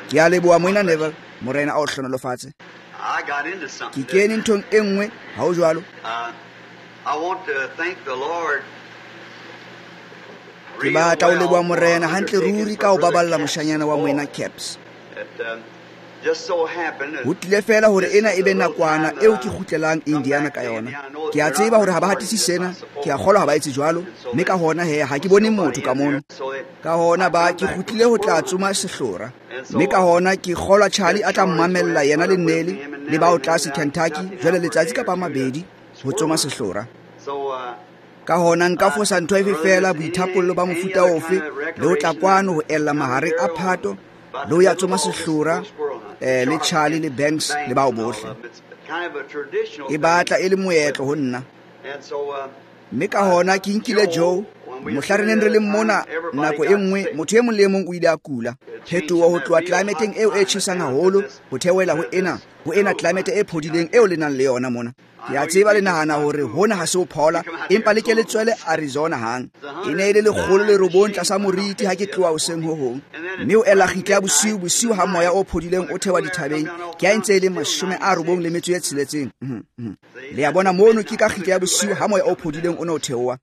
Ke a leboha Moena Neville, Morena a o hlohonolofatse. Ke kene nthong e nngwe, ha ho jwalo? Ke batla ho leboha Morena hantle ruri ka ho baballa moshanyana wa Moena Caps. Ho tlile feela hore ena e be nakwana eo ke kgutlelang Indiana ka yona. Ke a tseba hore ha ba hatise sena, ke a kgolwa ha ba etse jwalo, mme ka hona he ha ke bone motho ka mono. Ka hona ba ke kgutlile ho tla tsoma sehlora. Mme ka hona ke kgolwa Charlie a tla mmamella yena le Nelly le bao tlase Kentucky jwale letsatsi kapa mabedi ho tsoma sehlora. Ka hona nka fosa ntho efe feela, boithapollo ba mofuta ofe, le ho tla kwano ho ella mahareng a Phato, le ho ya tsoma sehlora, le Charlie le Banks le bao bohle. E batla e le moetlo ho nna. Mme ka hona ke nkile Joe, mohla re neng re le mona nako e nngwe, motho e mong le e mong o ile a kula. Phetoho ho tloha tlelaemeteng eo e tjhesang haholo ho theohela ho ena tlelaemete e phodileng eo le nang le yona mona. Ke a tseba le nahana hore hona ha se ho phola, empa le ke le tswele Arizona hang. E ne e le 109 tlasa moriti ha ke tloha hoseng ho hong. Mme o ela kgitla ya bosiu, bosiu ha moya o phodileng o theoha dithabeng, ke a ntse e le 96. Le a bona mono ke ka kgitla ya bosiu ha moya o phodileng o ne o theoha.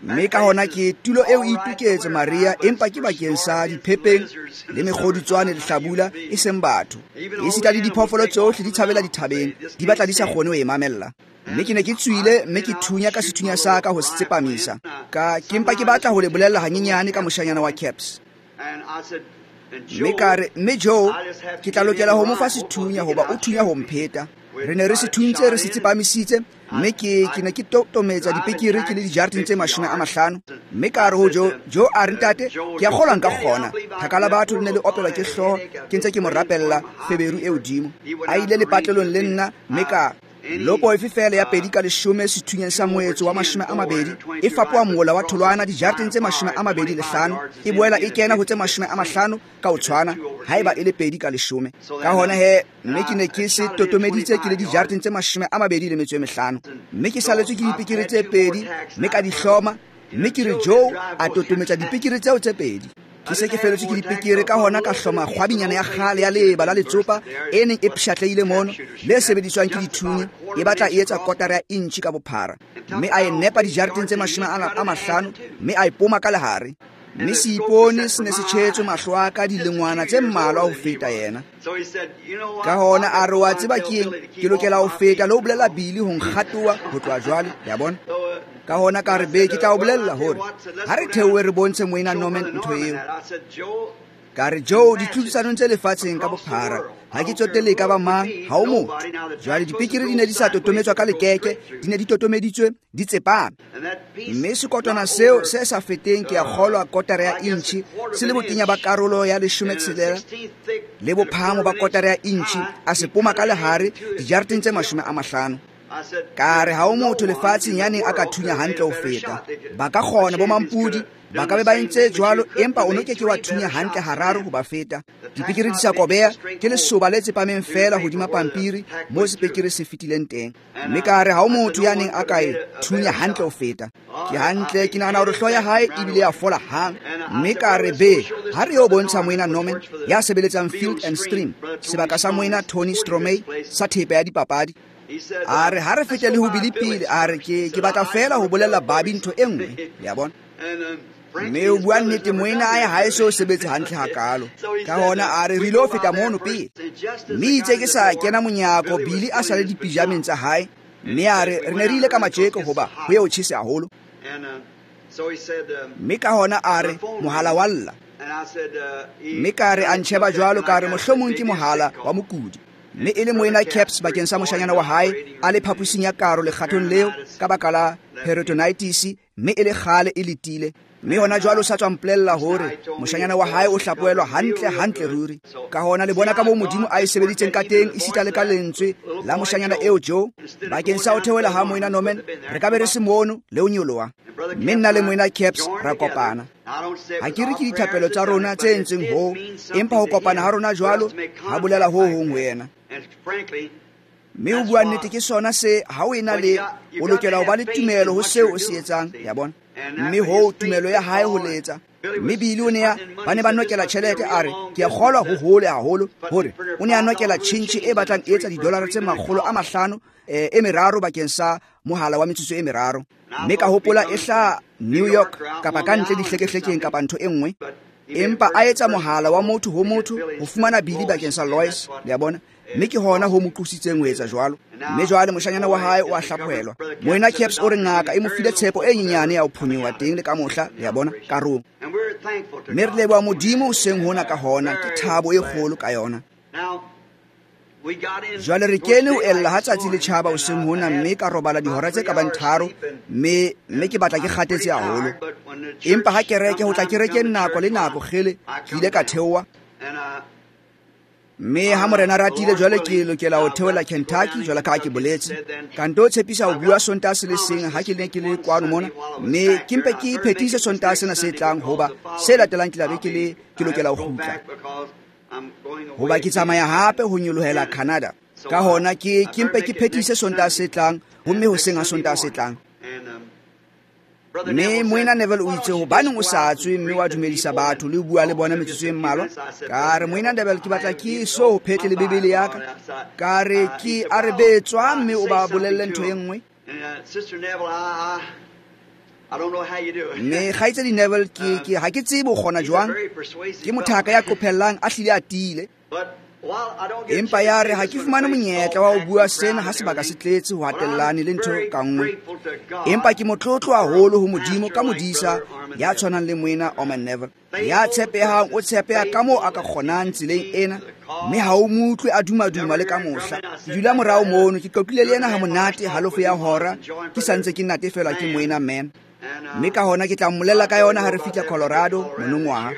Mme ka hona ke tulo eo e itoketse Maria, empa ke bakeng sa diphepeng le mekgodutswane le hlabula, e seng batho. Esita le diphoofolo tsohle di tshabela dithabeng, di batla di sa kgone ho e mamella. Mme ke ne ke tswile, mme ke thunya ka sethunya sa ka ho se tsepamisa. Ka ke mpa ke batla ho le bolella hanyenyane ka moshanyana wa Caps. Mme ka re, mme Joe, ke tla lokela ho mo fa sethunya hoba o thunya ho mpheta. Re ne re se thuntse, re se tsepamisitse, mme ke ne ke totometsa dipekere ke le dijareteng tse 50. Mme ka re ho Joe, Joe a re, ntate, ke a kgolwa nka kgona. Thaka la batho le ne le opelwa ke hlooho, ke ntse ke mo rapella feberu e hodimo. A ile lepatlelong le nna, mme ka lopo efe feela ya 2 ka 10 sethunyeng sa moetso wa 20 e fapoha mola wa tholwana dijareteng tse 25, e boela e kena ho tse 50 ka ho tshwana haeba e le 2 ka 10. Ka hona he, mme ke ne ke se totomeditse ke le dijareteng tse 25, mme ke saletswe ke dipekere tse 2, mme ka di hloma, mme ke re Joe a totometsa dipekere tseo tse 2. Ke se ke feletswe ke dipekere, ka hona ka hloma kgwabinyana ya kgale ya leeba la letsopa e neng e pshatleile mono, le sebediswang ke dithunya, e batla e etsa kotara ya intjhi ka bophara. Mme a e nepa dijareteng tse 50, mme a e poma ka lehare. Mme seipone se ne se tjhetswe mahlo a ka dilengwana tse mmalwa ho feta yena. Ka hona a re, wa tseba ke eng, ke lokela ho feta le ho bolella Billy ho nkgatoa ho tloha jwale, le a bona. Ka hona ka re, be, ke tla o bolella hore ha re theohe re bontshe Moena Norman ntho eo. Ka re, Joe, ditlhodisanong tse lefatsheng ka bophara, ha ke tsotelle e ka ba mang, ha o motho. Jwale dipekere di ne di sa totometswa ka lekeke, di ne di totomeditswe, di tsepame. Mme sekotwana seo se sa feteng ke a kgolwa kotara ya intjhi, se le botenya ba karolo ya 16 le bophahamo ba kotara ya intjhi, a se poma ka lehare dijareteng tse 50. Ka re, ha o motho lefatsheng ya neng a ka thunya hantle ho feta. Ba ka kgona bo mampudi, ba ka be ba entse jwalo, empa o no ke ke wa thunya hantle hararo ho ba feta. Dipekere di sa kobeha, ke lesoba le tsepameng feela hodima pampiri moo sepekere se fetileng teng. Mme ka re, ha o motho ya neng a ka e thunya hantle ho feta. Ke hantle, ke nahana hore hlooho ya hae ebile ya fola hang. Mme ka re, be, ha re yo bontsha Moena Norman ya sebeletsang Field and Stream, sebaka sa Moena Tony Stromey sa thepa ya dipapadi. A re, ha re fete le ho Billy pele, a re, ke batla feela ho bolella Bobby ntho e nngwe, le a bona. Mme o bua nnete, moena ae ha e so sebetse hantle hakalo. Ka hona a re, re ilo feta mono pele. Mme itse ke sa kena monyako, Billy a sa le dipijameng tsa hae. Mme a re, re ne re ile ka matjeko hoba ho ye ho tjhese haholo. Mme ka hona a re, mohala wa lla. Mme ka re, a ntjheba jwalo, ka re, mohlomong ke mohala wa mokudi. Mme e le Moena Caps bakeng sa moshanyana wa hae, a le phaposing ya karo lekgathong leo ka baka la peritonitis, mme e le kgale e letile. Mme hona jwale o sa tswa mpolella hore moshanyana wa hae o hlapohelwa hantle, hantle ruri. Ka hona le bona ka moo Modimo a e sebeditseng ka teng, esita le ka lentswe la moshanyana eo Joe, bakeng sa ho theohela ha Moena Norman, re ka be re se mono le ho nyoloha. Mme nna le Moena Caps ra kopana. Ha ke re ke dithapelo tsa rona tse entsweng hoo, empa ho kopana ha rona jwalo ha bolela ho hong ho yena. Mme o bua nnete ke sona se ha o ena le o lokela ho ba le tumelo ho seo o se etsang, ya bona. Mme hoo tumelo ya hae ho letsa. Mme Billy o ne a ba ne ba nokela tjhelete, a re ke a kgolwa ho hole haholo hore o ne a nokela tjhentjhe e batlang e etsa didolara tse 500 e meraro bakeng sa mohala wa metsotso e meraro. Mme ka hopola e hla New York kapa ka ntle dihlekehlekeng kapa ntho e nngwe, empa a etsa mohala wa motho ho motho ho fumana Billy bakeng sa Lois, le a bona. Mme ke hona ho mo qositseng ho etsa jwalo. Mme jwale moshanyana wa hae o a hlaphohelwa. Moena Caps o re ngaka e mo file tshepo e nyenyane ya ho phonyoha teng le ka mohla, le a bona, karong. Mme re leboha Modimo hoseng hona ka hona, ke thabo e kgolo ka yona. Jwale re kene ho ella ha tsatsi le tjhaba hoseng hona, mme ka robala dihora tse ka bang 3, mme ke batla ke kgathetse haholo. Empa ha kereke ho tla kerekeng nako le nako kgele, ke ile ka theoha. Mme ha morena ratile jwale ke lokela ho theola Kentucky jwale ka ha ke boletse. Ka nto tshepisa ho bua Sontaha se le seng ha ke ne ke le kwano mona, mme ke mpe ke phethise Sontaha sena se tlang, hoba se latelang ke tla be ke le ke lokela ho kgutla. Hoba ke tsamaya hape ho nyolohela Canada. Ka hona ke mpe ke phethise Sontaha se tlang, homme hoseng ha Sontaha se tlang. Mme Moena Neville o itse hobaneng o sa tswe mme wa dumedisa batho le ho bua le bona metsotso e mmalwa. Ka re Moena Neville ke batla ke so phetle le Bibele ya ka. Ka re ke a re betswa mme o ba bolelle ntho e nngwe. Mme kgaitsedi Neville ke ha ke tsebe o kgona jwang. Ke mothaka ya qophellang a hlile a tiile. Empa ya re ha ke fumane monyetla wa ho bua sena ha sebaka se tletse ho hatellane le ntho ka nngwe. Empa ke motlotlo haholo ho Modimo ka modisa ya tshwanang le Moena Orman Neville. Ya tshepehang o tshepeha ka moo a ka kgonang tseleng ena, mme ha o mo utlwe a dumaduma le ka mohla. Ke dula morao mono, ke qoqile le yena ha monate halofo ya hora, ke sa ntse ke natefelwa ke Moena Man. Mme ka hona ke tla mmolella ka yona ha re fihla Colorado monongwaha.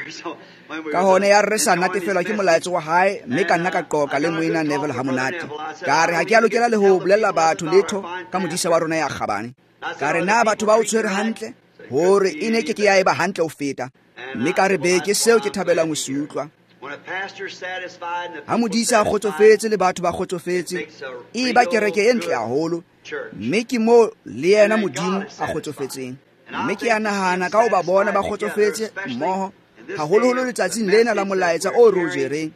Ka hona ya re sa natefelwa ke molaetsa wa hae, mme ka nna ka qoqa le Moena Neville ha monate. Ka re ha ke a lokela le ho bolella batho letho ka modisa wa rona ya kgabane. Ka re na batho ba o tshwere hantle, hore e ne ke ke ya eba hantle ho feta. Mme ka re be ke seo ke thabelang ho se utlwa. Ha modisa a kgotsofetse le batho ba kgotsofetse, e ba kereke e ntle haholo, mme ke moo le yena Modimo a kgotsofetseng. Mme ke a nahana ka ho ba bona ba kgotsofetse mmoho, haholoholo letsatsing lena la molaetsa o re o jereng.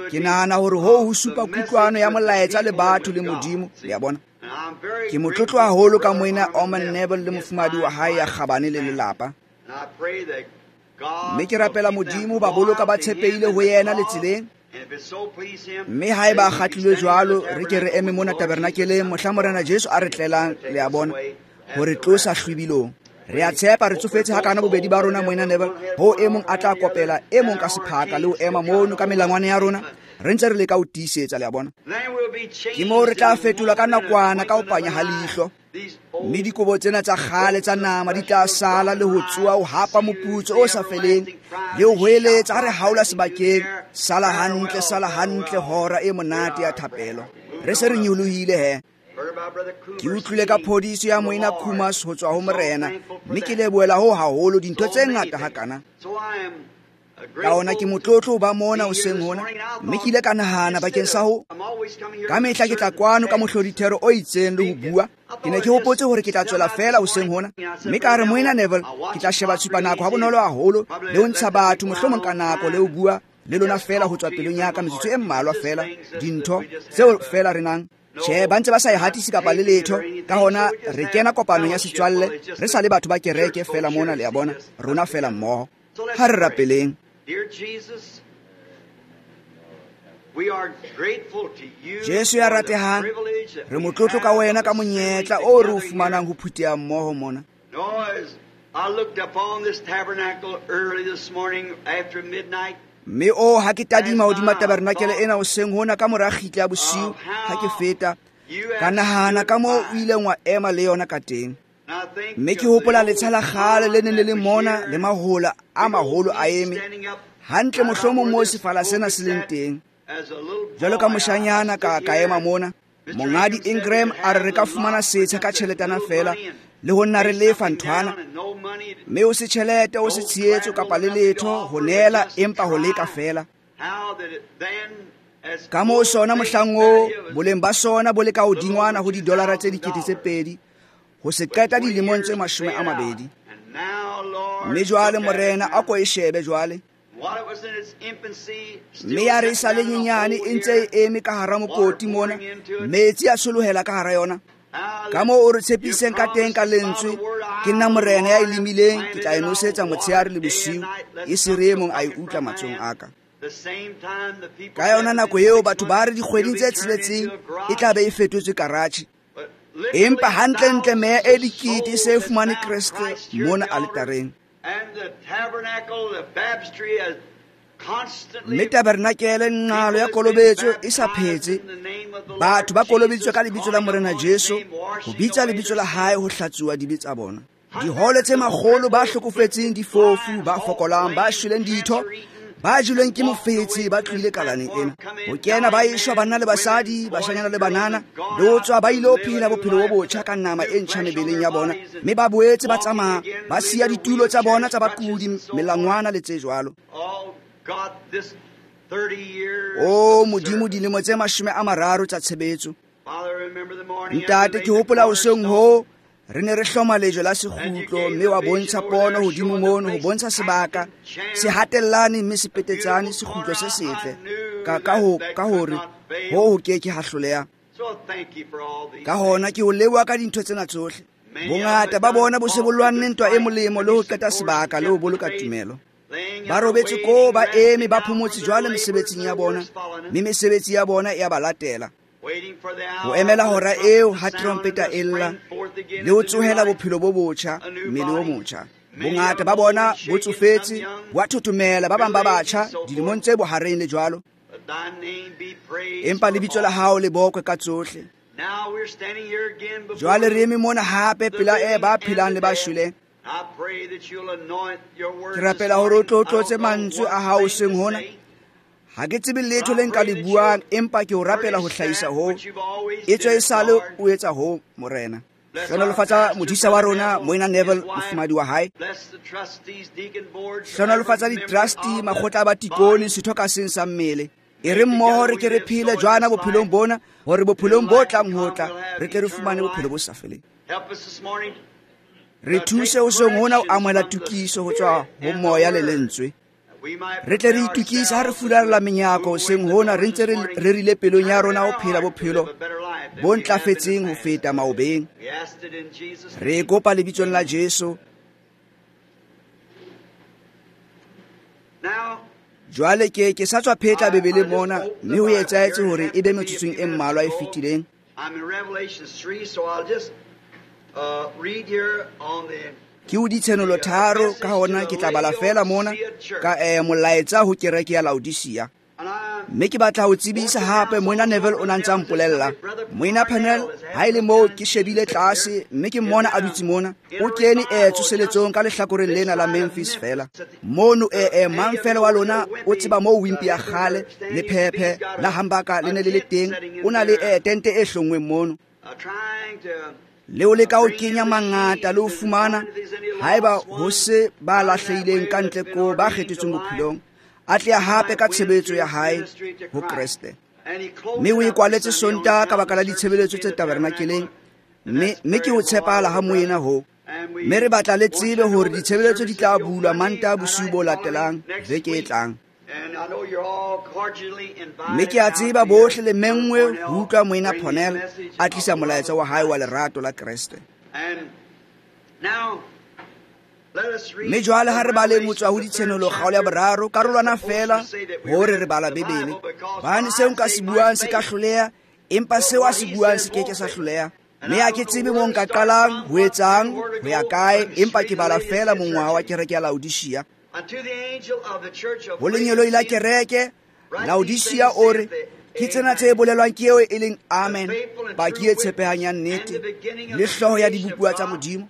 Ke nahana hore hoo ho supa kutlwano ya molaetsa le batho le Modimo, le a bona. Ke motlotlo haholo ka Moena Orman Neville le mofumahadi wa hae ya kgabane le lelapa. Mme ke rapela Modimo ba boloka ba tshepehile ho yena le tseleng. Mme haeba a kgatlilwe jwalo, re ke re eme mona tabernakeleng mohla Morena Jesu a re tlelang, le a bona, hore tlosa hlwibilong. Re a tshepa re tsofetse hakana bobedi ba rona Moena Neville, ho e mong a tla kopela e mong ka sephaka le ho ema mono ka melangwane ya rona, re ntse re leka ho tiisetsa, le a bona. Ke moo re tla fetolwa ka nakwana ka ho panya ha leihlo. Mme dikobo tsena tsa kgale tsa nama di tla sala le ho tsoha ho hapa moputso o sa feleng le ho hweletsa ha re haola sebakeng, sala hantle hora e monate ya thapelo. Re se re nyolohile he. Ke utlwile ka phodiso ya Moena Kumas ho tswa ho Morena, mme ke lebohela ho haholo dintho tse ngata hakana. Ka hona ke motlotlo ho ba mona hoseng hona, mme ke ile ka nahana bakeng sa ho ka mehla ke tla kwano ka mohlodithero o itseng le ho bua. Ke ne ke hopotse hore ke tla tswela feela hoseng hona, mme ka re Moena Neville ke tla sheba tshupanako ha bonolo haholo le ho ntsha batho mohlomong ka nako le ho bua le lona feela ho tswa pelong ya ka metsotso e mmalwa feela, dintho tseo feela re nang. Tjhe, ba ntse ba sa e hatise kapa le letho. Ka hona re kena kopanong ya setswalle, re sa le batho ba kereke feela mona, le a bona, rona feela mmoho. Ha re rapeleng. Jesu ya ratehang, re motlotlo ka wena ka monyetla o re o fumanang ho phutheha mmoho mona. Mme o ha ke tadima hodima tabernakele ena hoseng hona ka mora kgitla ya bosiu ha ke feta, ka nahana ka moo o ileng wa ema le yona ka teng. Mme ke hopola letsha la kgale le neng le le mona le mahola a maholo a eme hantle mohlomong moo sefala sena se leng teng. Jwalo ka moshanyana ka ema mona, Mongadi Ingram a re re ka fumana setsha ka tjheletana feela le ho nna re lefa nthwana, mme o se tjhelete o se tshehetso kapa le letho ho neela, empa ho leka feela. Ka moo sona mohlang oo boleng ba sona bo le ka hodingwana ho didolara tse 2,000 ho se qeta dilemong tse 20. Mme jwale Morena a ko e shebe jwale. Mme ya re e sa le nyenyane e ntse e eme ka hara mokoti mona, metsi a tsholohela ka hara yona. Ka moo o re tshepiseng ka teng ka lentswe, ke nna Morena ya e lemileng, ke tla e nosetsa motshehare le bosiu, e se re e mong a e utlwa matsohong a ka. Ka yona nako eo batho ba re dikgweding tse 6 e tla be e fetotswe karatjhe. Empa hantlentle meya e dikete e se e fumane Kreste mona aletareng. Mme tabernakele nqalo ya kolobetso e sa phetse. Batho ba kolobeditswe ka lebitso la Morena Jesu, ho bitsa lebitso la hae ho hlatsuwa dibe tsa bona. Dihole tse makgolo ba hlokofetseng, difofu, ba fokolang, ba shweleng ditho, ba jelweng ke mofetshe, ba tlohile kalaneng ena. Ho kena ba eshwa banna le basadi, bashanyana le banana, le ho tswa ba ile ho phela bophelo bo botjha ka nama e ntjha mebeleng ya bona, mme ba boetse ba tsamaya, ba siya ditulo tsa bona tsa bakudi, melangwana le tse jwalo. O Modimo, dilemo tse 30 tsa tshebetso. Ntate, ke hopola hoseng hoo re ne re hloma lejwe la sekgutlo, mme wa bontsha pono hodimo mono ho bontsha sebaka se hatellane mme se petetsane, sekgutlo se setle ka hore ho ke ke ha hloleha. Ka hona ke ho leboha ka dintho tsena tsohle. Bongata ba bona bo se bo lwanne ntwa e molemo le ho qeta sebaka le ho boloka tumelo. Ba robetse koo, ba eme, ba phomotse jwale mesebetsing ya bona, mme mesebetsi ya bona e a ba latela. Ho emela hora eo ha trompeta e lla, le ho tsohela bophelo bo botjha, mmele o motjha. Bongata ba bona bo tsofetse, bo a thothomela, ba bang ba batjha dilemong tse bohareng le jwalo. Empa lebitso la hao le bokwe ka tsohle. Jwale re eme mona hape pela e ba phelang le ba shweleng. Ke rapela hore o tlo tlotse mantswe a hao hoseng hona. Ha ke tsebe letho le nka le buang, empa ke o rapela ho hlahisa ho. Etswe esale o etsa ho, Morena. Hlohonolofatsa modisa wa rona, Moena Neville, mofumahadi wa hae. Hlohonolofatsa di-trustee, makgotla a batikone, setho ka seng sa mmele. E re mmoho re ke re phele jwana bophelong bona, hore bophelong bo tlang ho tla, re tle re fumane bophelo bo sa feleng. Re thuse hoseng hona ho amohela tokiso ho tswa ho moya le lentswe. Re tle re itokise ha re fularela menyako hoseng hona, re ntse re rerile pelong ya rona ho phela bophelo bo ntlafetseng ho feta maobeng. Re kopa lebitsong la Jesu. Jwale ke sa tswa phetla Bibele mona, mme ho etsahetse hore e be metsotsong e mmalwa e fetileng. Ke o ditshenolo 3, ka hona ke tla bala fela mona ka molaetsa ho kereke ya Laodicea. Mme ke batla ho tsebisa hape, Moena Neville o na ntsa mpolella. Moena Parnell, ha e le moo ke shebile tlase, mme ke mmona a dutse mona. O kene tsoseletsong ka lehlakoreng lena la Memphis fela. Mono mang fela wa lona o tseba moo Wimpy ya kgale le phephe la hambaka le ne le le teng. O na le tente e hlongweng mono. Le o leka ho kenya mangata le ho fumana haeba ho se ba lahlehileng ka ntle ko ba kgethetsweng bophelong, a tle hape ka tshebetso ya hae ho Kreste. Mme o e kwaletse Sontaha ka baka la ditshebeletso tse tabernakeleng, mme ke ho tshepahala ha moena ho. Mme re batla le tsebe hore ditshebeletso di tla bulwa Mantaha bosiu bo latelang veke e tlang. Mme ke a tseba bohle le menngwe ho utlwa Moena Parnell a tlisa molaetsa wa hae wa lerato la Kreste. Mme jwale ha re baleng ho tswa ho ditshenolo kgaolo ya 3, karolwana fela hore re bala Bibele. Hobane seo nka se buang se ka hloleha, empa seo a se buang se ke ke sa hloleha. Mme ha ke tsebe moo nka qalang ho etsang, ho ya kae, empa ke bala fela mongwaha wa kereke ya Laodicea. Ho lengeloi la kereke Laodicea o re, ke tsena tse bolelwang ke eo e leng Amen, paki e tshepehang ya nnete, le hlooho ya dibopuwa tsa Modimo.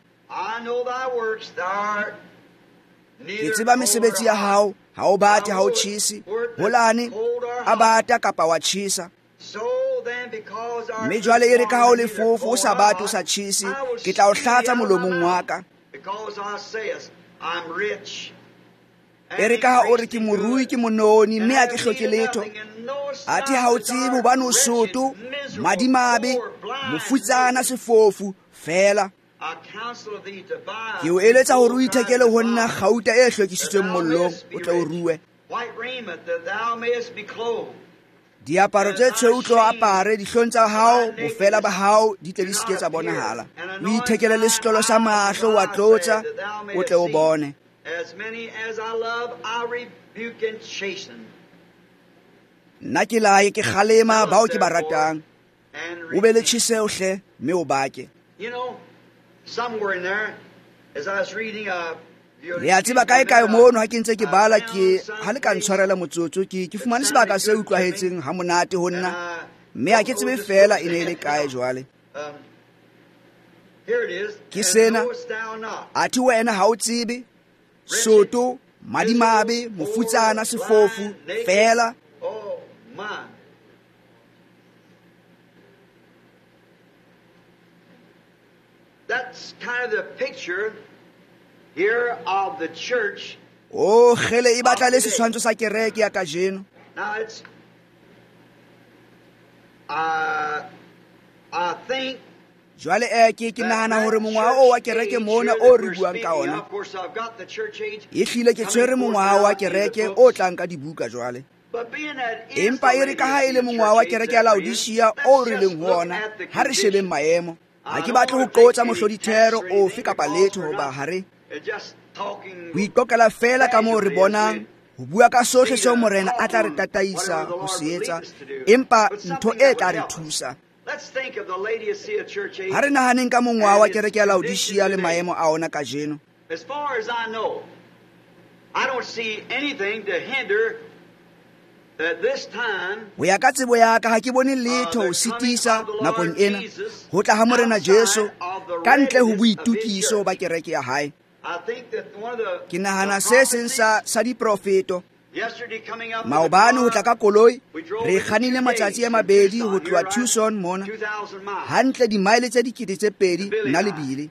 Ke tseba mesebetsi ya hao, ha o bate, ha o tjhese, holane a bata kapa wa tjhesa. Mme jwale e re ka ha o le fofo, o sa bate, o sa tjhese, ke tla o hlatsa molomong wa ka. E re ka ha o re ke morui, ke mononi, mme ha ke hloke letho, Athe ha o tsebe hobane o soto, madimabe, mofutsana, sefofu feela. Ke o eletsa hore o ithekele ho nna kgauta e hlwekisitsweng mollong, o tle o rue. Diaparo tse tshweu tlo apare, dihlong tsa hao bofela ba hao di tle di se ke tsa bonahala. O ithekele le setlolo sa mahlo wa tlotsa, o tle o bone. Nna ke laye ke kgalema bao ke ba ratang. O be le tjheseho hle, mme o bake. Le a tseba kae kae mono ha ke ntse ke bala, ke ha le ka ntshwarela motsotso, ke fumane sebaka se utlwahetseng ha monate ho nna, mme ha ke tsebe feela e ne e le kae jwale. Ke sena, athe wena ha o tsebe, soto, madimabe, mofutsana, sefofu, feela. That's kind of the picture here of the church. Oh, kgele e batla le setshwantsho sa kereke ya kajeno. Now it's I think jwale ke nahana hore mongwaha o wa kereke mona o re buang ka ona. E hlile ke tshwere mongwaha wa kereke o tlang ka dibuka jwale. Empa e re ka ha e le mongwaha wa kereke ya Laodicea o re leng ho ona, ha re shebeng maemo. Ha ke batle ho qotsa mohlodithero ofe kapa letho hoba ha re ho iqoqela feela ka moo re bonang, ho bua ka sohle seo Morena a tla re tataisa ho se etsa, empa ntho e tla re thusa. Ha re nahaneng ka mongwaha wa kereke ya Laodicea le maemo a ona kajeno. As far as I know, I don't see anything to hinder Ho ya ka tsebo ya ka ha ke bone letho ho sitisa nakong ena ho tla ha Morena Jesu ka ntle ho boitukiso ba kereke ya hae. Ke nahana se seng sa diprofeto. Maobane ho tla ka koloi, re kganile matsatsi a mabedi ho tloha Tucson mona, hantle dimaele tse 2,000 nna le Billy.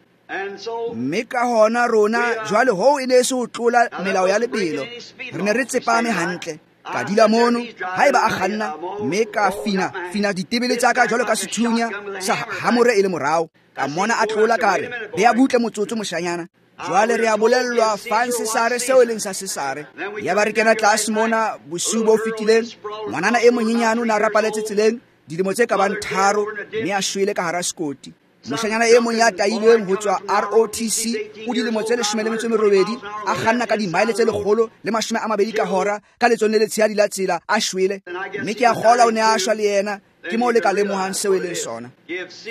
Mme ka hona rona jwale hoo e ne e se ho tlola melao ya lebelo, re ne re tsepame hantle. Ka dula mono, haeba a kganna, mme ka fina ditebele tsa ka jwalo ka sethunya sa hamore e le morao. Ka mona a tlola ka re, bea butle motsotso moshanyana. Jwale re a bolellwa fang Sesare seo e leng sa Sesare. Yaba re kena tlase mona bosiu bo fetileng, ngwanana e monyenyane o ne a rapaletse tseleng dilemo tse ka bang 3, mme a shwele ka hara sekoti. Moshanyana e mong ya tailweng ho tswa ROTC o dilemo tse 18, a kganna ka dimaele tse 120 ka hora ka letsong le letshehadi la tsela, a shwele. Mme ke a kgolwa o ne a shwa le yena. Ke moo le ka lemohang seo e leng sona.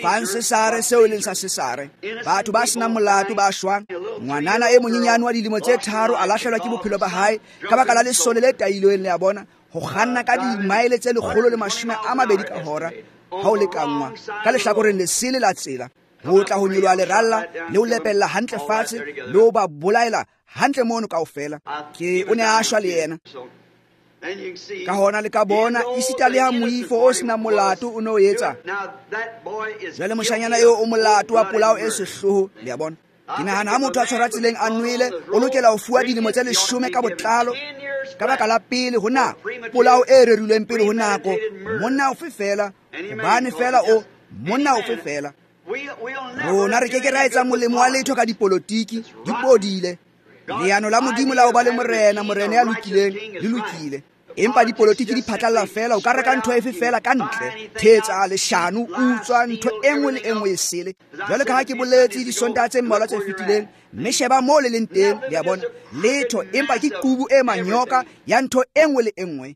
Fang Sesare seo e leng sa Sesare. Batho ba senang molato ba shwang. Ngwanana e monyenyane wa dilemo tse 3 a lahlelwa ke bophelo ba hae ka baka la lesole le tailweng, le a bona, ho kganna ka dimaele tse 120 ka hora ha o lekanngwa ka lehlakoreng lesele la tsela, ho tla ho nyoloha leralla le ho lepella hantle fatshe le ho ba bolaela hantle mono kaofela. Ke o ne a shwa le yena. Ka hona le ka bona esita le ha moifo o senang molato o ne o etsa. Jwale moshanyana eo o molato wa polao e sehloho, le a bona. Ke nahana ha motho a tshwarwa tseleng a nwele, o lokela ho fuwa dilemo tse 10 ka botlalo ka baka la pele ho nako, polao e rerilweng pele ho nako, monna ofe feela, hobane feela o monna ofe feela. Rona re ke ke ra etsa molemo wa letho ka dipolotiki, di bodile. Leano la Modimo la ho ba le morena, morena ya lokileng, le lokile. Empa dipolotiki di phatlalla feela, o ka reka ntho efe feela ka ntle, thetsa, leshano, utswa, ntho e nngwe le e nngwe e sele. Jwale ka ha ke boletse disontaha tse mmalwa tse fetileng, mme sheba moo le leng teng, le a bona, letho, empa ke qubu e manyoka ya ntho e nngwe le e nngwe.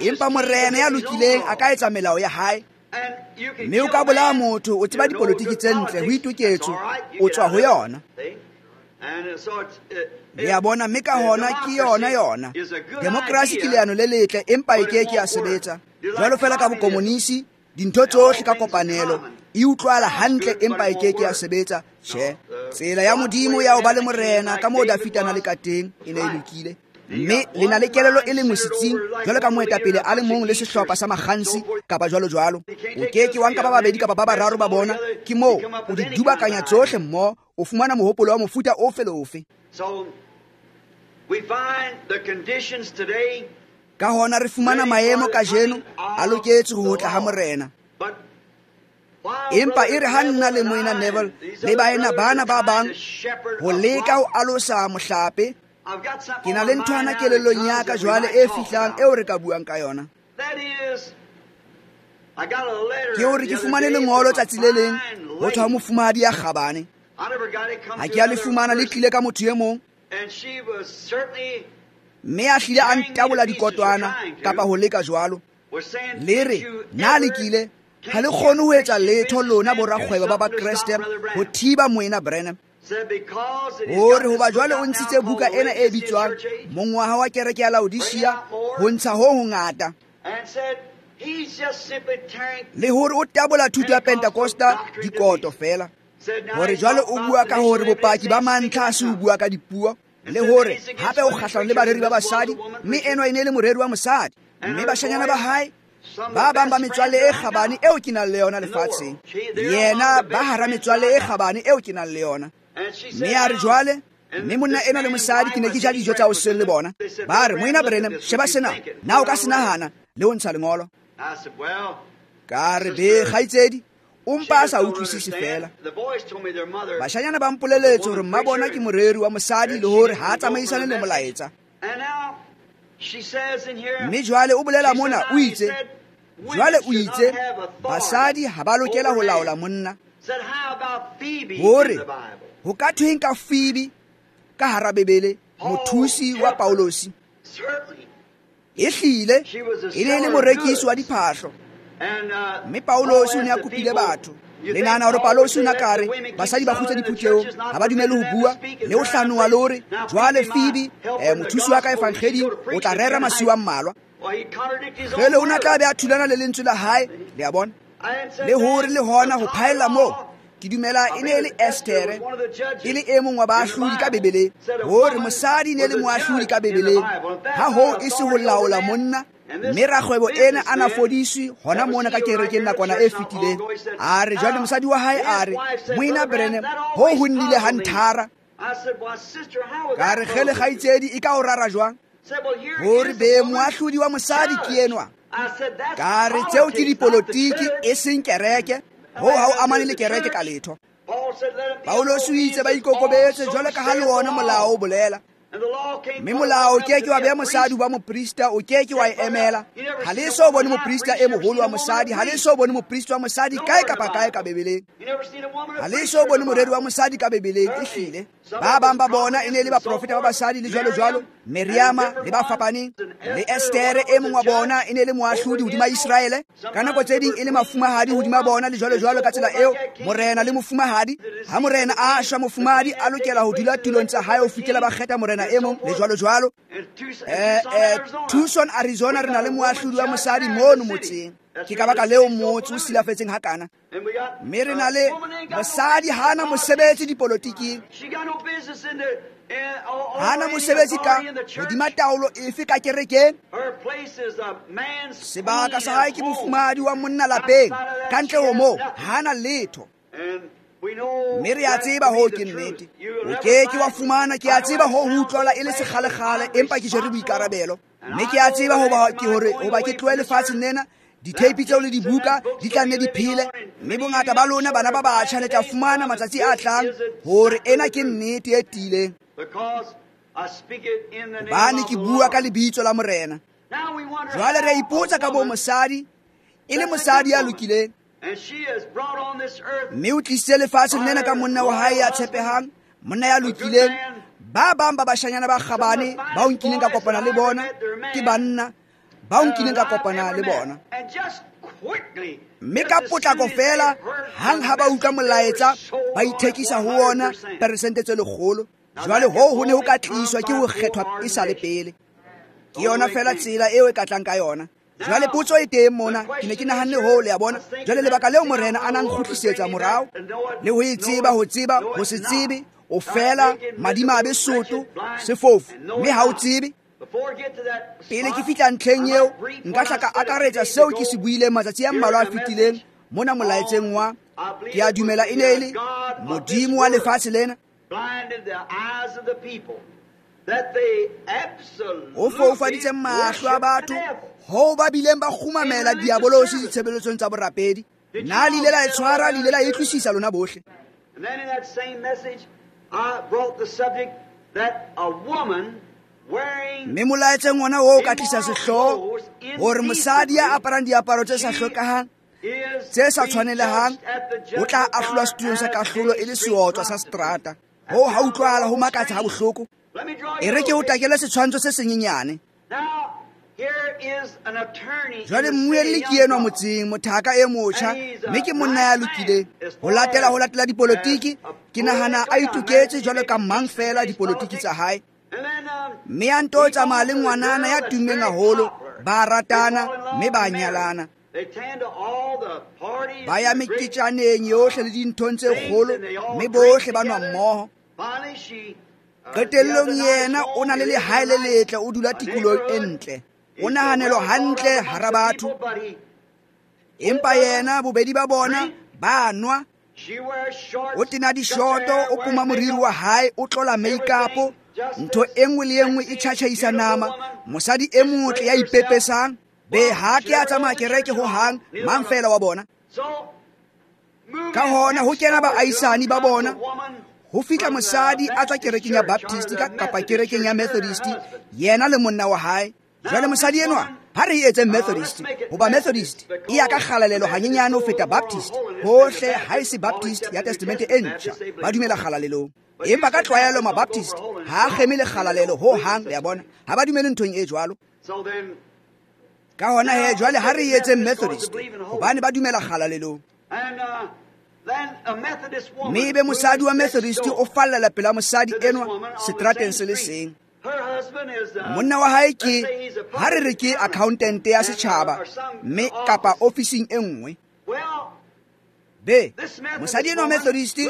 Empa morena ya lokileng a ka etsa melao ya hae. Mme o ka bolaya motho, o tseba dipolotiki tse ntle, ho itoketswe, o tswa ho yona. Le a bona, mme ka hona ke yona yona. Demokrasi ke leano le letle, empa e ke ke ya sebetsa. Jwalo feela ka bokomonisi, dintho tsohle ka kopanelo e utlwala hantle, empa e ke ke ya sebetsa. Tjhe, tsela ya Modimo ya ho ba le morena ka moo Dafita a na le ka teng e ne e lokile. Mme le na le kelello e le nngwe setsing, jwalo ka moetapele a le mong le sehlopha sa makgansi kapa jwalo jwalo. O ke ke wa nka ba babedi kapa ba bararo ba bona, ke moo o di dubakanya tsohle mmoho, o fumana mohopolo wa mofuta ofe le ofe. So we find the conditions today. Ka hona re fumana maemo kajeno a loketse ho tla ha Morena. Empa e re ha nna le Moena Neville le baena bana ba bang ho leka ho alosa mohlape, ke na le nthwana kelellong ya ka jwale e fihlang eo re ka buang ka yona. Ke hore ke fumane lengolo tsatsi le leng ho tswa ho mofumahadi ya kgabane. Ha ke a le fumana, le tlile ka motho e mong, mme a hlile a ntabola dikotwana kapa ho leka jwalo. Le re, na le kile ha le kgone ho etsa letho lona borakgwebo ba Bakreste ho thiba Moena Branham. Hore hoba jwale o ntshitse buka ena e bitswang Mongwaha wa Kereke ya Laodicea ho ntsha ho hongata, le hore o tabola thuto ya Pentecosta dikoto fela. Hore jwale o bua ka hore bopaki ba mantlha ha se o bua ka dipuo, le hore hape o kgahlano le bareri ba basadi, mme enwa e ne le moreri wa mosadi, mme bashanyana ba hae ba bang ba metswalle e kgabane eo ke nang le yona lefatsheng, yena ba hara metswalle e kgabane eo ke nang le yona. Mme a re jwale, mme monna enwa le mosadi ke ne ke ja dijo tsa hoseng le bona. Ba re, Moena Branham, sheba sena, na o ka se nahana le ho ntsha lengolo? Ka re, be kgaitsedi, o mpa a sa utlwisise fela. Bashanyana ba mpoleletse hore mma bona ke moreri wa mosadi le hore ha a tsamaisane le molaetsa. Mme jwale o bolela mona, o itse, jwale o itse basadi ha ba lokela ho laola monna. Hore ho ka thweng ka Phoebe ka hara Bibele, mothusi wa Paulosi? E hlile e ne e le morekisi wa diphahlo, mme Paulosi o ne a kopile batho. Le nahana hore Paulosi o ne a ka re basadi ba kgutse diphuthehong, ha ba dumele ho bua le ho hlanoha, le hore jwale Phoebe, mothusi wa ka evangeling, o tla rera masiu a mmalwa. Jwale o ne a tla be a thulana le lentswe la hae, le a bona. Le hore le hona ho phaella moo, ke dumela e ne e le Esthere, e le e mong wa baahlodi ka Bibeleng, hore mosadi ne le moahlodi ka Bibeleng, ha hoo e se ho laola monna. Mme rakgwebo ena a na fodiswe hona mona ka kerekeng nakwana e fetileng. A re jwale mosadi wa hae a re, Moena Branham, ho ho nnile ha nthara. Ka re, kgele kgaitsedi, e ka o rara jwang? Hore be moahlodi wa mosadi ke enwa. Ka re, tseo ke dipolotiki e seng kereke, ho ha o amane le kereke ka letho. Paulosi o itse ba ikokobetse jwalo ka ha le ona molao o bolela. Mme molao o ke ke wa beha mosadi wa moprista, o ke ke wa e emela. Ha le so bone moprista e moholo wa mosadi, ha le so bone moprista wa mosadi kae kapa kae ka Bibeleng. Ha le so bone moreri wa mosadi ka Bibeleng, ehlile. Ba bang ba bona e ne le baprofeta ba basadi le jwalo jwalo, Miriama le ba fapaneng, le Esthere e mong wa bona e ne le moahlodi hodima Iseraele. Ka nako tse ding e le mafumahadi hodima bona le jwalo jwalo ka tsela eo, morena le mofumahadi. Ha morena a shwa, mofumahadi a lokela ho dula tulong tsa hae ho fihlela ba kgetha morena e mong le jwalo jwalo. Tucson, Arizona, re na le moahlodi wa mosadi mono motseng. Ke ka baka leo motse o silafetseng hakana. Mme re na le mosadi hana mosebetsi dipolotiking, hana mosebetsi ka hodima taolo efe ka kerekeng. Sebaka sa hae ke mofumahadi wa monna lapeng, ka ntle ho moo hana letho. Mme re a tseba hoo ke nnete. O ke ke wa fumana, ke a tseba hoo ho utlwala e le sekgalekgale, empa ke jere boikarabelo. Mme ke a tseba hoba ke hore hoba ke tlohe lefatsheng lena, ditheipi tseo le dibuka di tla nne di phele. Mme bongata ba lona bana ba batjha le tla fumana matsatsi a tlang hore ena ke nnete e tiileng. Hobane ke bua ka lebitso la Morena. Jwale re a ipotsa ka bo mosadi, e le mosadi ya lokileng, mme o tlisitse lefatsheng lena ka monna wa hae ya tshepehang, monna ya lokileng. Ba bang ba bashanyana ba kgabane bao nkileng ka kopana le bona ke banna bao nkileng ka kopana le bona. Mme ka potlako fela, hang ha ba utlwa molaetsa, ba ithekisa ho ona peresente tse 100. Jwale hoo ho ne ho ka tliswa ke ho kgethwa e sa le pele. Ke yona fela tsela eo e ka tlang ka yona. Jwale potso e teng mona, ke ne ke nahanne hoo, le a bona. Jwale lebaka leo Morena a nang kgutlisetsa morao, le ho e tseba, ho tseba, ho se tsebe, o fela madimabe soto, sefofu, mme ha o tsebe. Pele ke fihla ntlheng eo, nka hla ka akaretsa seo ke se buileng matsatsi a mmalwa a fetileng mona molaetseng wa, ke a dumela e ne e le Modimo wa lefatshe lena. O foufaditse mahlo a batho hoo ba bileng ba kgumamela diabolosi ditshebeletsong tsa borapedi. Na le ile la e tshwara, le ile la e utlwisisa lona bohle. Mme molaetseng ona oo ka tlisa sehlooho hore mosadi ya aparang diaparo tse sa hlokahang, tse sa tshwanelehang, o tla ahlolwa setulong sa kahlolo e le seotswa sa seterata. Hoo ha utlwahala ho makatsa ha bohloko. E re ke o takele setshwantsho se senyenyane. Jwale mmuelli ke enwa motseng, mothaka e motjha, mme ke monna ya lokileng. Ho latela dipolotiki, ke nahana a itoketse jwalo ka mang fela dipolotiki tsa hae. Mme a nto tsamaya le ngwanana ya tummeng haholo, ba ratana mme ba nyalana. Ba ya meketjaneng yohle le dinthong tse kgolo, mme bohle ba nwa mmoho. Qetellong yena o na le lehae le letle, o dula tikolohong e ntle, o nahanelwa hantle hara batho. Empa yena bobedi ba bona ba nwa, o tena dishoto, o poma moriri wa hae, o tlola make-up, ntho e nngwe le e nngwe e tjhatjhaisa nama. Mosadi e motle ya ipepesang, be ha ke a tsamaya kereke ho hang, mang fela wa bona. Ka hona ho kena baahisani ba bona, ho fihla mosadi a tswa kerekeng ya Baptist kapa kerekeng ya Methodist, yena le monna wa hae. Jwale mosadi enwa ha re etse Methodist, hoba Methodist e ya ka kgalalelo hanyenyane ho feta Baptist. Hohle ha e se Baptist ya Testamente e ntjha, ba dumela kgalalelong. Empa ka tlwaelo ma-Baptist ha a kgeme le kgalalelo ho hang, le a bona, ha ba dumele nthong e jwalo. Ka hona he jwale ha re etse Methodist, hobane ba dumela kgalalelong. Mme ebe mosadi wa Methodist o fallela pela mosadi enwa seterateng se le seng. Monna wa hae ke, ha re re ke accountant ya setjhaba, mme kapa ofising e nngwe. Be, mosadi enwa Methodist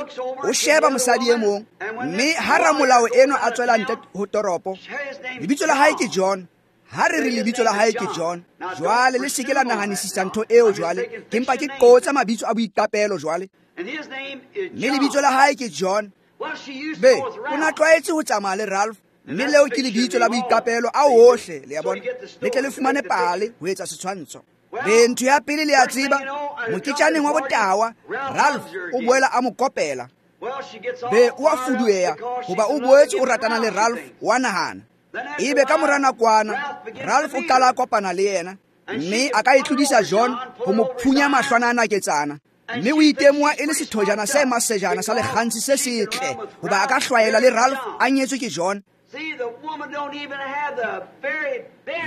o sheba mosadi e mong, mme ha ramolao enwa a tswela ntle ho toropo, lebitso la hae ke John. Ha re re lebitso la hae ke John, jwale le se ke la nahanisisa ntho eo jwale, ke mpa ke qotsa mabitso a boiqapelo jwale. Mme lebitso la hae ke John. Be, o na tlwaetse ho tsamaya le Ralph, mme leo ke lebitso la boiqapelo a ohle, le a bona, le tle le fumane pale ho etsa setshwantsho. Be, ntho ya pele le a tseba, moketjaneng wa botawa, Ralph o boela a mo kopela. Be, o a fudueha hoba o boetse o ratana le Ralph, wa nahana. Ebe ka mora nakwana, Ralph o qala a kopana le yena, mme a ka e tlodisa John ho mo phunya mahlwana a naketsana. Mme o itemoha e le sethojana se masejana sa lekgantshi se setle, hoba a ka hlwaela le Ralph a nyetswe ke John. Le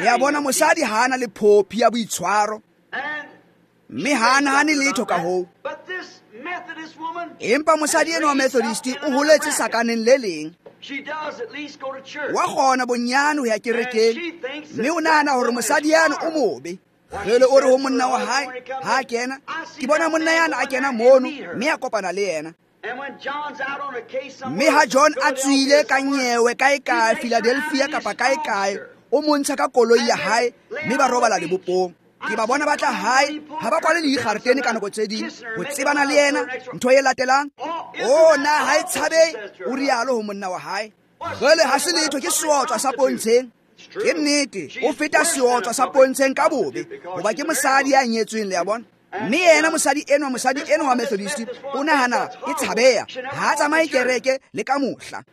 a bona, mosadi ha ana le phophi ya boitshwaro, mme ha a nahane letho ka hoo. Empa mosadi enwa wa Methodist o holetse sakaneng le leng. Wa kgona bonyane ho ya kerekeng, mme o nahana hore mosadi yane o mobe. Jwale o re ho monna wa hae ha a kena, ke bona monna yane a kena mono, mme a kopana le yena. Mme ha John a tswile ka nyewe kae kae Philadelphia kapa kae kae, o montsha ka koloi ya hae, mme ba robala lebopong. Ke ba bona ba tla hae, ha ba kwale le dikgaretene ka nako tse ding, ho tsebana le yena. Ntho e latelang, o na ha e tshabe, o rialo ho monna wa hae. Jwale ha se letho, ke seotswa sa pontsheng. Ke nnete, o feta seotswa sa pontsheng ka bobe, hoba ke mosadi ya nyetsweng, le a bona. Mme yena mosadi enwa wa Methodist o nahana ke tshabeha, ha a tsamaye kereke le ka mohla.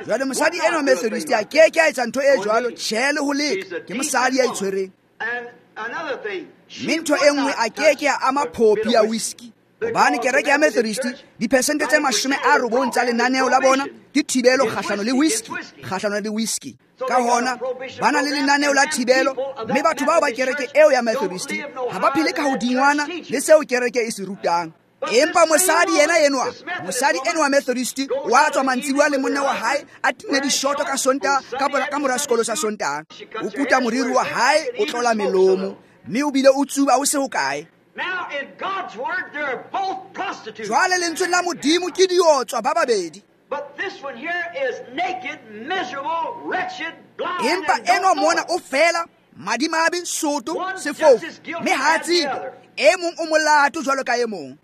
Jwale mosadi enwa wa Methodist a ke ke a etsa ntho e jwalo, tjhe le ho leka, ke mosadi ya itshwereng. Mme ntho e nngwe a ke ke a ama phophi ya whisky, hobane kereke ya Methodist diphesente tse 90 tsa lenaneo la bona ke thibelo kgahlano le whisky, kgahlano le whisky. Ka hona ba na le lenaneo la thibelo, mme batho bao ba kereke eo ya Methodist ha ba phele ka hodingwana le seo kereke e se rutang. Empa mosadi yena enwa, mosadi enwa Methodist wa tswa mantsibuya le monna wa hae, a tine dishoto ka Sontaha, ka mora sekolo sa Sontaha. O kuta moriri wa hae, o tlola melomo, mme o bile o tsuba o se ho kae. Jwale lentswe la Modimo ke diotswa ba babedi. Empa enwa mona o fela madimabe, soto, sefofu, mme ha a tsebe. E mong o molato jwalo ka e mong.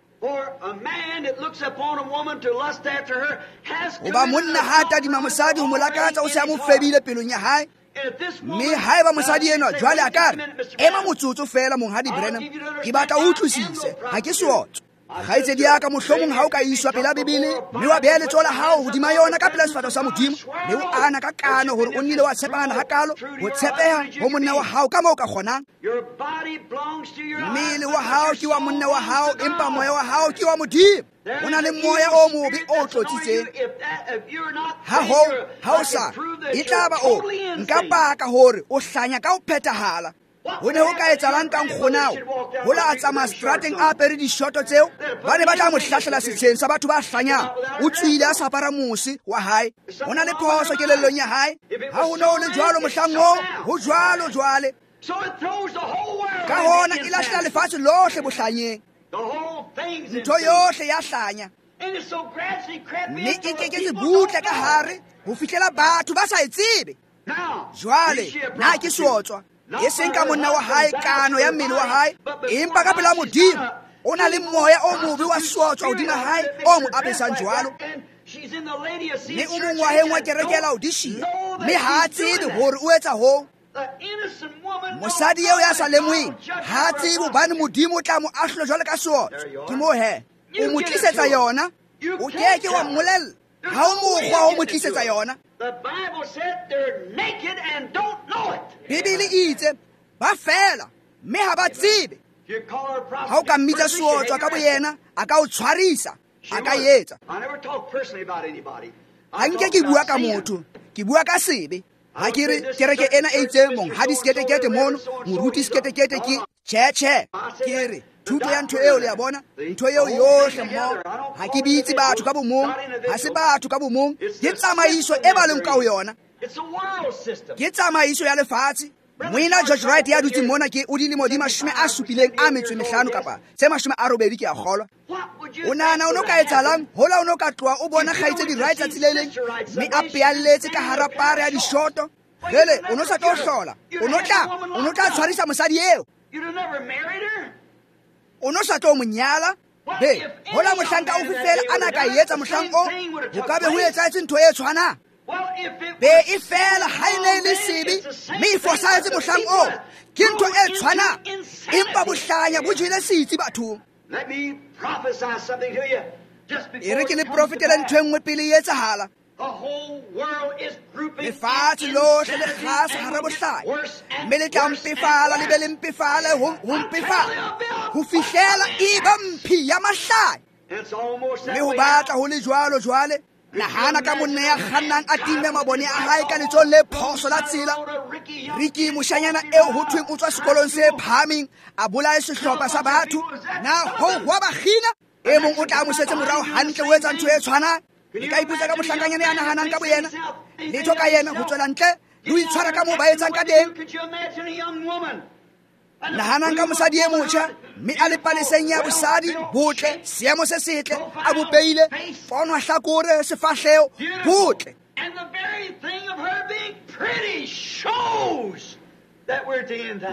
Hoba monna ha a tadima mosadi ho mo lakatsa o se a mo febile pelong ya hae. Mme haeba mosadi enwa jwale a ka re, ema motsotso feela Monghadi Branham, ke batla o utlwisise, ha ke seotswa. Kgaitsedi ya ka, mohlomong ha o ka iswa pela Bibele mme wa beha letsoho la hao hodima yona ka pela sefahleho sa Modimo, mme o ana ka kano hore o nnile wa tshepana hakalo, ho tshepeha ho monna wa hao ka moo o ka kgonang. Mmele wa hao ke wa monna wa hao, empa moya wa hao ke wa Modimo. O na le moya o mobe o tlotsitseng. Ha ho, ha o sa, e tla ba o nka paka hore o hlanya ka ho phethahala. Ho ne ho ka etsahalang ka nkgonao hola a tsamaya strateng a apere dishoto tseo, ba ne ba tla mo hlahlela setsheng sa batho ba hlanyang. O tswile a sa apara mose wa hae. Ho na le phoso kelellong ya hae. Ha ho ne ho le jwalo mohlang oo, ho jwalo jwale. Ka hona e lahlela lefatshe lohle bohlanyeng. Ntho yohle ya hlanya. Mme e keketse butle ka hare ho fihlela batho ba sa e tsebe. Jwale na ke seotswa, e seng ka monna wa hae, kano ya mmele wa hae, empa ka pela Modimo o na le moya o mobe wa seotswa hodima hae o mo apesang jwalo. Mme o mongwaheng wa kereke ya Laodicea, mme ha a tsebe hore o etsa hoo. Mosadi eo ya sa lemoheng ha a tsebe hobane Modimo o tla mo ahlola jwalo ka seotswa. Ke moo he o mo tlisetsa yona, o keke wa mmolella. Ha o mokgwa ho mo tlisetsa yona. Bibele e itse ba fela mme ha ba tsebe. Ha o ka mmitsa seotswa ka boyena, a ka o tshwarisa, a ka etsa. Ha nke ke bua ka motho, ke bua ka sebe. Ha ke re kereke ena e itseng monghadi seketekete mono, moruti seketekete ke tjhe tjhe. Ke re thuto ya ntho eo, le a bona, ntho eo yohle mmoho. Ha ke bitse batho ka bomong, ha se batho ka bomong, ke tsamaiso e ba leng ka ho yona. Ke tsamaiso ya lefatshe. Moena George Wright ya dutseng mona ke o dilemo di 75 kapa tse 80 ke a kgolwa. O nahana o no ka etsahalang hola o no ka tloha o bona kgaitsedi Wright tsatsi le leng mme a pealletse ka hara pare ya dishoto? Jwale o no sa tlo hlola, o no tla tshwarisa mosadi eo. O no sa tlo mo nyala. Be, hola mohlanka ofe fela a na ka etsa mohlang o, ho ka be ho etsahetse ntho e tshwanang. Be e fela ha e ne e le sebe, mme e fosahetse mohlang o, ke ntho e tshwanang. Empa bohlanya bo jele setsi bathong. E re ke le profetele ntho e nngwe pele e etsahala. Lefatshe lohle le kgasa hara bohlanya, mme le tla mpefala, le be le mpefale ho mpefala ho fihlela e ba mphi ya mahlanya. Mme ho batla ho le jwalo jwale. Nahana ka monna ya kgannang a timme mabone a hae ka letsohong le phoso la tsela. Ricky moshanyana eo ho thweng o tswa sekolong se phahameng a bolaye sehlopha sa batho. Na ho wa ba kgina? E mong o tla mo setse morao hantle o etsa ntho e tshwanang. Le ka ipotsa ka mohlankanyana ya nahanang ka boyena, letho ka yena ho tswela ntle le ho itshwara ka moo ba etsang ka teng. Nahanang ka mosadi e motjha mme a le paleseng ya bosadi, botle, seemo se setle, a bopeile, pono hlakore, sefahleho, botle.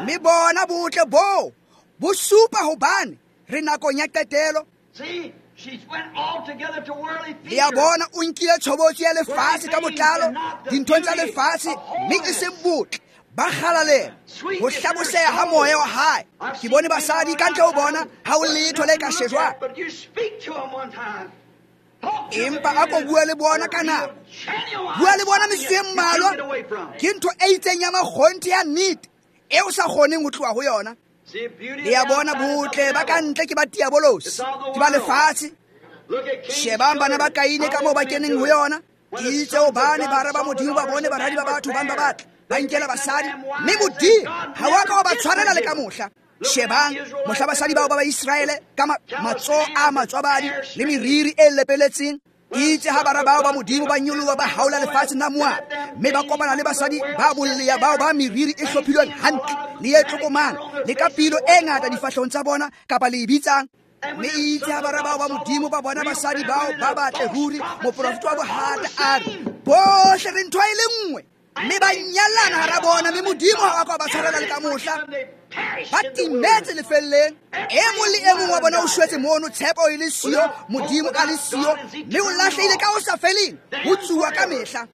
Mme bona botle boo bo supa hobane re nakong ya qetelo. Le a bona o nkile tshobotsi ya lefatshe ka botlalo, dinthong tsa lefatshe, mme e seng botle ba kgalalela ho hlaboseha ha moya wa hae. Ke bone basadi ka ntle ho bona ha ho letho le ka shejwang, empa a ko bua le bona ka nako, bua le bona metsotso e mmalwa, ke ntho e itseng ya makgonthe ya nnete e o sa kgoneng ho tloha ho yona. Le a bona botle ba ka ntle ke ba diabolosi, ke ba lefatshe. Shebang bana ba Kaine ka moo ba keneng ho yona. Ke itse hobane bara ba Modimo ba bone baradi ba batho bang ba batle, ba nkela basadi, mme Modimo ha wa ka wa ba tshwarela le ka mohla. Shebang mohla basadi bao ba Baiseraele ka matsoho a matswabadi le meriri e lepeletseng. Itse ha bara bao ba Modimo ba nyoloha ba haola lefatshe la Moab, mme ba kopana le basadi ba bolleya bao ba meriri e hlophilweng hantle le e tlokomang le ka pilo e ngata difahlehong tsa bona kapa le e bitsang. Mme itse ha bara bao ba Modimo ba bona basadi bao ba batle ruri, moprofeta wa bohata a re, bohle re ntho e le nngwe, mme ba nyalana hara bona, mme Modimo ha wa ka wa ba tshwarela le ka mohla. Ba timetse lefelleng. E mong le e mong wa bona o shwetse mono, tshepo e le siyo, Modimo a le siyo, mme o lahlehile ka ho sa feleng, ho tsuwa ka mehla.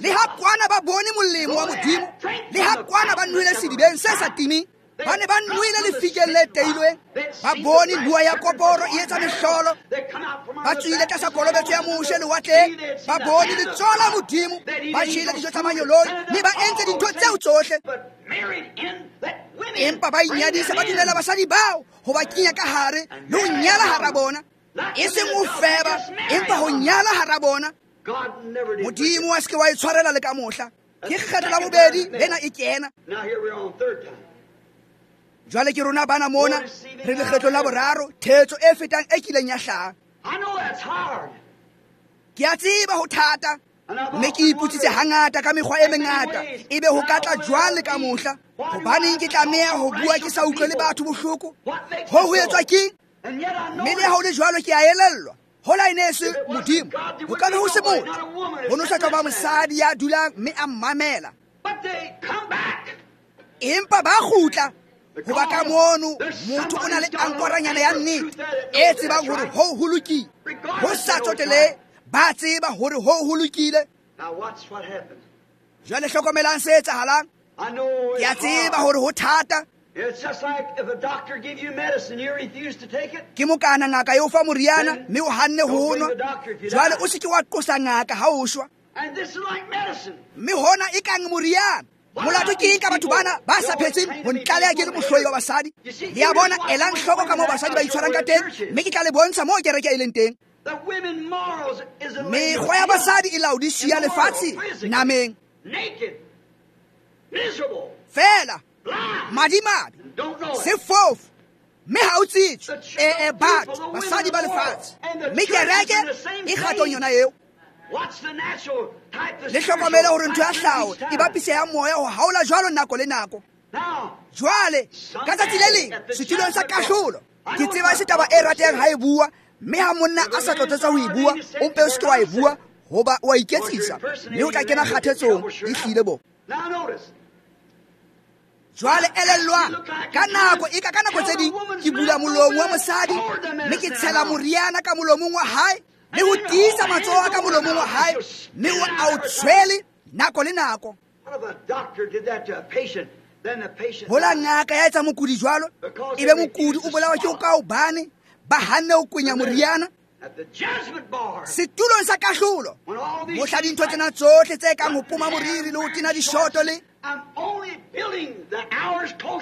Le ha kwana ba bone molemo wa Modimo, le ha kwana ba nwele sedibeng se sa timeng, ba ne ba nwele lefikeng le teilweng, ba bone bua ya koporo e etsa mehlolo, ba tswile tlasa kolobetso ya Moshe lewatleng, ba bone letsoho la Modimo, ba jele dijo tsa manyoloi, mme ba entse dintho tseo tsohle. Empa ba inyadisa, ba dumela basadi bao ho ba kenya ka hare le ho nyala hara bona, e seng ho feba, empa ho nyala hara bona. Modimo wa se ke wa e tshwarela le ka mohla. Ke kgetho la bobedi lena e kena. Jwale ke rona bana mona re lekgetlo la boraro, thetso e fetang e kileng ya hlaha. Ke a tseba ho thata, mme ke ipotsitse hangata ka mekgwa e mengata, ebe ho ka tla jwang le ka mohla. Hobaneng ke tlameha ho bua ke sa utlwe le batho bohloko? Ho ho etswa keng? Mme le ha ho le jwalo ke a elellwa. Hola e ne e se Modimo, ho ka be ho se motho. Ho no sa tlo ba mosadi ya dulang mme a mmamela. Empa ba kgutla, hoba ka mono motho o na le ankoranyana ya nnete e tsebang hore ho ho lokile. Ho sa tsotelehe, ba tseba hore ho ho lokile. Jwale hlokomelang se etsahalang. Ke a tseba hore ho thata. Ke mokana ngaka e o fa moriana mme o hanne ho nwa. Jwale o se ke wa qosa ngaka ha o shwa. Mme hona e kang moriana. Molato ke eng ka batho bana ba sa phetseng ho ntlaleha ke le mohloi wa basadi? Le a bona, elang hloko ka moo basadi ba itshwarang ka teng, mme ke tla le bontsha moo kereke e leng teng. Mekgwa ya basadi e Laodisia lefatshe nameng. Fela madimabe, sefofu, mme ha o tsitswe. E batho, basadi ba lefatshe, mme kereke e kgatong yona eo. Le hlokomele hore ntho ya hlaho e bapise ya moya ho haola jwalo nako le nako. Jwale ka tsatsi le leng setulong sa kahlolo, ke tseba se taba e ratehang ha e bua, mme ha monna a sa tlotsetsa ho e bua, o mpe o se ke wa e bua, hoba o a iketsisa, mme o tla kena kgathetsong. Ehlile bo. Jwale elellwang, ka nako e ka nako tse ding ke bula molomo wa mosadi, mme ke tshela moriana ka molomong wa hae, le ho tiisa matsoho a ka molomong wa hae, mme o a o tshwele nako le nako. Hola ngaka ya etsa mokudi jwalo, ebe mokudi o bolawa ke ho ka hobane ba hanne ho kwenya moriana. Setulong sa kahlolo, mohla dintho tsena tsohle tse kang ho poma moriri le ho tena dishoto le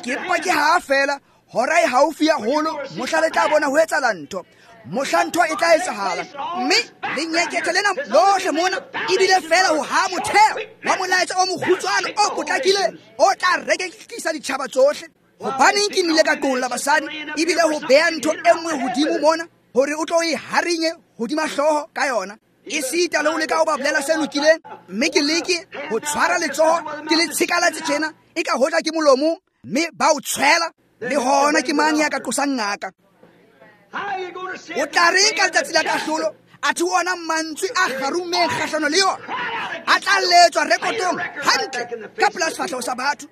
ke mpa ke ha fela hora e haufi ya holo, mohla le tla bona ho etsahala ntho, mohla ntho e tla etsahala. Mme lenyekethe lena lohle mona ebile fela ho ha motheo wa molaetsa o mokgutshwane o potlakileng o tla reketlisa ditjhaba tsohle. Hobaneng ke nnile ka qolla basadi ebile ho beha ntho e nngwe hodimo mona hore o tlo e harinye hodima hlooho ka yona, esita le ho leka ho ba bolela se lokileng, mme ke leke ho tshwara letsoho ke le tshikalatse tjena e ka hoja ke molomong, mme ba o tshwela. Le hona ke mang ya ka qosang ngaka? O tla reng ka letsatsi la kahlolo? Athe ona mantswe a kgarummeng kgahlano le yona a tla letswa rekotong hantle ka pela sefahleho sa batho.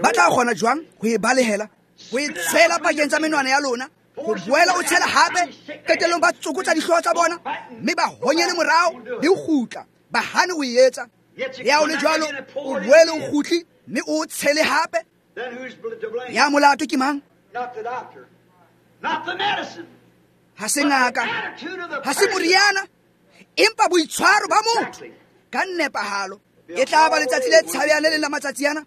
Ba tla kgona jwang ho e balehela, ho e tshwela pakeng tsa menwana ya lona, ho boela o tshela hape? Qetellong ba tsokotsa dihlooho tsa bona mme ba honyele morao le ho kgutla, ba hane ho e etsa. Ya o le jwalo, o boele o kgutle mme o tshele hape. Ya molato ke mang? Ha se ngaka, ha se moriana, empa boitshwaro ba motho ka nepahalo. E tla ba letsatsi le tshabehang le leng la matsatsi ana,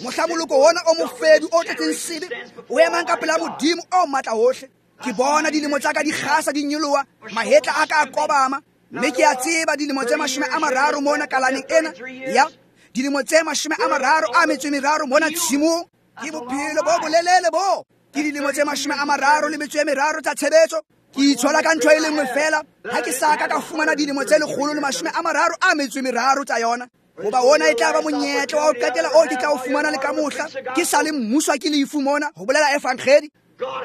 mohla moloko ona o mofebi o tletseng sebe o emang ka pela Modimo o matla hohle. Ke bona dilemo tsa ka di kgasa di nyoloha, mahetla a ka a kobama, mme ke a tseba dilemo tse 30 mona kalaneng ena ya dilemo tse 33 mona tshimong. Ke bophelo bo bolelele bo, ke dilemo tse 33 tsa tshebetso. Ke itshola ka ntho e le nngwe fela, ha ke sa ka ka fumana dilemo tse 133 tsa yona. Hoba ona e tla ba monyetla wa ho qetela o ke tla o fumana le ka mohla ke sa le mmuswa ke lefu mona ho bolela evangeli.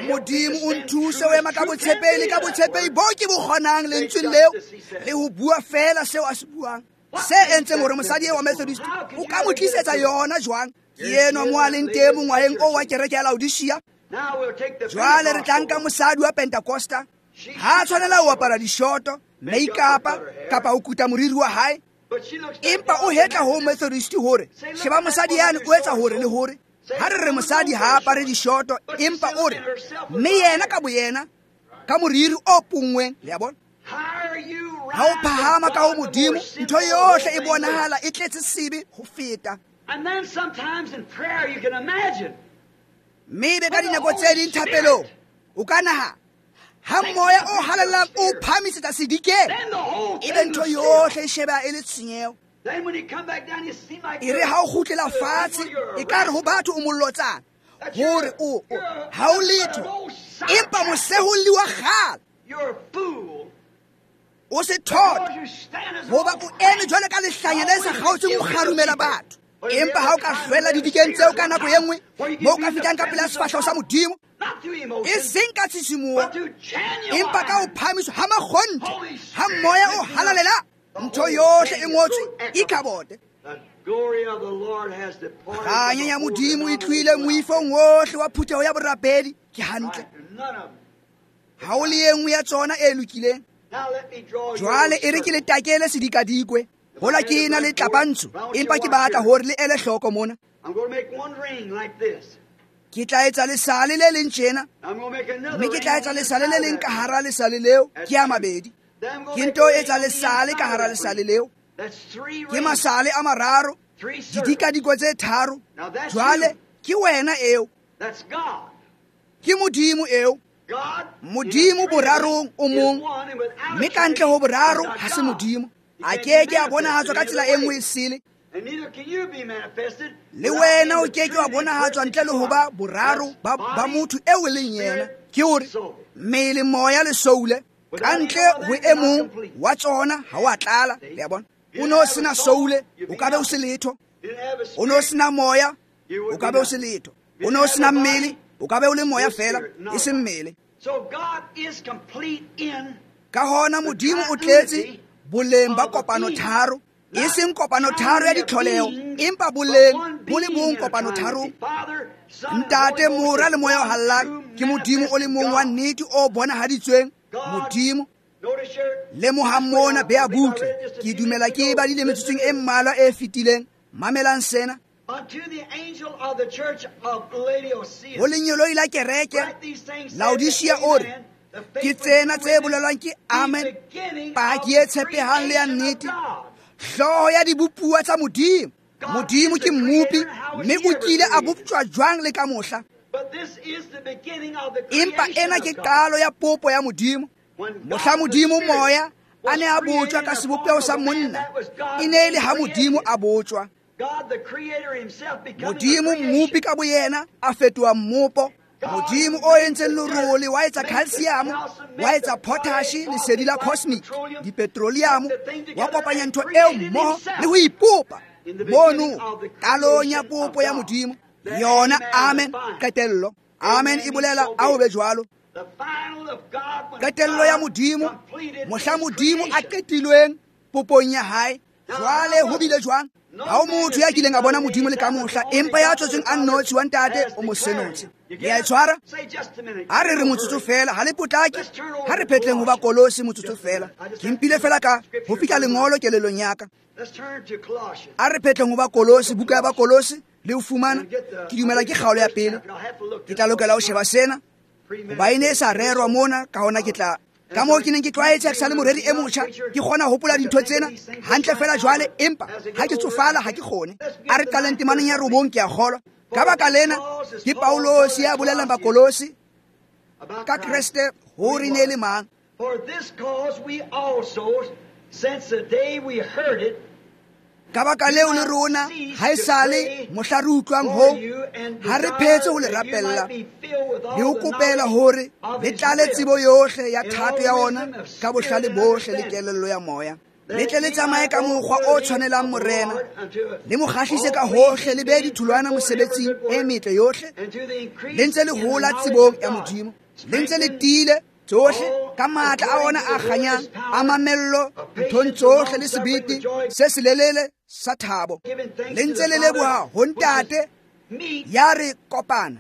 Modimo o nthuse ho ema ka botshepehi le ka botshepehi bo ke bo kgonang lentsweng leo, le ho bua fela seo a se buang. Se entseng hore mosadi eo wa Methodist o ka mo tlisetsa yona jwang? Ke enwa mo a leng teng mongwaheng oo wa kereke ya Laodicea. Jwale re tla nka mosadi wa Pentecosta. Ha a tshwanela ho apara dishoto, make-up kapa ho kuta moriri wa hae, empa o hetla ho Methodist hore sheba mosadi yane o etsa hore le hore. Ha re re mosadi ha apare dishoto, empa o re mme yena ka boyena ka moriri o punngweng, le a bona. Ha o phahama ka ho Modimo, ntho yohle e bonahala e tletse sebe ho feta. Mme ebe ka dinako tse ding thapelong o ka nahana ha moya o halalelang o phahamisetsa sedikeng, ebe ntho yohle e shebeha e le tshenyeho. E re ha o kgutlela fatshe, e ka re ho batho o mollotsana hore o ha o letho, empa moseholli wa kgale o se thota, hoba o eme jwale ka lehlanya le sa kgaotseng ho kgarumela batho. Empa ha o ka hlwella didikeng tseo ka nako e nngwe, moo o ka fihlang ka pela sefahleho sa Modimo, e seng ka tshisimoho, empa ka ho phahamiswa ha makgonthe ha moya o halalela, ntho yohle e ngotswe Ikabote. Kganya ya Modimo e tlohile moifong wohle wa phutheho ya borapedi. Ke hantle, ha o le e nngwe ya tsona e lokileng. Jwale e re ke le takele sedikadikwe, hola ke ena le tlapantsho, empa ke batla hore le ele hloko mona. Ke tla etsa lesale le leng tjena, mme ke tla etsa lesale le leng ka hara lesale leo, ke a mabedi. Ke nto etsa lesale ka hara lesale leo, ke masale a mararo, didikadikwe tse tharo. Jwale ke wena eo, ke Modimo eo. Modimo borarong o mong, mme ka ntle ho boraro ha se Modimo. A ke ke a bonahatswa ka tsela e nngwe e sele. Le wena o ke ke wa bonahatswa ntle le ho ba boraro ba motho eo e leng yena. Ke hore mmele, moya le soule, ka ntle ho e mong wa tsona ha o a tlala. Le a bona? O no sena soule, o ka be o se letho. O no sena moya, o ka be o se letho. O no sena mmele, o ka be o le moya fela, e seng mmele. Ka hona Modimo o tletse boleng ba kopano tharo, e seng kopano tharo ya ditlholeho, empa boleng bo le bong kopano tharong. Ntate, Mora le Moya o Halalelang ke Modimo o le mong wa nnete o bonahaditsweng. Modimo lemohang mona, bea butle. Ke dumela ke e badile metsotsong e mmalwa e fetileng. Mamelang sena. Ho lengeloi la kereke Laodicea o re, ke tsena tse bolelwang ke Amen, paki e tshepehang le ya nnete, hlooho ya dibopuwa tsa Modimo. Modimo ke mmopi, mme o kile a boptjwa jwang le ka mohla. Empa ena ke qalo ya popo ya Modimo. Mohla Modimo moya a ne a botjwa ka sebopeho sa monna, e ne e le ha Modimo a botjwa. Modimo mmopi ka boyena a fetoha mmopo. Modimo o entseng lerole wa etsa calcium, wa etsa potash, lesedi la cosmic, dipetroleum, wa kopanya ntho eo mmoho le ho ipopa. Mono qalong ya popo ya Modimo, yona Amen, qetello. Amen e bolela a ho be jwalo. Qetello ya Modimo, mohla Modimo a qetilweng popong ya hae. Jwale ho bile jwang? Ha o motho ya kileng a bona Modimo le ka mohla, empa ya tswetsweng a nnotshi wa Ntate o mo senotse. Le a e tshwara? Ha re re motsotso fela, ha le potlake, ha re phetleng ho ba Kolose motsotso fela. Ke mpile fela ka ho fihla lengolo kelellong ya ka. A re phetleng ho ba Kolose, buka ya ba Kolose, le ho fumana, ke dumela ke kgaolo ya pele. Ke tla lokela ho sheba sena, hoba e ne e sa rerwa mona, ka hona ke tla ka moo ke neng ke tlwaetse ke sa le moreri e motjha, ke kgona ho hopola dintho tsena hantle fela jwale, empa ha ke tsofala ha ke kgone. A re qaleng temaneng ya 9, ke a kgolwa. Ka baka lena ke Paulosi ya bolelang Bakolose ka Kreste hore ne le mang. Ka baka leo le rona ha esale mohla re utlwang ho, ha re phetse ho le rapella le ho kopela hore le tlale tsebo yohle ya thato ya ona ka bohlale bohle le kelello ya moya, le tle le tsamaye ka mokgwa o tshwanelang Morena, le mo kgahlise ka hohle, le behe ditholwana mosebetsing e metle yohle, le ntse le hola tsebong ya Modimo, le ntse le tiile Tsohle ka matla a ona a kganyang a mamello nthong tsohle le sebete se selelele sa thabo le ntse le leboha ho Ntate ya re kopana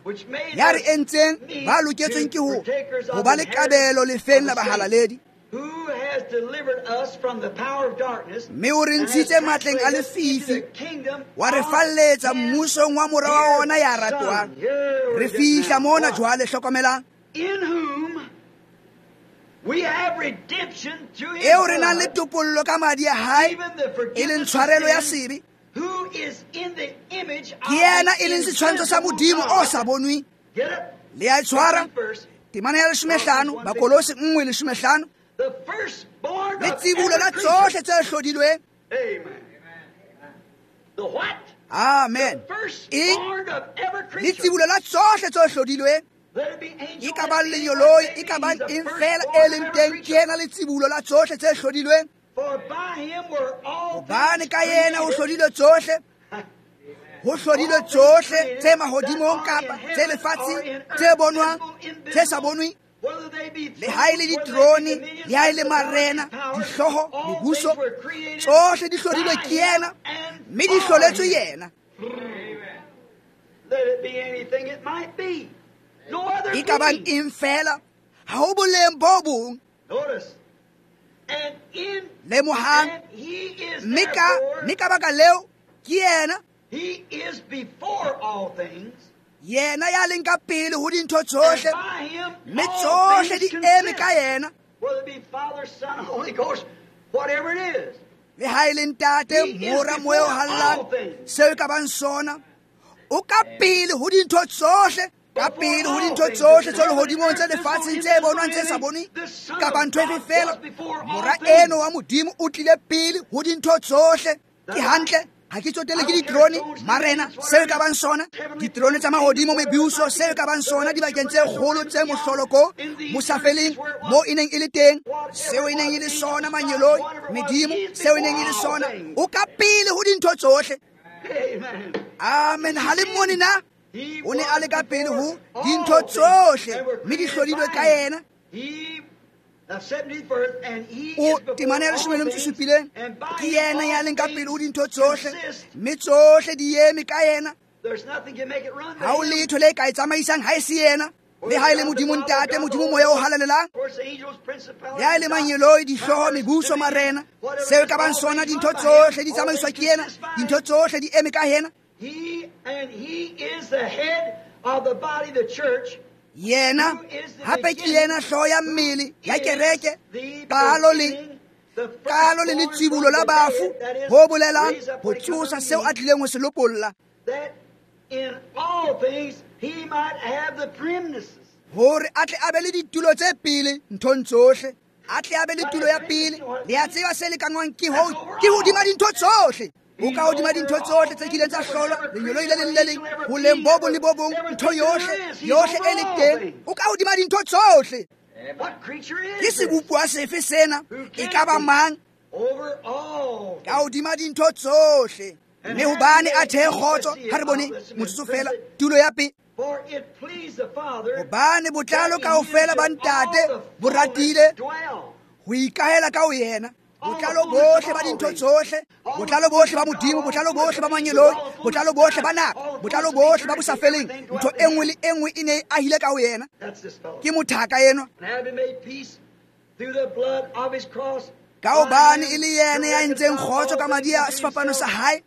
ya re entseng ba loketsweng ke ho ba le kabelo lefeng la bahalaledi mme o re ntshitse matleng a lefifi wa re falletsa mmusong wa mora wa ona ya ratwang. Re fihla mona jwale, hlokomelang, eo re nang le topollo ka madi a hae e leng tshwarelo ya sebe. Ke yena e leng setshwantsho sa Modimo o sa bonweng. Le a tshwara temana ya 15, Bakolose 1:15, le tsibulo la tsohle tse hlodilweng. Amen. E le tsibulo la tsohle tse hlodilweng, e ka bang lenyoloi, e ka bang eng fela e leng teng, ke yena le tsibulo la tsohle tse hlodilweng. Hobane ka yena ho hlodilwe tsohle, ho hlodilwe tsohle tse mahodimong kapa tse lefatsheng, tse bonwang, tse sa bonweng, le ha e le diterone, le ha e le marena, dihlooho, mebuso, tsohle di hlodilwe ke yena, mme di hloletswe yena. E ka bang eng fela, ha ho boleng bo bong. Lemohang, mme ka baka leo ke yena, yena ya leng ka pele ho dintho tsohle, mme tsohle di eme ka yena. Le ha e le Ntate, Mora, Moya o Halalelang, seo e ka bang sona, o ka pele ho dintho tsohle, ka pele ho dintho tsohle tse lehodimong, tse lefatsheng, tse bonwang, tse sa bonweng, kapa ntho efe fela. Mora eno wa Modimo o tlile pele ho dintho tsohle. Ke hantle, ha ke tsotelle ke diterone, marena, seo e ka bang sona, diterone tsa mahodimo, mebuso, seo e ka bang sona, dibakeng tse kgolo tse mohloloko, mosafeleng, mo e neng e le teng, seo e neng e le sona, manyeloi, medimo, seo e neng e le sona, o ka pele ho dintho tsohle. Amen. Ha le mmone na? O ne a le ka pele ho dintho tsohle, mme di hlodilwe ka yena. O temana ya 17, ke yena ya leng ka pele ho dintho tsohle, mme tsohle di eme ka yena. Ha ho letho le ka e tsamaisang ha e se yena. Le ha e le Modimo Ntate, Modimo Moya o Halalelang, le ha e le manyeloi, dihlooho, mebuso, marena, seo e ka bang sona, dintho tsohle di tsamaiswa ke yena, dintho tsohle di eme ka yena. Yena hape ke yena hlooho ya mmele ya kereke, qalo le letsibulo la bafu, ho bolelang ho tsosa seo a tlileng ho se lopolla, hore a tle a be le ditulo tse pele nthong tsohle, a tle a be le tulo ya pele. Le a tseba se lekangwang ke ho ke hodima dintho tsohle. O ka hodima dintho tsohle tse kileng tsa hlolwa, lenyoloi le leng le leng, boleng bo bong le bo bong, ntho yohle yohle e le teng, o ka hodima dintho tsohle. Ke sebopuwa sefe sena, e ka ba mang, ka hodima dintho tsohle. Mme hobane a thehe kgotso, ha re bone motsotso fela, tulo ya pele. Hobane botlalo kaofela ba Ntate bo ratile ho ikahela ka ho yena. Botlalo bohle ba dintho tsohle, botlalo bohle ba Modimo, botlalo bohle ba manyeloi, botlalo bohle ba nako, botlalo bohle ba bosafeleng, ntho e nngwe le e nngwe e ne e ahile ka ho yena. Ke mothaka enwa. Ka hobane e le yena ya entseng kgotso ka madi a sefapano sa hae,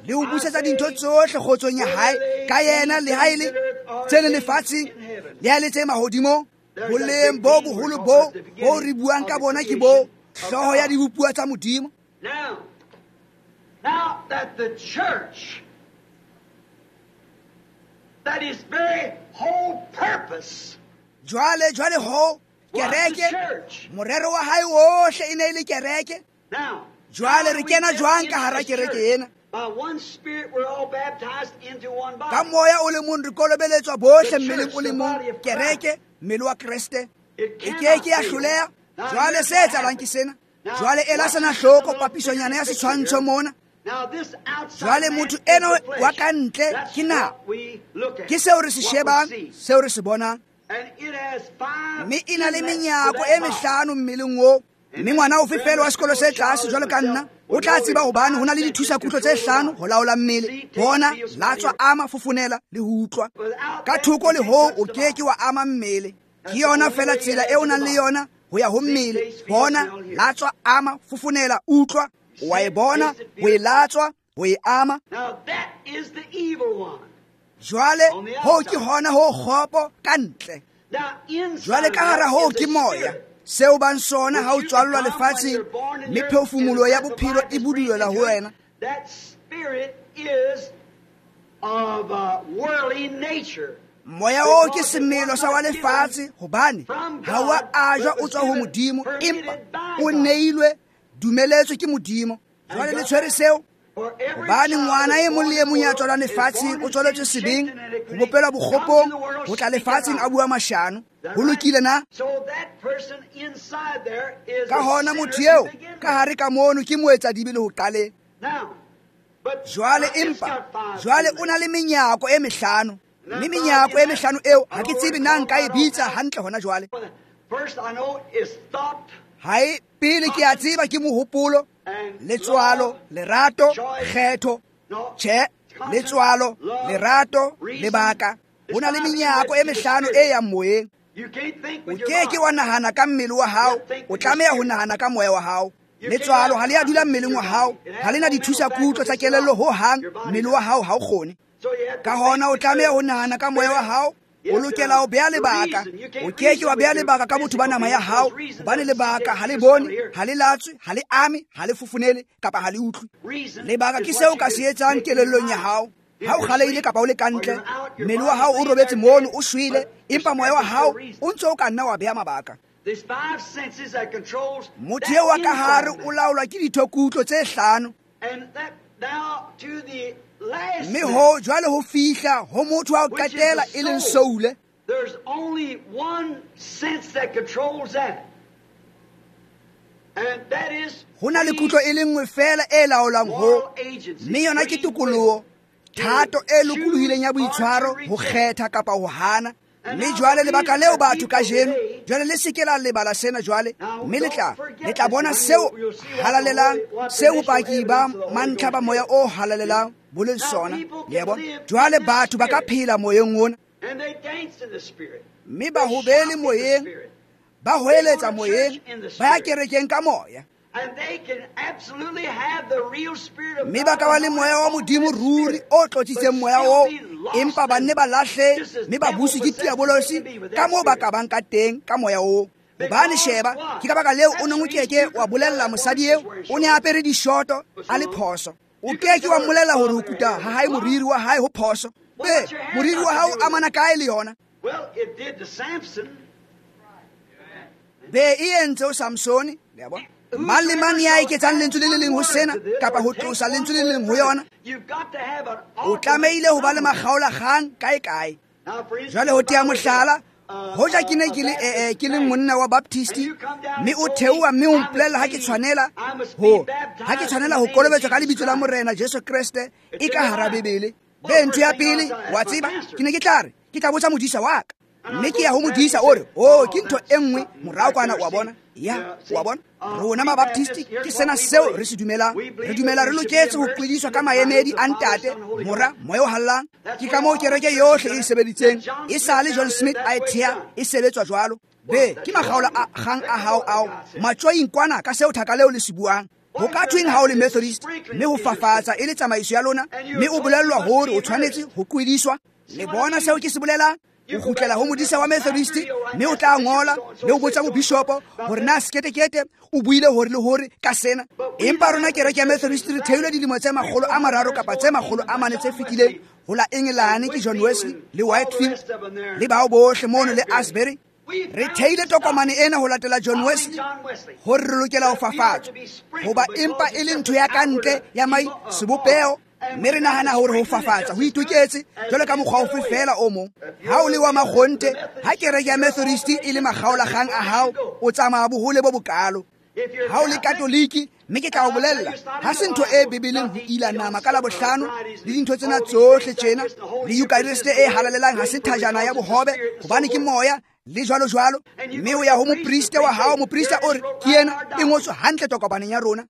le ho busetsa dintho tsohle kgotsong ya hae, ka yena, le ha e le tse leng lefatsheng, le ha e le tse mahodimong. Boleng bo boholo bo re buang ka bona ke bo hlooho ya dibopuwa tsa Modimo. Now that the church, that its very whole purpose, jwale ho kereke, morero wa hae ohle e ne e le kereke. Jwale re kena jwang ka hara kereke ena? Ka moya o le mong re kolobeletswa bohle mmeleng o le mong, kereke, mmele wa Kreste. E ke ke ya hloleha. Jwale se etsahalang ke sena. Jwale ela sena hloko papisonyana ya setshwantsho mona. Jwale motho eno wa ka ntle ke na, ke seo re se shebang, seo re se bonang. Mme e na le menyako e mehlano mmeleng oo. Mme ngwana ofe fela wa sekolo se tlase jwalo ka nna o tla tseba hobane ho na le dithusakutlo tse hlano ho laola mmele. Bona, latswa, ama, fofonela le ho utlwa. Ka thoko le hoo o ke ke wa ama mmele. Ke yona fela tsela e o nang le yona ho ya ho mmele. Bona, latswa, ama, fofonela, utlwa. Wa e bona, ho e latswa, ho e ama. Jwale hoo ke hona ho kgopo ka ntle. Jwale ka hara hoo ke moya. Seo bang sona ha o tswallwa lefatsheng, mme phefumoloho ya bophelo e budulela ho wena. Moya oo ke semelo sa wa lefatshe, hobane ha wa ajwa o tswa ho Modimo, empa o neilwe, dumeletswe ke Modimo. Jwale le tshwere seo, hobane ngwana e mong le e mong ya tswalwang lefatsheng o tswaletswe sebeng, ho bopelwa bokgopong, ho tla lefatsheng a bua mashano. Ho lokile na? Ka hona motho eo ka hare ka mono ke moetsadibe le ho qaleng. Jwale empa jwale o na le menyako e mehlano, mme menyako e mehlano eo ha ke tsebe na nka e bitsa hantle hona jwale. Hae pele ke a tseba ke mohopolo, letswalo, lerato, kgetho. Tjhe, letswalo, lerato, lebaka. Ho na le menyako e mehlano e yang moyeng. O ke ke wa nahana ka mmele wa hao, o tlameha ho nahana ka moya wa hao. Letswalo ha le a dula mmeleng wa hao, ha le na dithusakutlo tsa kelello ho hang, mmele wa hao ha o kgone. Ka hona o tlameha ho nahana ka moya wa hao. O lokela ho beha lebaka. O ke ke wa beha lebaka ka botho ba nama ya hao, hobane lebaka ha le bone, ha le latswe, ha le ame, ha le fofonele kapa ha le utlwe. Lebaka ke seo ka se etsang kelellong ya hao. Ha o kgaleile kapa o le ka ntle, mmele wa hao o robetse mono o shwele, empa moya wa hao o ntse o ka nna wa beha mabaka. Motho eo wa ka hare o laolwa ke dithokutlo tse hlano. Mme ho jwale ho fihla ho motho wa ho qetela e leng soule. Ho na le kutlo e le nngwe fela e laolang ho, mme yona ke tokoloho, thato e lokolohileng ya boitshwaro, ho kgetha kapa ho hana. Mme jwale lebaka leo batho kajeno, jwale le se ke la lebala sena jwale, mme le tla bona seo halalelang, seo bopaki ba mantlha ba moya o halalelang bo leng sona. Le a bona? Jwale batho ba ka phela moyeng ona, mme ba hobele moyeng, ba hoeletsa moyeng, ba ya kerekeng ka moya. Mme ba ka ba le moya wa Modimo ruri o tlotsitseng moya oo, empa ba nne ba lahle mme ba buswe ke diabolosi ka moo ba ka bang ka teng ka moya oo. Hobane sheba, ke ka baka leo o neng o keke wa bolella mosadi eo o ne a apere dishoto a le phoso. O keke wa mmolella hore ho kuta ha hae moriri wa hae ho phoso. Be, moriri wa hao o amana kae le yona? Be, e entse o Samsone, le a bona? Mang le mang ya eketsang lentswe le le leng ho sena kapa ho tlosa lentswe le le leng ho yona, o tlamehile ho ba le makgaolakgang kae kae. Jwale ho tea mohlala, hoja ke ne ke le ke le monna wa Baptist, mme o theoha mme o mpolella ha ke tshwanela ho kolobetswa ka lebitso la Morena Jesu Kreste e ka hara Bibele. Be, ntho ya pele wa tseba, ke ne ke tla re ke tla botsa modisa wa ka, mme ke ya ho modisa o re, oh, ke ntho e nngwe morao kwana, wa bona. Ya, wa bona? Rona Mabaptist ke sena seo re se dumelang. Re dumela re loketse ho qwediswa ka maemedi a Ntate, Mora, Moya o Halalelang. Ke ka moo kereke yohle e sebeditseng. E sale John Smith a e thea, e sebetswa jwalo. Be, ke makgaola a kgang a hao ao matjoing kwana ka seo thaka leo le se buang. Ho ka thweng ha o le Methodist, mme ho fafatsa e le tsamaiso ya lona, mme o bolellwa hore o tshwanetse ho qwediswa. Le bona seo ke se bolelang? O kgutlela ho modisa wa Methodist, mme o tla ngola le ho botsa mobishopo hore na seketekete o buile hore le hore ka sena. Empa rona kereke ya Methodist re theilwe dilemo tse 300 kapa tse 400 tse fetileng ho la Engelane ke John Wesley le Whitefield le bao bohle mono le Asbury. Re theile tokomane ena ho latela John Wesley hore re lokela ho fafatswa, hoba empa e le ntho ya ka ntle ya mai sebopeho. Mme re nahana hore ho fafatsa ho itoketse jwalo ka mokgwa ofe fela o mong. Ha o le wa makgonthe, ha kereke ya Methodist e le makgaolakgang a hao, o tsamaya bohole bo bokalo. Ha o le Katoliki, mme ke tla o bolella, ha se ntho e Bibeleng ho ila nama ka Labohlano le dintho tsena tsohle tjena, le Eucharist e halalelang ha se thajana ya bohobe, hobane ke moya le jwalo jwalo. Mme o ya ho moprista wa hao, moprista o re ke yena, e ngotswe hantle tokomaneng ya rona.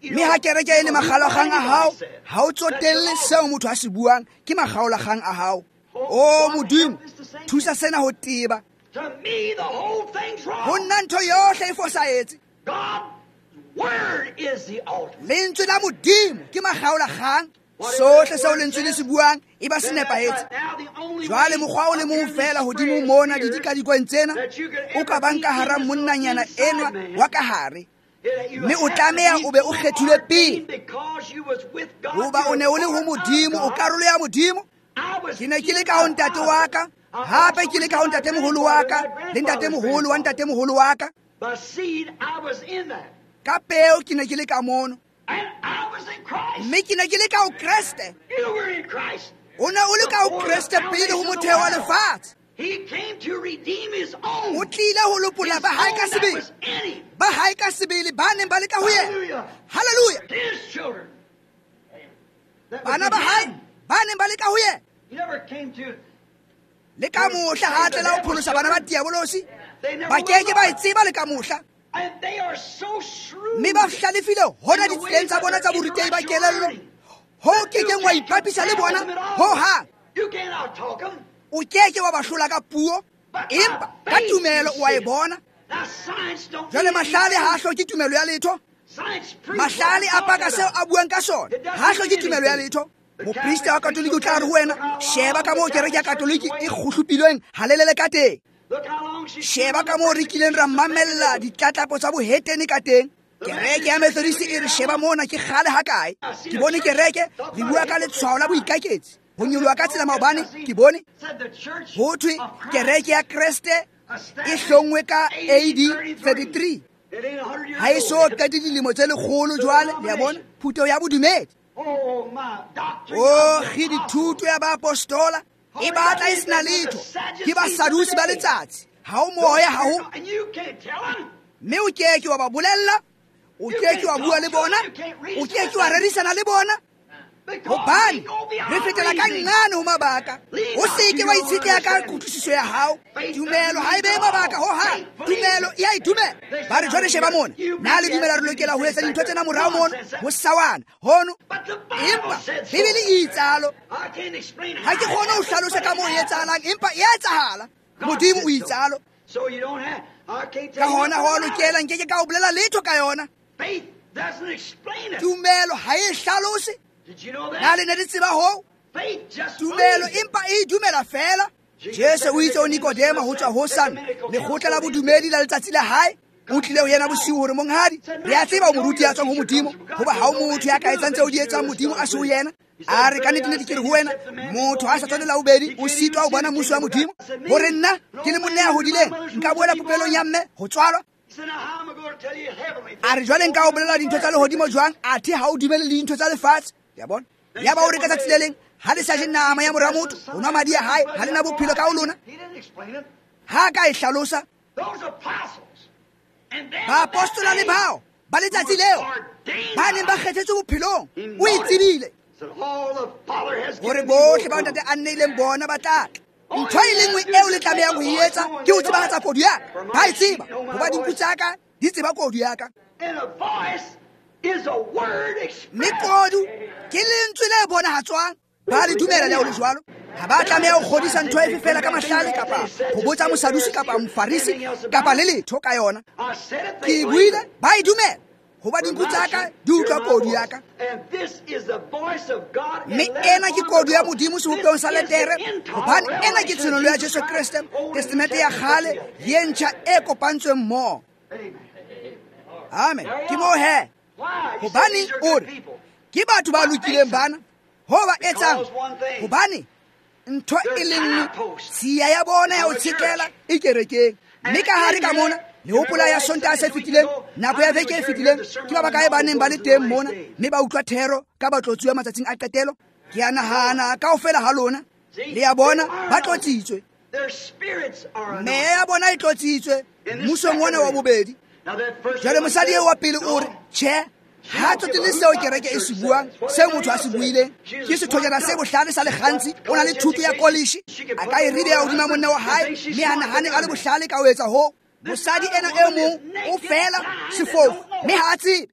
Mme ha kereke e le makgaolakgang a hao, ha o tsotelle seo motho a se buang, ke makgaolakgang a hao. O Modimo, thusa sena ho teba. Ho nna ntho yohle e fosahetse. Lentswe la Modimo ke makgaolakgang. Sohle seo lentswe le se buang e ba se nepahetse. Jwale mokgwa o le mong fela hodimo mona didikadikweng tsena o ka bang ka hara monnanyana enwa wa ka hare, mme o tlameha o be o kgethilwe pele, hoba o ne o le ho Modimo, o karolo ya Modimo. Ke ne ke le ka ho ntate wa ka, hape ke le ka ho ntatemoholo wa ka, le ntatemoholo wa ntatemoholo wa ka. Ka peo ke ne ke le ka mono, mme ke ne ke le ka ho Kreste. O ne o le ka ho Kreste pele ho motheo wa lefatshe. O tlile ho lopolla ba hae ka sebele, ba hae ka sebele ba neng ba le ka ho yena. Hallelujah. Bana ba hae ba neng ba le ka ho yena. Le ka mohla ha tlela ho pholosa bana ba diabolosi, ba keke ba e tseba le ka mohla. Mme ba hlalefile hona ditseleng tsa bona tsa borutehi ba kelello, ho kekeng wa ipapisa le bona ho hang. O keke wa ba hlola ka puo, empa ka tumelo o a e bona. Jwale mahlale ha a hloke tumelo ya letho. Mahlale a paka seo a buang ka sona, ha a hloke tumelo ya letho. Moprista wa Katoliki o tla re ho wena, sheba ka moo kereke ya Katoliki e kgohlopilweng halelele ka teng. Sheba ka moo re kileng ra mamella ditlatlapo tsa bohetene ka teng. Kereke ya Methodist e re sheba mona ke kgale hakae. Ke bone kereke re bua ka letshwao la boikaketsi, ho nyoloha ka tsela maobane. Ke bone ho thwe kereke ya Kreste e hlongwe ka AD 33, ha e so qete dilemo tse lekgolo jwale. Le a bona, phutheho ya bodumedi. O kge dithuto ya baapostola e batla e sena letho, ke basadusi ba letsatsi. Ha o moya, ha ho, mme o keke wa ba bolella, o keke wa bua le bona, o keke wa rerisana le bona, hobane re fetela ka nqane ho mabaka. O seke wa itshetleha ka kutlwisiso ya hao. Tumelo ha e behe mabaka ho hang, tumelo e a e dumela. Ba re jwale sheba mona, na le dumela re lokela ho etsa dintho tsena morao mono ho sawana hono, empa Bibele e itsalo. Ha ke kgone ho hlalosa ka moo e etsahalang, empa e a etsahala. Modimo o itsalo. Ka hona ho a lokela, nkeke ka o bolela letho ka yona. Tumelo ha e hlalose. Na le ne le tseba hoo? Tumelo empa e dumela fela. Jesu o itse ho Nikodema ho tswa ho san lekgotla la bodumedi la letsatsi la hae, o tlile ho yena bosiu hore monghadi, re a tseba o moruti ya tswang ho Modimo, hoba ha o motho ya ka etsang tseo di etsang Modimo a se ho yena. A re ka nnete ke re ho wena, motho ha sa tswa la bobedi o sitwa ho bona mmuso wa Modimo. Hore nna ke le monna ya hodileng nka boela popelong ya mme ho tswalwa. A re jwale nka o bolela dintho tsa lehodimo jwang, athe ha o dumele le dintho tsa lefatshe? Ya bona? Ya ba o re ka tsatsi le leng, ha le sa je nama ya mora motho, ho nwa madi a hae, ha le na bophelo ka ho lona. Ha ka e hlalosa. Baapostola le bao ba letsatsi leo ba neng ba kgethetswe bophelong, o e tsebile hore bohle ba ntate a nneileng bona ba tla tla. Ntho e le nngwe eo le tlamehang ho e etsa ke ho tsebahatsa kodu ya ka. Ba e tseba, hoba dinku tsa ka di tseba kodu ya ka. Mme kodu ke lentswe le bonahatswang. Ba le dumela le ho le jwalo. Ha ba tlameha ho kgodisa ntho efe fela ka mahlale, kapa ho botsa mosadusi kapa mofarisi kapa le letho ka yona. Ke e buile, ba e dumela, hoba dinku tsa ka di utlwa kodu ya ka. Mme ena ke kodu ya Modimo sebopehong sa letere, hobane ena ke tshenolo ya Jesu Kreste, Testamente ya kgale le e ntjha e kopantsweng mmoho. Amen. Ke moo he. Hobane o re ke batho ba lokileng bana, ho ba etsang, hobane ntho e le nngwe, tshiya ya bona ya ho tshetlela e kerekeng. Mme ka hare ka mona, le hopola ya Sontaha se fetileng, nako ya veke e fetileng, ke ba bakae ba neng ba le teng mona mme ba utlwa thero ka batlotsuwa matsatsing a qetelo? Ke a nahana kaofela ha lona le ya bona ba tlotsitswe. Meya ya bona e tlotsitswe mmusong ona wa bobedi. Jwale mosadi eo wa pele o re tjhe, ha tsotelle seo kereke e se buang, seo motho a se buileng. Ke sethonyana se bohlale sa lekgantsi, o na le thuto ya kolishi, a ka e ribeha hodima monna wa hae, mme a nahane a le bohlale ka ho etsa hoo. Mosadi ena e mong o fela sefofu, mme ha a tsebe.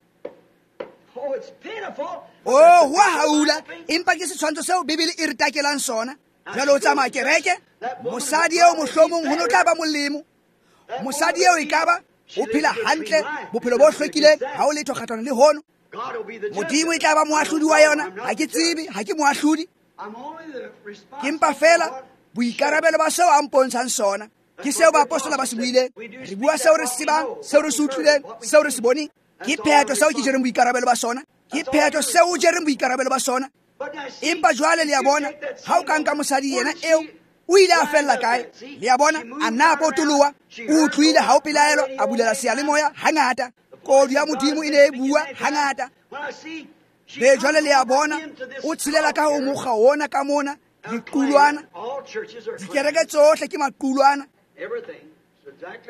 Oh, ho a haula, empa ke setshwantsho seo Bibele e re takelang sona. Jwale o tsamaya kereke, mosadi eo mohlomong ho no tla ba molemo. Mosadi eo ekaba o phela hantle, bophelo bo hlwekileng, ha o letho kgahlano le hono. Modimo e tla ba moahlodi wa yona. Ha ke tsebe, ha ke moahlodi. Ke mpa fela boikarabelo ba seo a mpontshang sona. Ke seo baapostola ba se buileng. Re bua seo re se tsebang, seo re se utlwileng, seo re se boneng. Ke phetho seo ke jereng boikarabelo ba sona. Ke phetho seo o jereng boikarabelo ba sona. Empa jwale le a bona, ha o ka nka mosadi yena eo, o ile a fella kae? Le a bona, a nna a potoloha, o utlwile ha o pelaelo, a bulela seyalemoya hangata. Kodu ya Modimo e ne e bua hangata. Be jwale le a bona, o tshelela ka ho mokgwa ona ka mona, diqulwana. Dikereke tsohle ke maqulwana.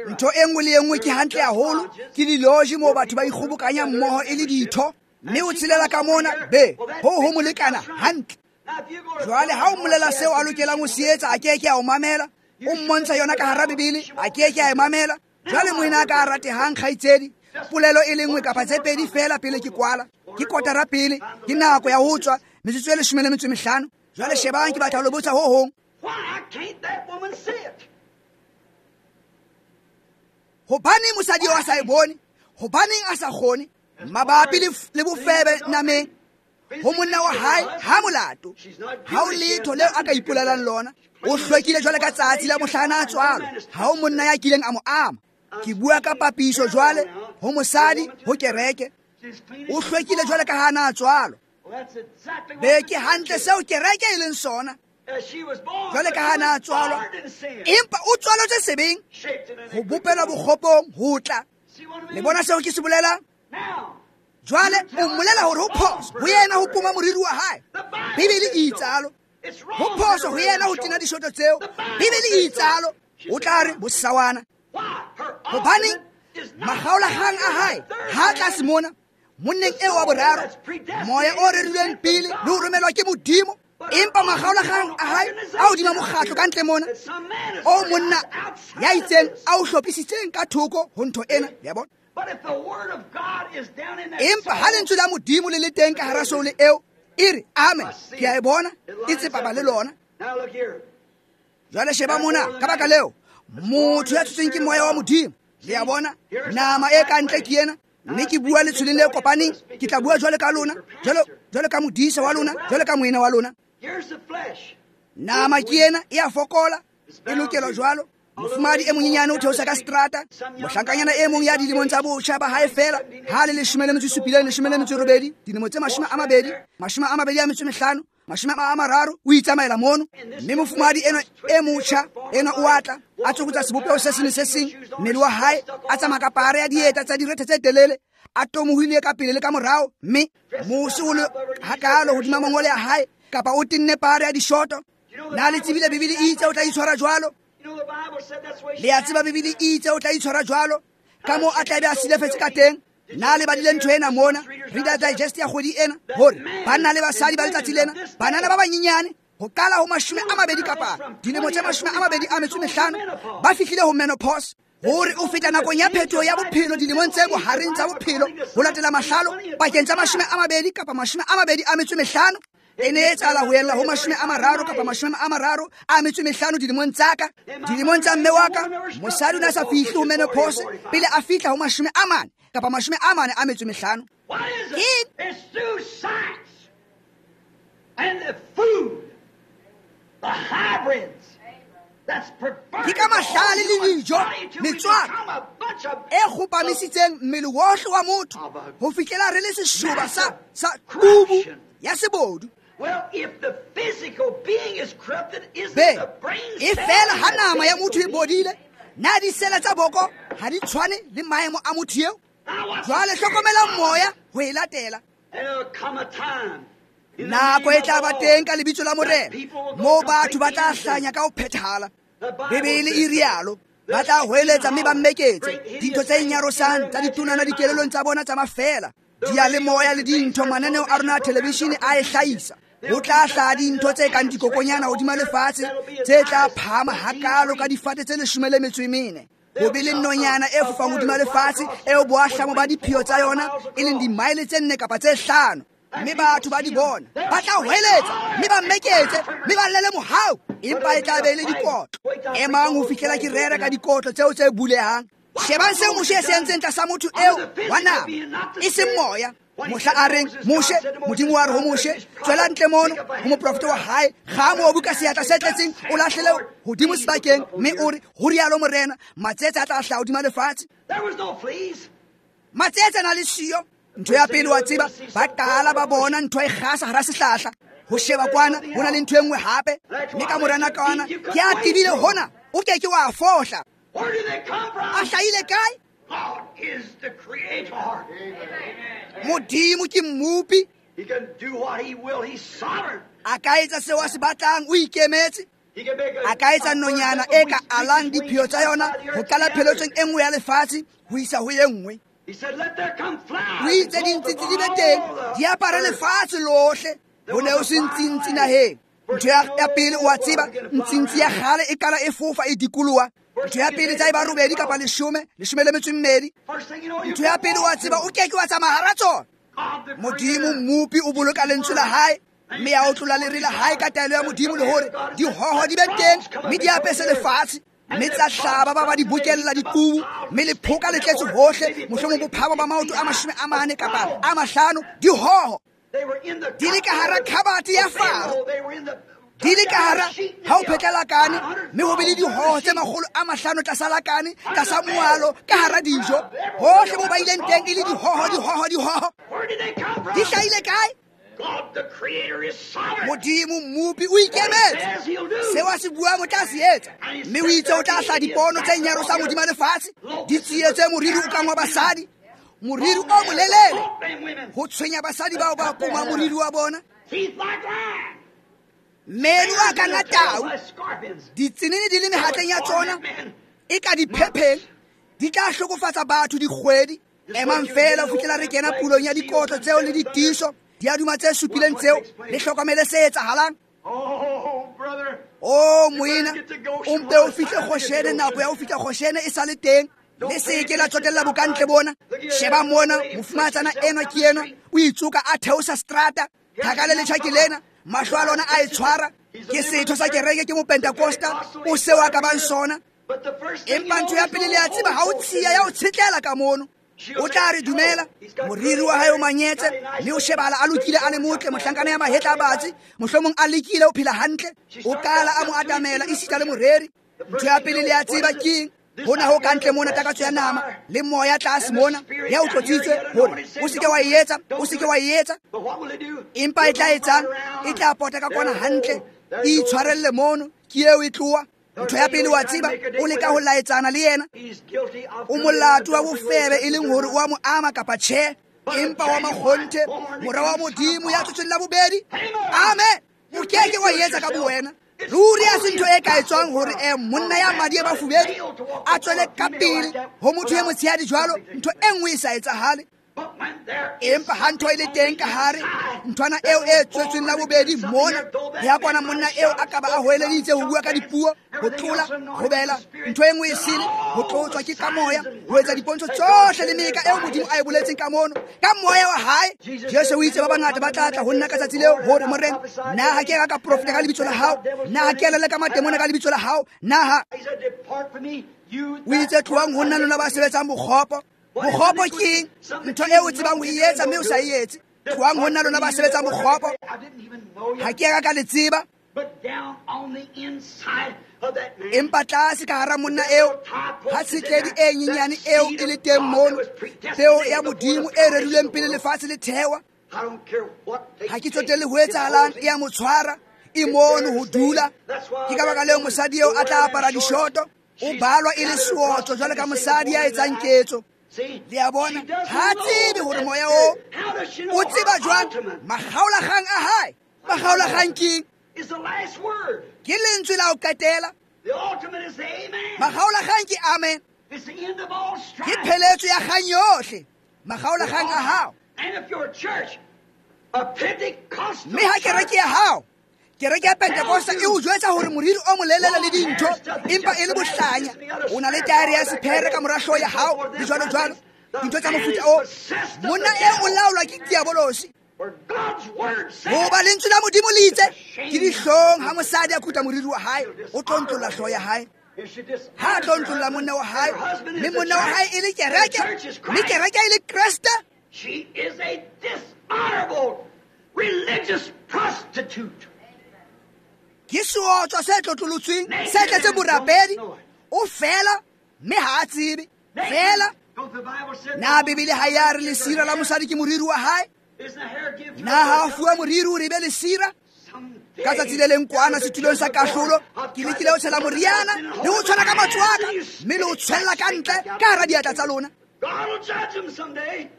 Ntho e nngwe le e nngwe ke hantle haholo, ke diloji moo batho ba ikgobokanyang mmoho e le ditho. Mme o tshelela ka mona, be ho ho molekana hantle. Jwale ha o mmolela seo a lokelang ho se etsa, a ke ke a o mamela. O mmontsha yona ka hara Bibele, a ke ke a e mamela. Jwale moena a ka ratehang kgaitsedi, polelo e le nngwe kapa tse pedi fela pele ke kwala. Ke kotara pele, ke nako ya ho tswa, metsotso e 15. Jwale shebang, ke batla ho le botsa ho hong. Hobaneng mosadi eo a sa e bone? Hobaneng a sa kgone? Mabapi le bofebe nameng, ho monna wa hae ha molato, ha o letho leo a ka ipolelang lona. O hlwekile jwale ka tsatsi la mohlana a tswalo, ha o monna ya kileng a mo ama. Ke bua ka papiso jwale, ho mosadi, ho kereke. O hlwekile jwale ka hana a tswalo. Be ke hantle seo kereke e leng sona. Jwale ka hana a tswalwa, empa o tswaletswe sebeng, ho bopelwa bokgopong ho tla. Le bona seo ke se bolelang? Jwale o mmolela hore ho phoso ho yena ho poma moriri wa hae. Bibele e itsalo. Ho phoso ho yena ho tena dishoto tseo. Bibele e itsalo. O tla re bosawana. Hobaneng makgaolakgang a hae ha tlase mona monneng eo wa boraro, moya o rerilweng pele le ho romelwa ke Modimo, empa makgaolakgang a hae a hodima mokgatlo ka ntle mona, o monna ya itseng a o hlophisitseng ka thoko ho ntho ena, le bona. Empa ha lentswe la Modimo le le teng ka hara soule eo, e re amen, ke a e bona, e tsepama le lona. Jwale sheba mona, ka baka leo, motho ya tshotsweng ke moya wa Modimo, le a bona, nama e ka ntle ke ena. Mme ke bua letshweleng le kopaneng, ke tla bua jwale ka lona, jwale ka modisa wa lona, jwale ka moena wa lona. Nama ke ena, e a fokola, e lokelwa jwalo. Mofumahadi e monyenyane o theosa ka seterata, mohlankanyana e mong ya dilemong tsa botjha ba hae fela, ha le 17, 18, dilemo tse 20, 25, 30, o itsamaela mono. Mme mofumahadi enwa e motjha enwa o atla, a tsokotsa sebopeho se seng le se seng, mmele wa hae, a tsamaya ka pare ya dieta tsa direthe tse telele, a tomohile ka pele le ka morao, mme mose o le hakalo hodima mangole a hae, kapa o tenne pare ya dishoto. Na le tsebile Bibele e itse o tla itshwara jwalo? Le a tseba Bibele e itse o tla itshwara jwalo, ka moo a tla be a silafetse ka teng. Na le badile ntho ena mona, Reader Digest ya kgwedi ena, hore banna le basadi ba letsatsi lena, banana ba banyenyane, ho qala ho 20 kapa dilemo tse 25, ba fihlile ho menopause. Hore o feta nakong ya phetoho ya bophelo dilemong tse bohareng tsa bophelo, ho latela mahlalo pakeng tsa 20 kapa 25. E ne e etsahala ho ella ho 30 kapa 35 dilemong tsa ka. Dilemong tsa mme wa ka, mosadi o ne a sa fihle ho menopause pele a fihla ho 40 kapa 45. Ke ka mahlale le dijo, metswako e kgopamisitseng mmele wohle wa motho ho fihlela re le seshoba sa kubu ya sebodu. Be e fela ha nama ya motho e bodile, na disele tsa boko ha di tshwane le maemo a motho eo? Jwale hlokomela moya ho e latela. Nako e tla ba teng ka lebitso la Morena, moo batho ba tla hlanya ka ho phethahala. Bibele e rialo. Ba tla hweletsa mme ba mmeketse dintho tse nyarosang tsa ditonana dikelelong tsa bona tsa mafela. Diyalemoya le dintho mananeo a rona a televishene a e hlahisa. Ho tla hlaha dintho tse kang dikokonyana hodima lefatshe tse tla phahama hakalo ka difate tse 14. Ho be le nonyana e fofang hodima lefatshe eo boahlamo ba diphio tsa yona e leng dimaele tse 4 kapa tse 5. Mme batho ba di bona ba tla hweletsa mme ba mmeketse mme ba llele mohau, empa e tla be le dikotlo. Emang ho fihlela ke rera ka dikotlo tseo tse bulehang. Shebang seo Moshe se entseng tlasa motho eo wa nama, e seng moya. Mohla a reng Moshe, Modimo wa re ho Moshe, tswela ntle mono ho moprofeta wa hae, kga mobu ka seatla se tletseng, o lahlele hodimo sebakeng, mme o re ho rialo Morena, matsetse a tla hlaha hodima lefatshe. Matsetse a na le siyo. Ntho ya pele wa tseba, ba qala ba bona ntho e kgasa hara sehlahla. Ho sheba kwana, ho na le ntho e nngwe hape. Mme ka morana kwana, ke a tebile hona, o ke ke wa fohla. A hlahile kae? Modimo ke mmopi. A ka etsa seo a se batlang, o ikemetse. A ka etsa nonyana e ka alang diphio tsa yona ho qala pheletsong e nngwe ya lefatshe ho isa ho e nngwe. O itse dintsintsi di be teng, di apare lefatshe lohle. Ho ne ho se ntsintsi naheng. Ntho ya pele o a tseba, ntsintsi ya kgale e qala e fofa e dikoloha. Ntho ya pele tsa e ba 8 kapa 10, 12. Ntho ya pele o a tseba, o ke ke wa tsamaya hara tsona. Modimo mmopi o boloka lentswe la hae, mme ya o tlola lere la hae ka taelo ya Modimo le hore dihoho di be teng mme di apese lefatshe. Mme tsa hlaba ba ba di bokella diqubu, mme lephoka le tletse hohle, mohlomong bophahamo ba maoto a 40 kapa a 50, dihoho di le ka hara khabate ya Faro, di le ka hara ha o phetla lakane, mme ho be le dihoho tse 500 tlasa lakane, tlasa moalo, ka hara dijo. Hohle mo ba ileng teng e le dihoho, dihoho, dihoho. Di hlahile kae? Modimo mmopi o ikemetse. Seo a se buang o tla se etsa. Mme o itse o tla hlaha dipono tse nyarosang hodima lefatshe, di tsietse moriri o kang wa basadi, moriri o molelele, ho tshwenya basadi bao ba poma moriri wa bona. Meno a kang a tau, ditsenene di le mehatleng ya tsona, e ka diphepheng, di tla hlokofatsa batho dikgwedi. Emang fela ho fihlela re kena pulong ya dikotlo tseo le ditiiso, diaduma tse supileng tseo, le hlokomele se etsahalang. O moena, o mpe o fihle Goshene, nako ya ho fihla Goshene e sa le teng. Le se ke la tsotella bokantle bona. Sheba mona, mofumahatsana enwa ke enwa, o itsoka a theosa strata. Thaka le letjha ke lena, mahlo a lona a e tshwara. Ke setho sa kereke, ke mopentekosta, o seo a ka bang sona. Empa ntho ya pele le a tseba, ha o tshiya ya o tshetlela ka mono. O tla re dumela, moriri wa hae o manyetse, mme o shebala a lokile a le motle, mohlankana ya mahetla a batsi, mohlomong a lekile o phela hantle. O qala a mo atamela esita le moreri. Ntho ya pele le a tseba keng? Hona ho kantle mona takatso ya nama le moya tlase mona ya o tlotsitswe hore o se ke wa e etsa, o se ke wa e etsa. Empa e tla etsang? E tla pota ka kwana hantle, e itshwarelle mono, ke eo e tloha. Ntho ya pele wa tseba, o leka ho laetsana le yena. O molato wa bofebe e leng hore o a mo ama kapa tjhe, empa wa makgonthe, mora wa Modimo ya tsotsweng la bobedi. Amen. O ke ke wa etsa ka bowena. Ruri a se ntho e ka etswang hore monna ya madi a mafubedu a tswele ka pele ho motho e motshehadi jwalo, ntho e nngwe e sa etsahale. Empa ha ntho e le teng ka hare, nthwana eo e tswetsweng la bobedi mona, ya kwana monna eo a ka ba a hoeleditse ho bua ka dipuo, ho tlola, ho bela, ntho e nngwe e sele, ho tlotswa ke ka moya, ho etsa dipontsho tsohle le meka eo Modimo a e boletseng ka mono, ka moya wa hae. Jesu o itse ba bangata ba tla tla ho nna ka tsatsi leo, hore Morena, na ha ke ka profeta ka lebitso la hao, na ha ke leleka matemona ka lebitso la hao, na ha o itse tlohang ho nna lona ba sebetsang bokgopo. Bokgopo ke ntho eo o tsebang ho e etsa mme o sa e etse. Tlohang ho nna lona ba sebetsang bokgopo. Ha ke ka le tseba. Empa tlase ka hara monna eo, ha tshetledi e nyenyane eo e le teng mono, peo ya Modimo e rerilweng pele lefatshe le thewa. Ha ke tsotelle ho etsahalang, e a mo tshwara, e mono ho dula. Ke ka baka leo mosadi eo a tla apara dishoto, o balwa e le seotlo jwalo ka mosadi ya etsang ketso. Le a bona, ha tsebe hore moya o o tseba jwang makgaolakgang a hae. Makgaolakgang keng? Ke lentswe la ho qetela. Makgaolakgang ke amen. Ke pheletso ya kgang yohle. Makgaolakgang a hao. Mme ha kereke ya hao, kereke ya Pentecosta e o jwetsa hore moriri o molelele le dintho empa e le bohlanya, o na le taere ya sephere ka mora hlooho ya hao le jwalo jwalo, dintho tsa mofuta o. Monna e o laolwa ke diabolosi. Hoba lentswe la Modimo le itse ke dihlong ha mosadi a kuta moriri wa hae, o tlontlolla hlooho ya hae. Ha a tlontlolla monna wa hae, mme monna wa hae e le kereke, mme kereke e le Kreste. She is a dishonorable religious prostitute. Ke seotswa se tlotlolotsweng, se tletseng borapedi. O fela, mme ha a tsebe. Fela. Na Bibele ha ya re lesira la mosadi ke moriri wa hae? Na ha a fuwa moriri o re be lesira? Ka tsatsi le leng kwana setulong sa kahlolo, ke lekile ho tshela moriana le ho tshwara ka matsoho a ka, mme le ho tshwella ka ntle ka hara diatla tsa lona.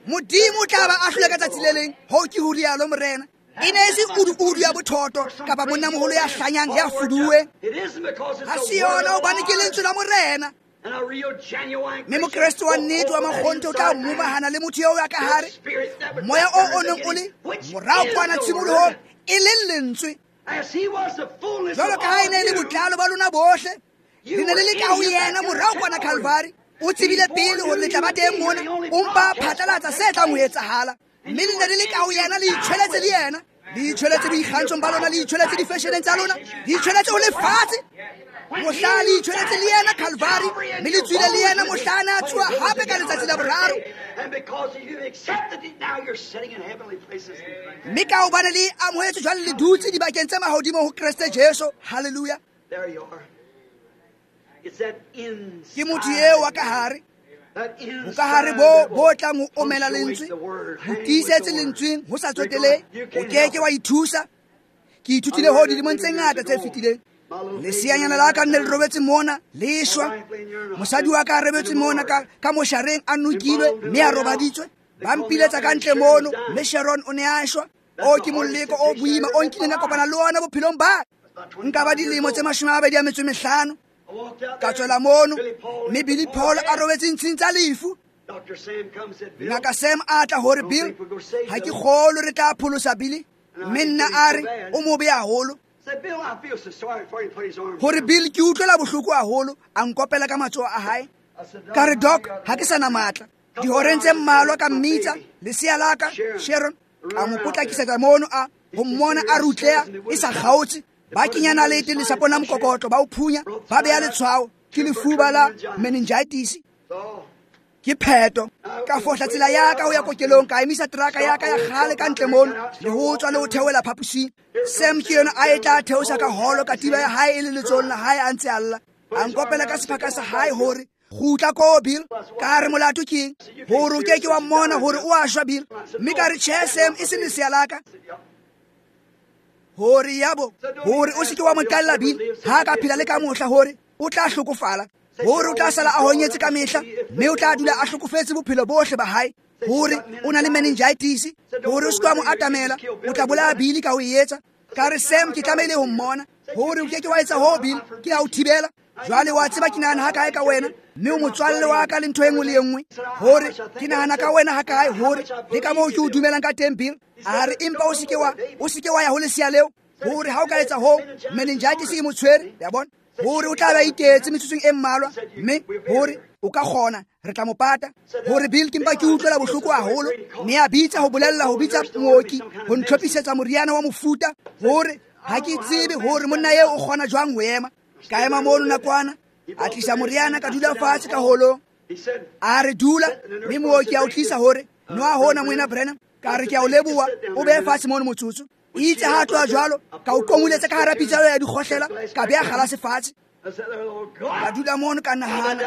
Modimo o tla ba ahlole ka tsatsi le leng. Hoo ke ho rialo Morena. E ne e se udu-udu ya bothoto kapa monnamoholo ya hlanyang ya fuduweng. Ha se yona hobane ke lentswe la Morena. Mme Mokreste wa nnete wa makgonthe o tla momahana le motho eo ya ka hare. Moya o o neng o le morao kwana tshimolohong e leng lentswe. Jwalo ka ha e ne e le botlalo ba lona bohle, le ne le le ka ho yena morao kwana Calvary. O tsebile pele hore le tla ba teng mona, o mpa phatlalatsa se tlang ho etsahala. Mme le ne le le ka ho yena, le itjhweletse le yena, le itjhweletse boikgantshong ba lona, le itjhweletse difesheneng tsa lona, le itjhweletse ho lefatshe. Mohla le itjhweletse le yena Calvary, mme le tswile le yena mohla a ne a tsoha hape ka letsatsi la boraro. Mme ka hobane le amohetse jwale le dutse dibakeng tse mahodimo ho Kreste Jesu. Hallelujah. Ke motho eo wa ka hare. Bokahare bo tlang ho omela lentswe, ho tiisetse lentsweng ho sa tsotelehe, o keke wa ithusa. Ke ithutile ho dilemong tse ngata tse fetileng. Leseanyana la ka nne le robetse mona, le shwa. Mosadi wa ka a robetse mona ka moshareng a nokilwe mme a robaditswe. Ba mpiletsa ka ntle mono, mme Sharon o ne a shwa. O ke moleko o boima o nkileng ka kopana le ona bophelong ba ka. Nka ba dilemo tse 25. Ka tswela mono, mme Billy Paul a robetse ntshing tsa lefu. Ngaka Sam a tla hore Bill, ha ke kgolwe re tla pholosa Billy. Mme nna a re o mobe haholo. Hore Bill ke utlwela bohloko haholo, a nkopela ka matsoho a hae. Ka re Doc, ha ke sa na matla. Dihoreng tse mmalwa ka mmitsa, lesea la ka, Sharon, a mo potlakisetsa mono a ho mmona a rutleha e sa kgaotse. Ba kenya nalete lesapong la mokokotlo, ba o phunya, ba beha letshwao, ke lefuba la meningitis. Ke pheto. Ka fohla tsela ya ka ho ya kokelong, ka emisa teraka ya ka ya kgale ka ntle mono, le ho tswa le ho theohela phaposing. Sam ke yena a e tla theosa ka holo, katiba ya hae e le letsohong la hae a ntse a lla. A nkopela ka sephaka sa hae hore kgutla ko Bill. Ka re molato ke eng? Hore o ke ke wa mmona hore o a shwa Bill. Mme ka re tjhe Sam, e se lesea la ka. Hore yabo, hore o se ke wa mo qalla Bill, ha ka phela le ka mohla hore o tla hlokofala. Hore o tla sala a honyetse ka mehla, mme o tla dula a hlokofetse bophelo bohle ba hae. Hore o na le meningitis, hore o se ke wa mo atamela, o tla bolaya Billy ka ho e etsa. Ka re Sam, ke tlamehile ho mmona. Hore o ke ke wa etsa ho Bill, ke a o thibela. Jwale wa tseba ke nahana ha kae ka wena, mme o motswalle wa ka le ntho e nngwe le e nngwe. Hore ke nahana ka wena ha kae, hore le ka moo ke o dumelang ka teng Bill. A re empa o se ke wa ya ho lesea leo. Hore ha o ka etsa hoo, meningitis e mo tshwere, ya bona. Hore o tla ba itetse metsotsong e mmalwa, mme hore o ka kgona, re tla mo pata. Hore Bill ke mpa ke utlwela bohloko haholo, mme a bitsa ho bolella ho bitsa mooki ho ntlhophisetsa moriana wa mofuta. Hore ha ke tsebe hore monna eo o kgona jwang ho ema. Ka ema mono nakwana, a tlisa moriana, ka dula fatshe ka holong. A re dula, mme mooki a o tlisa hore nwa hona moena Branham. Ka re ke a o leboha, o behe fatshe mono motsotso. Itse ha tloha jwalo, ka o qongoletse ka hara pitsa ya dikgohlela, ka beha kgalase fatshe. Ka dula mono ka nahana,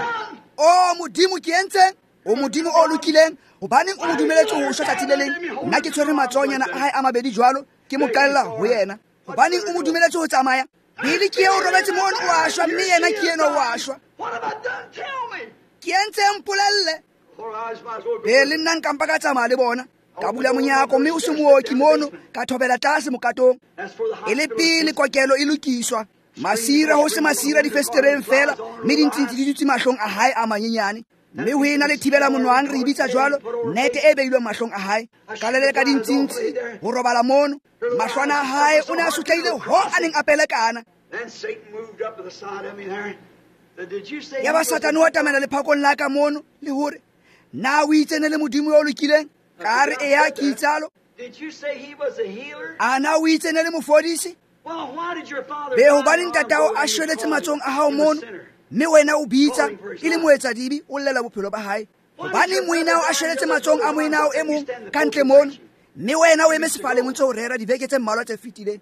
o Modimo ke entseng? O Modimo o lokileng, hobaneng o mo dumeletse ho shwa tsatsi le leng? Nna ke tshwere matsohonyana a hae a mabedi jwalo, ke mo qalla ho yena. Hobaneng o mo dumeletse ho tsamaya? Billy ke eo robetse mono o a shwa, mme yena ke enwa o a shwa. Ke entseng mpolelle? Ee, le nna nka mpa ka tsamaya le bona. Ka bula monyako mme o se mooki mono, ka thobela tlase mokatong. E le pele kokelo e lokiswa. Masira ho se masira difestereng fela, mme dintsintsi di dutse mahlong a hae a manyenyane. Mme ho ena le thibela monwang re bitsa jwalo, nete e beilweng mahlong a hae. Ka leleka dintsintsi ho robala mono. Mahlwana a hae o ne a sotlehile ho a neng a pelekana. Ya ba Satane wa tamela lephakong la ka mono le hore na o itse ne le Modimo yo lokileng? Ka re eya ke itsalo. A na o itse ne le mofodisi? Be hobane ntatao a shweletse matsohong a hao mono, mme wena o bitsa e le moetsadibe o llela bophelo ba hae. Hobane moenao a shweletse matsohong a moenao e mong ka ntle mono, mme wena o eme sefaleng o ntse o rera dibeke tse mmalwa tse fetileng.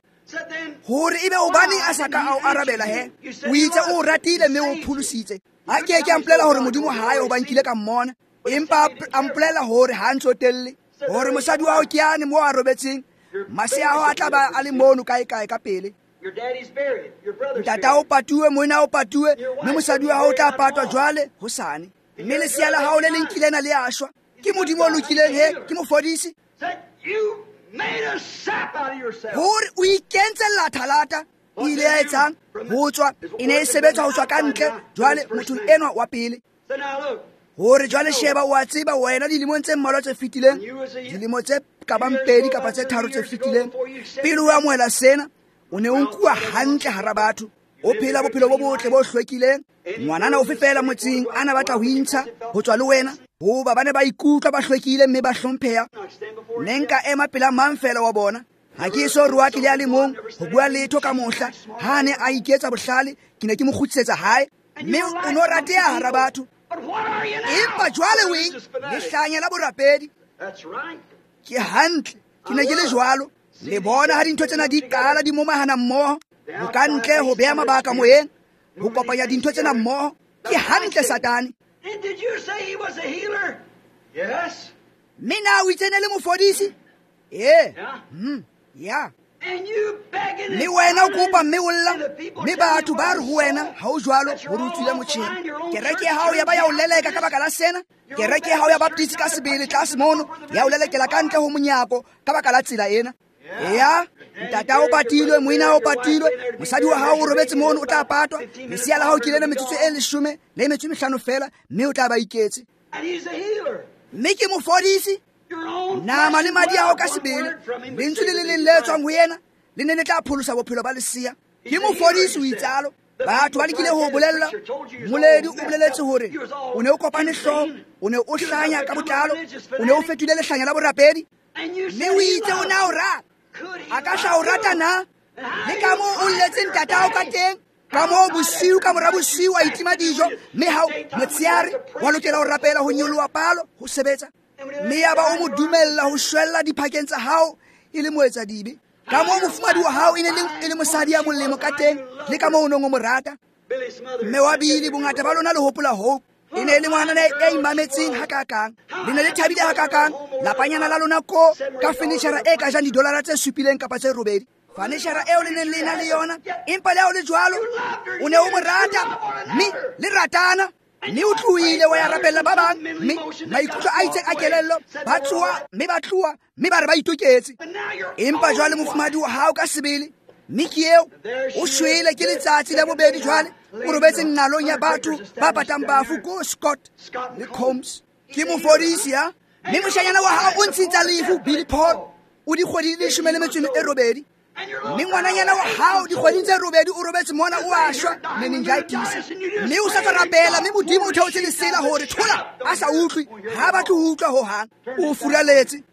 Hore ebe hobane a sa ka a o arabela he, o itse o ratile mme o pholositse. A ke ke a mpolela hore Modimo ha ayo hoba nkile ka mmona, empa a mpolela hore ha a ntsotelle, hore mosadi wa hao ke yane moo a robetseng, masea ao a tla ba a le mono kae-kae ka pele. Ntata o patuwe, moena o patuwe, mme mosadi wa hao o tla patwa jwale hosane. Mme lesea la hao le leng kile na le a shwa. Ke Modimo o lokileng he, ke mofodisi. Hore o ikentse lathalata, o ile ya etsang ho tswa, e ne e sebetsa ho tswa ka ntle jwale mothong enwa wa pele. Hore jwale sheba o a tseba wena dilemong tse mmalwa tse fetileng, dilemo tse ka bang 2 kapa tse 3 tse fetileng, pele o amohela sena, o ne o nkuwa hantle hara batho, o phela bophelo bo botle bo hlwekileng. Ngwanana ofe fela motseng a na batla ho intsha ho tswa le wena, hoba ba ne ba ikutlwa ba hlwekile mme ba hlompheha. Ne nka ema pela mang fela wa bona. Ha ke eso roake le a le mong ho bua letho ka mohla. Ha a ne a iketsa bohlale, ke ne ke mo kgutlisetsa hae. Mme o no rateha hara batho. Empa jwale o eng? Lehlanya la borapedi. Ke hantle, ke ne ke le jwalo. Le bona ha dintho tsena di qala di momahana mmoho, ho ka ntle ho beha mabaka moyeng, ho kopanya dintho tsena mmoho. Ke hantle, Satane. Mme na o itse ne le mofodisi? Ee. Ya. Mme wena o kopa mme o lla, mme batho ba re ho wena ha o jwalo hore o tswile motjheng. Kereke ya hao ya ba ya o leleka ka baka la sena. Kereke ya hao ya Baptist ka sebele tlase mono ya o lelekela ka ntle ho monyako ka baka la tsela ena. Ya, ntata o patilwe, moena o patilwe, mosadi wa hao o robetse mono o tla patwa, lesea la hao ke lena metsotso e 15 le metso e 5 fela, mme o tla ba iketse. Mme ke mofodisi. Nama le madi a hao ka sebele, lentswe le le leng le tswang ho yena le ne le tla pholosa bophelo ba lesea. Ke mofodisi o itsalo. Batho ba lekile ho bolella, moledi o boleletse hore o ne o kopane hlooho, o ne o hlanya ka botlalo, o ne o fetohile lehlanya la borapedi, mme o itse o na o rata. A ka hla o rata na? Le ka moo o lletseng ntatao ka teng, ka moo bosiu ka mora bosiu wa itima dijo, mme hao motsheare wa lokela ho rapela ho nyoloha palo ho sebetsa. Mme ya ba o mo dumella ho shwella diphakeng tsa hao e le moetsadibe. Ka moo mofumadi wa hao e ne e le mosadi ya molemo ka teng, le ka moo o neng o mo rata. Mme wa Bili, bongata ba lona le hopola Hope. E ne e le ngwanana ya imametseng hakakang, le ne le thabile hakakang. Lapanyana la lona ko ka fenitjhara e ka jang didolara tse 7 kapa tse 8. Fenitjhara eo le neng le na le yona, empa le ha o le jwalo, o ne o mo rata, mme le ratana. Mme o tlohile wa ya rapella ba bang, mme maikutlo a itseng a kelello, ba tsoha mme ba tloha, mme ba re ba itoketse. Empa jwale mofumadi wa hao ka sebele, mme ke eo o shwele ke letsatsi la bobedi jwale, o robetse nqalong ya batho ba batang bafu ko Scott le Combs. Ke mofodisi ya. Mme moshanyana wa hao o ntshitsa lefu, Billy Paul, o dikgwedi di 18. Mme ngwananyana wa hao dikgweding tse 8 o robetse mona o a shwa meningitis. Mme o sa tswa rapela, mme Modimo o theotse lesela hore thola a sa utlwe, ha batle ho utlwa hohang. O furaletse.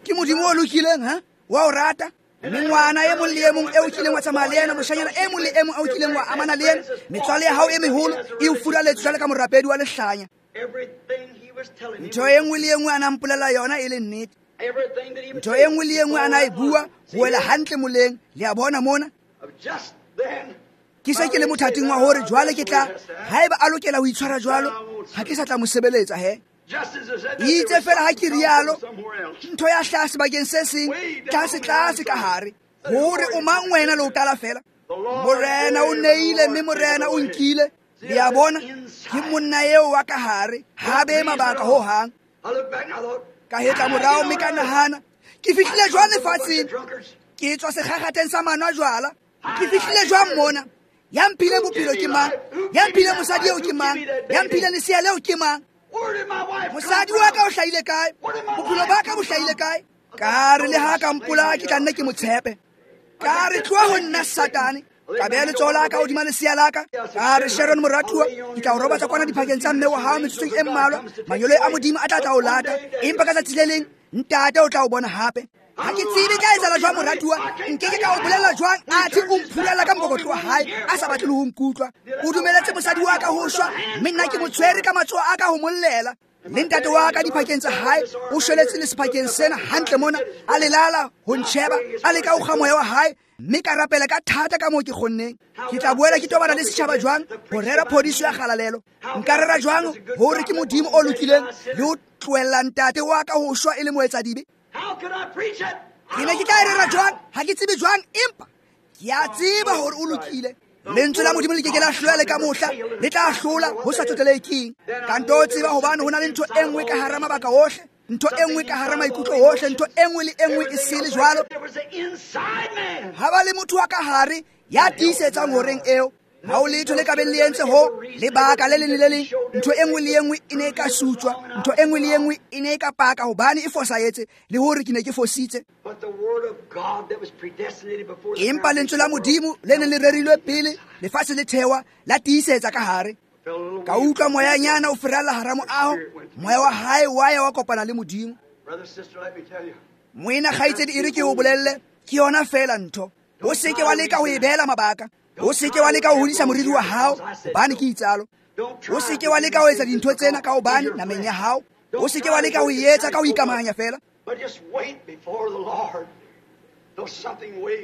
Ke Modimo o lokileng, ha? Wa o rata. Mme ngwana e mong le e mong eo kileng wa tsamaya le yena, moshanyana e mong le e mong eo kileng wa amana le yena, metswalle ya hao e meholo e o furaletse jwale ka morapedi wa lehlanya. Ntho e nngwe le e nngwe a nang mpolela yona e le nnete. Ntho e nngwe le e nngwe a na e bua ho wela hantle moleng. Le a bona mona? Ke se ke le mothating wa hore jwale ke tla, haeba a lokela ho itshwara jwalo, ha ke sa tla mo sebeletsa he. Itse fela ha ke rialo, ntho ya hlaha sebakeng se seng, tlase tlase ka hare, hore o mang wena le o qala fela. Morena o neile mme morena o nkile. Le a bona? Ke monna eo wa ka hare, ha be mabaka ho hang. Ka hetla morao mme ka nahana, ke fihlile jwang lefatsheng? Ke tswa sekgakgatheng sa manwa jwala. Ke fihlile jwang mona? Ya mphileng bophelo ke mang? Ya mphileng mosadi eo ke mang? Ya mphileng lesea leo ke mang? Mosadi wa ka o hlahile kae? Bophelo ba ka bo hlahile kae? Ka re le ha ka mpola ke tla nna ke mo tshepe. Ka re tloha ho nna Satane. Ka beha letsoho la ka hodima lesea la ka. Ka re Sharon moratuwa, ke tla o robatsa kwana diphakeng tsa mme wa hao metsotsong e mmalwa. Manyolo a Modimo a tla tla o lata. Empa ka tsatsi le leng ntate o tla o bona hape. Ha ke tsebe tla etsahala jwang moratuwa, nkeke ka o bolella jwang athe o mphurella ka mokokotlo wa hae a sa batle le ho nkutlwa. O dumeletse mosadi wa ka ho shwa, mme nna ke mo tshwere ka matsoho a ka ho mollela. Le ntate wa ka diphakeng tsa hae o shweletse le sephakeng sena hantle mona, a lelala ho ntjheba, a leka ho kga moya wa hae, mme ka rapela ka thata ka moo ke kgonneng. Ke tla boela ke tobana le setjhaba jwang ho rera phodiso ya kgalalelo? Nka rera jwang hore ke Modimo o lokileng le ho tlohella ntate wa ka ho shwa e le moetsadibe? Ke ne ke tla e rera jwang? Ha ke tsebe jwang, empa ke a tseba hore o lokile. Lentswe la Modimo le ke ke la hlola le ka mohla, le tla hlola ho sa tsotelehe keng. Ka nto tseba hobane ho na le ntho e nngwe ka hara mabaka ohle, ntho e nngwe ka hara maikutlo ohle, ntho e nngwe le e nngwe e sele jwalo. Ha ba le motho wa ka hare ya tiisetsang horeng eo, ha o letho le ka beng le entse ho lebaka le leng le le leng, ntho e nngwe le e nngwe e ne e ka sutswa, ntho e nngwe le e nngwe e ne e ka paka hobane e fosahetse le hore ke ne ke fositse. Empa lentswe la Modimo le neng le rerilwe pele lefatshe le thewa la tiisetsa ka hare. Ka utlwa moyanyana o feralla hara moaho, moya wa hae wa ya wa kopana le Modimo. Moena kgaitsedi, e re ke o bolelle, ke yona feela ntho. O se ke wa leka ho e beela mabaka. O se ke wa leka ho hodisa moriri wa hao hobane ke itsalo. O se ke wa leka ho etsa dintho tsena ka hobane nameng ya hao. O se ke wa leka ho e etsa ka ho ikamahanya feela.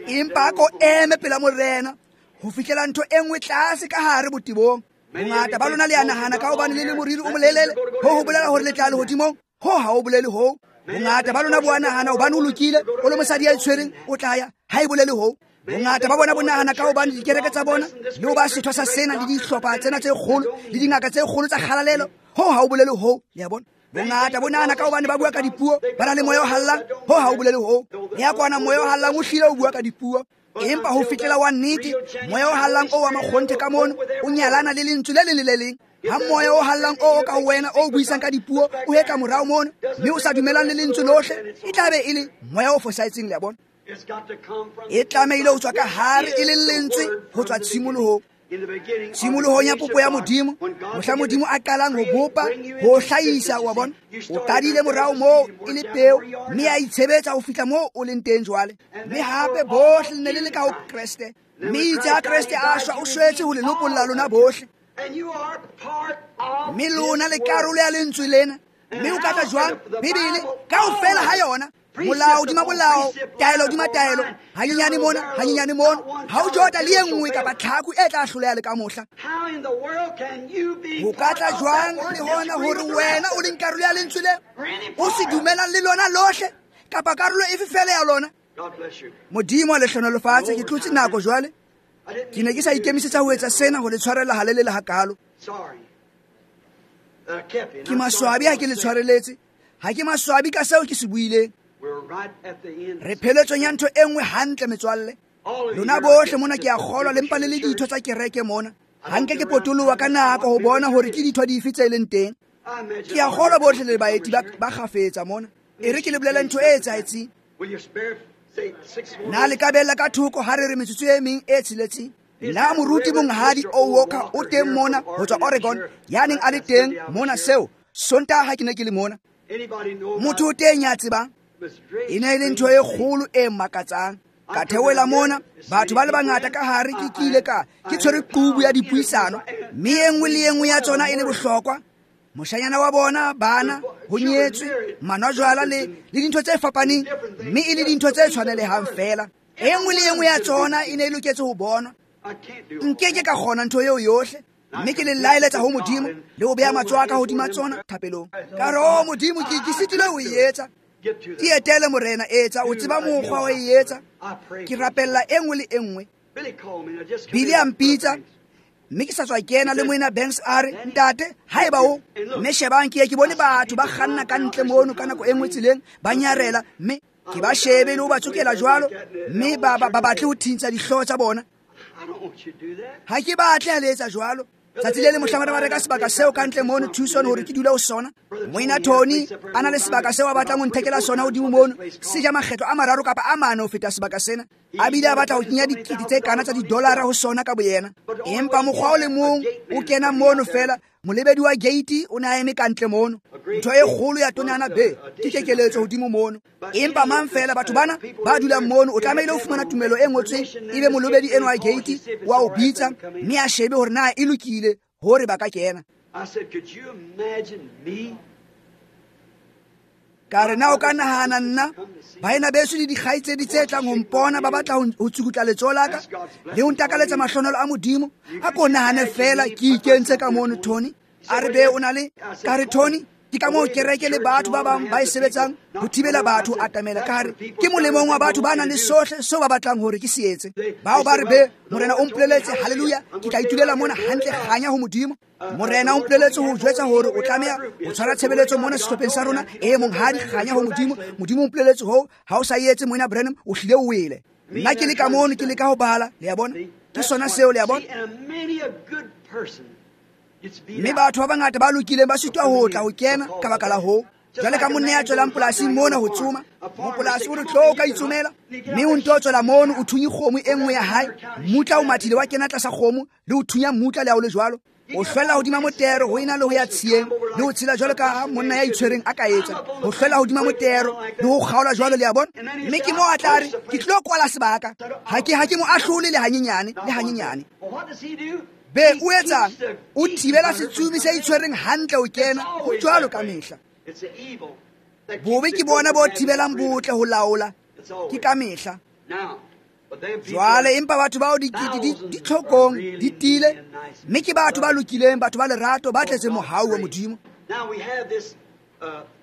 Empa ko eme pela Morena ho fihlela ntho e nngwe tlase ka hare botebong. Bongata ba lona le a nahana ka hobane le le moriri o molelele, ho ho bolela hore le tla lehodimong. Ho ha o bolele hoo. Bongata ba lona bo a nahana hobane o lokile, o le mosadi ya itshwereng, o tla ya. Ha e bolele hoo. Bongata ba bona bo nahana ka hobane dikereke tsa bona le ho ba setho sa sena le dihlopha tsena tse kgolo le dingaka tse kgolo tsa kgalalelo, ho ha o bolele hoo. Le a bona? Bongata bo nahana ka hobane ba bua ka dipuo, ba na le moya o hallang, ho ha o bolele hoo. Le ya kwana moya o hallang o hlile o bua ka dipuo, empa ho fihlela wa nnete moya o hallang o wa makgonthe ka mono o nyalana le lentswe le leng le le leng. Ha moya o hallang o ka wena o buisang ka dipuo o hetla morao mono mme o sa dumelang le lentswe lohle, e tla be e le moya o fosahetseng. Le a bona? E tlamehile ho tswa ka hare e le lentswe ho tswa tshimolohong. Tshimolohong ya popo ya Modimo, mohla Modimo a qalang ho bopa, ho hlahisa, wa bona, o qadile morao moo e le peo, mme a itshebetsa ho fihla moo o leng teng jwale. Mme hape bohle le ne le le ka ho Kreste, mme itse ha Kreste a shwa, o shwetse ho le lopolla lona bohle. Mme lona le karolo ya lentswe lena. Mme o ka tla jwang? Bibele kaofela ha yona, molao hodima molao, taelo hodima taelo, hanyenyane mona, hanyenyane mona, ha o jota le e nngwe kapa tlhaku e tla hloleha le ka mohla. Ho ka tla jwang le hona hore wena o leng karolo ya lentswe le o se dumelang le lona lohle kapa karolo efe feela ya lona? Modimo a le hlohonolofatse. Ke tlotse nako jwale. Ke ne ke sa ikemisetsa ho etsa sena ho le tshwarela halelele hakalo. Ke maswabi ha ke le tshwareletse. Ha ke maswabi ka seo ke se buileng. Re pheletsong ya ntho e nngwe hantle metswalle. Lona bohle mona ke a kgolwa le mpa le le ditho tsa kereke mona. Ha nke ke potoloha ka nako ho bona hore ke ditho dife tse leng teng. Ke a kgolwa bohle le baeti ba kgafetsa mona. E re ke le bolele ntho e etsahetseng. Na le ka bella ka thoko ha re re metsotso e meng e tsheletseng? Na moruti monghadi O Walker o teng mona ho tswa Oregon, ya neng a le teng mona seo Sontaha ha ke ne ke le mona? Motho o teng ya tsebang? E ne e le ntho e kgolo e makatsang. Ka theohela mona, batho ba le bangata ka hare, ke kile ka ke tshwere qubu ya dipuisano, mme e nngwe le e nngwe ya tsona e le bohlokwa. Moshanyana wa bona, bana, ho nyetswe, manwa jwala le dintho tse fapaneng, mme e le dintho tse tshwanelehang feela. E nngwe le e nngwe ya tsona e ne e loketse ho bonwa. Nke ke ka kgona ntho eo yohle, mme ke le laeletsa ho Modimo le ho beha matsoho a ka hodima tsona thapelong. Ka re, oh Modimo, ke sitilwe ho e etsa. Ke etele Morena, etsa, o tseba mokgwa wa e etsa. Ke rapella e nngwe le e nngwe. Billy a mpitsa, mme ke sa tswa kena le moena Banks a re, ntate, haeba o, mme shebang ke ye ke bone batho ba kganna ka ntle mono ka nako e nngwe tseleng, ba nyarela, mme Ke ba shebe le ho ba tsokela jwalo, mme ba batle ho thintsha dihlooho tsa bona. Ha ke batle ha le etsa jwalo. Tsatsi le le mohlang ba reka sebaka seo ka ntle mono Tucson hore ke dule ho sona. Moena Tony a na le sebaka seo a batlang ho nthekela sona hodimo mono, se ja makgetlo a 3 kapa a 4 ho feta sebaka sena. A bile a batla ho kenya dikete tse kana tsa didolara ho sona ka boyena. Empa mokgwa o le mong o kena mono fela, molebedi wa gate o ne a eme ka ntle mono. Ntho e kgolo ya tonana be ke kekeletso hodimo mono. Empa mang fela batho bana ba dulang mono o tlamehile ho fumana tumelo e ngotsweng, ebe molebedi eno wa gate wa o bitsa mme a shebe hore na e lokile hore ba ka kena. Ka re na o ka nahana nna baena beso le dikgaitsedi tse tlang ho mpona ba batla ho tsukutla letsoho la ka le ho ntakaletsa mahlonolo a Modimo. A ko nahane fela ke ikentse ka mono Tony. A re be o na le ka re Tony ke ka moo kereke le batho ba bang ba e sebetsang ho thibela batho atamela. Ka re ke molemong wa batho ba nang le sohle seo ba batlang hore ke se etse. Bao ba re be Morena o mpoleletse, haleluya, ke tla itulela mona hantle kganya ho Modimo. Morena o mpoleletse ho jwetsa hore o tlameha ho tshwara tshebeletso mona sehlopheng sa rona. E monghadi, kganya ho Modimo. Modimo o mpoleletse hoo, ha o sa etse moena Branham o hlile o wele. Nna ke le ka mono ke leka ho bala, le a bona. Ke sona seo, le a bona. Mme batho ba bangata ba lokileng ba sitwa ho tla ho kena ka baka la hoo. Jwale ka monna ya tswelang polasing mona ho tsoma, mopolasi o re tlo o ka itsomela, mme o nto tswela mono o thunye kgomo e nngwe ya hae. Mmutla o mathile wa kena tlasa kgomo le ho thunya mmutla le ha o le jwalo. O hlwella hodima motero ho ena le ho ya tshiyeng le ho tshela jwalo ka monna ya itshwereng a ka etsa. Ho hlwella hodima motero le ho kgaola jwalo, le a bona. Mme ke moo a tla re ke tlilo kwala sebaka. Ha ke mo ahlole le hanyenyane, le hanyenyane. Be o etsang? O thibela setsubi se itshwereng hantle ho kena. Ho jwalo ka mehla. Bobe ke bona bo thibelang botle ho laola. Ke ka mehla. Jwale empa batho bao dikete di tlhokong di tiile, mme ke batho ba lokileng, batho ba lerato, ba tletseng mohau wa Modimo.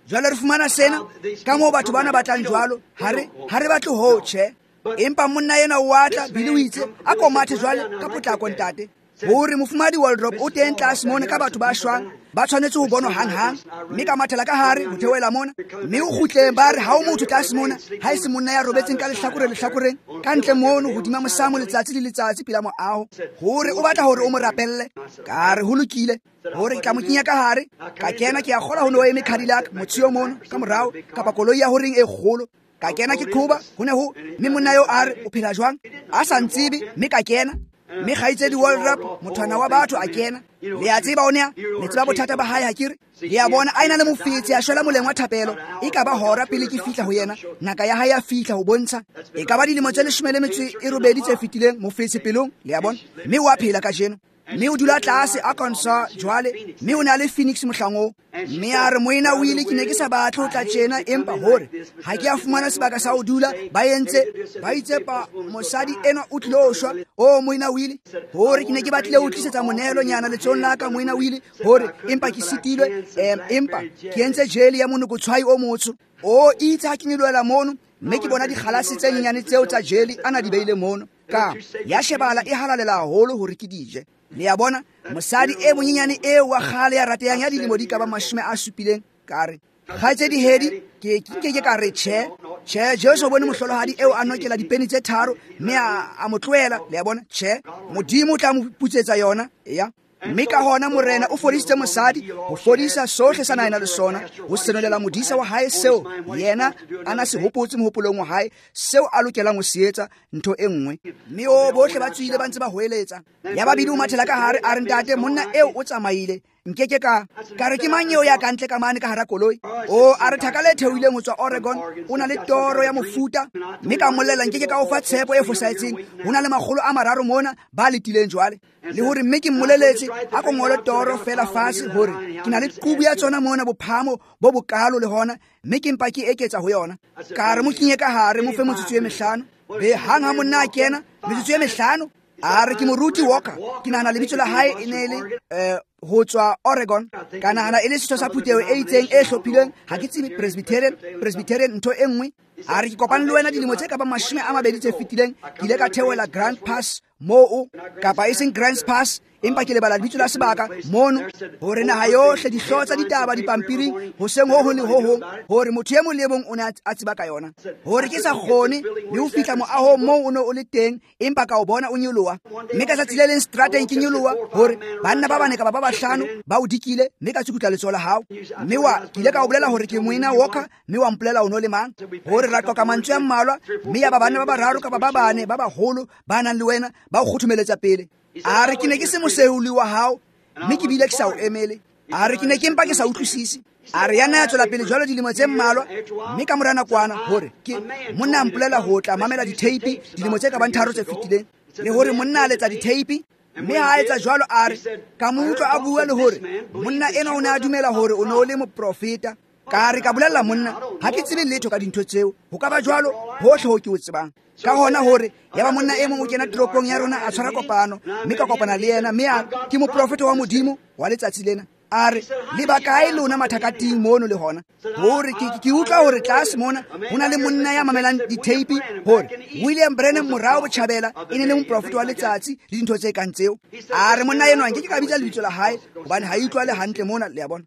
Jwale re fumana sena ka moo batho bana ba tlang jwalo. Ha re batle ho tjhe. Empa monna ena o atla Billy o itse a ko mathe jwale ka potlako ntate. Hore mofumadi Waldrop o teng tlase mona ka batho ba shwang, ba tshwanetse ho bonwa hang-hang. Mme ka mathela ka hare ho theohela mona, mme o kgutleng ba re ha o motho tlase mona ha e se monna ya robetseng ka lehlakore lehlakoreng ka ntle mono hodima mosamo letsatsi le letsatsi pela moaho, hore o batla hore o mo rapelle. Ka re ho lokile, hore ke tla mo kenya ka hare. Ka kena ke a kgola ho ne ho eme Cadillac motsheo mono ka morao kapa koloi ya horeng e kgolo. Ka kena ke qhoba ho ne ho, mme monna eo a re o phela jwang a sa ntsebe, mme ka kena. Mme kgaitsedi Waldrop mothwana wa batho a kena. Le a tseba o ne le tseba bothata ba hae ha ke re. Le a bona a ena le mofetse a shwela moleng wa thapelo. E ka ba hora pele ke fihla ho yena, ngaka ya hae ya fihla ho bontsha. E ka ba dilemo tse 18 tse fetileng mofetse pelong, le a bona. Mme o a phela kajeno. Mme o dula tlase Arkansas jwale, mme o ne a le Phoenix mohlang oo. Mme a re moena o ile ke ne ke sa batle ho tla tjena, empa hore ha ke a fumana sebaka sa ho dula, ba entse ba itse pa mosadi enwa o tlilo shwa. O moena o ile hore ke ne ke batlile ho tlisetsa monehelo nyana letsohong la ka moena o ile hore empa ke sitilwe, empa ke entse jeli ya monokotshwai o motsho. O itse ha ke nyolohela mono, mme ke bona dikgalase tse nyenyane tseo tsa jeli ana di beile mono, ka ya shebala e halalela haholo hore ke dije. Le a bona mosadi e monyenyane eo wa kgale ya ratehang ya dilemo di ka ba 70, ka re kgaitsedi Hedi ke ke ka re tjhe tjhe, Jesu o bone mohlolohadi eo a nokela dipeni tse 3 mme a mo tlohela. Le a bona tjhe, Modimo o tla mo putsetsa yona. Ya mme ka hona Morena o fodisitse mosadi ho fodisa sohle sa na le sona, ho senolela modisa wa hae seo yena a na se hopotse mohopolong wa hae, seo a lokelang ho se etsa ntho e nngwe. Mme o bohle ba tswile ba ntse ba hoeletsa. Ya babedi o mathela ka hare a re ntate monna eo o tsamaile. Nkeke ka re ke mang eo ya ka ntle ka mane ka hara koloi? O a re thaka le theohileng ho tswa Oregon, o na le toro ya mofuta. Mme ka mmolella nkeke ka o fa tshepo e fosahetseng, ho na le 300 mona ba letileng jwale. Le hore mme ke mmoleletse a ko ngole toro fela fatshe hore ke na le qubu ya tsona mona bophamo bo bokalo le hona, mme ke mpa ke eketsa ho yona. Ka re mo kenye ka hare mo fe metsotso e 5. Be hang ha monna a kena metsotso e 5, a re ke moruti Walker, ke nahana lebitso la hae e ne le ho tswa Oregon, ka nahana e le setho sa phutheho e itseng e hlophilweng, ha ke tsebe Presbyterian ntho e nngwe. A re ke kopane le wena dilemo tse ka bang 20 tse fetileng, ke ile ka theohela Grand Pass moo kapa e seng Grants Pass, empa ke lebala lebitso la sebaka mono, hore naha yohle dihlooho tsa ditaba dipampiring hoseng ho hong le ho hong, hore motho e mong le e mong o ne a tseba ka yona, hore ke sa kgone le ho fihla moahong moo o ne o le teng, empa ka o bona o nyoloha. Mme ka tsatsi le leng seterateng ke nyoloha, hore banna ba bane kapa ba bahlano ba o dikile, mme ka tsukutla letsoho la hao, mme wa ke ile ka o bolela hore ke Moena Walker, mme wa mpolela o no le mang, hore ra qoqa mantswe a mmalwa, mme ya ba banna ba bararo kapa ba bane ba baholo ba nang le wena ba o kgothomeletsa pele. A re ke ne ke se moseuli wa hao, mme ke bile ke sa o emele. A re ke ne ke mpa ke sa utlwisise. A re ya nna ya tswela pele jwalo dilemo tse mmalwa, mme ka mora nakwana hore ke monna a mpolela ho tla mamela ditheipi dilemo tse ka bang 3 tse fetileng, le hore monna a letsa ditheipi, mme ha a etsa jwalo a re ka mo utlwa a bua le hore monna enwa o ne a dumela hore o ne o le moprofeta. Ka re ka bolella monna, ha ke tsebe letho ka dintho tseo, ho ka ba jwalo hohle ho ke o tsebang. Ka hona hore ya ba monna e mong o kena toropong ya rona a tshwara kopano, mme ka kopana le yena, mme a ke moprofeta wa Modimo wa letsatsi lena. A re le ba kae lona mathakating mono le hona, hore ke utlwa hore tlase mona ho na le monna ya mamelang ditheipi, hore William Branham morao botjhabela e ne le moprofeta wa letsatsi le dintho tse kang tseo. A re monna enwa nke ke ka bitsa lebitso la hae hobane ha e utlwale hantle mona, le a bona.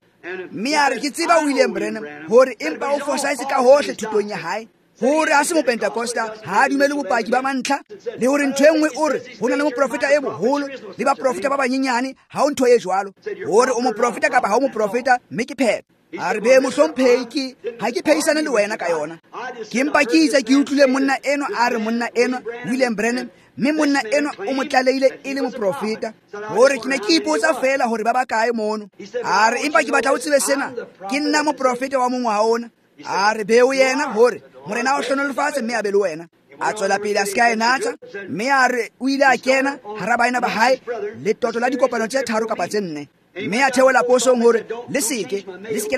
Mme a re ke tseba William Branham, hore empa o fosahetse ka hohle thutong ya hae, hore ha se mopentekosta, ha a dumele bopaki ba mantlha, le hore ntho e nngwe o re ho na le moprofeta e moholo le baprofeta ba banyenyane, ha ho ntho e jwalo, hore o moprofeta kapa ha o moprofeta, mme ke phetho. A re be mohlomphehi, ke ha ke phehisane le wena ka yona, ke mpa ke itse ke utlwile monna enwa a re monna enwa William Branham, mme monna enwa o mo tlalehile e le moprofeta, hore ke ne ke ipotsa feela hore ba ba kae mono. A re empa ke batla o tsebe sena, ke nna moprofeta wa mongwaha ona. A re be o yena, hore morena o hlonolofatse mme a be le wena. A tswela pele a se ka e natsa, mme a re o ile a kena hara baena ba hae letoto la dikopano tse 3 kapa tse 4, mme a theola posong hore le seke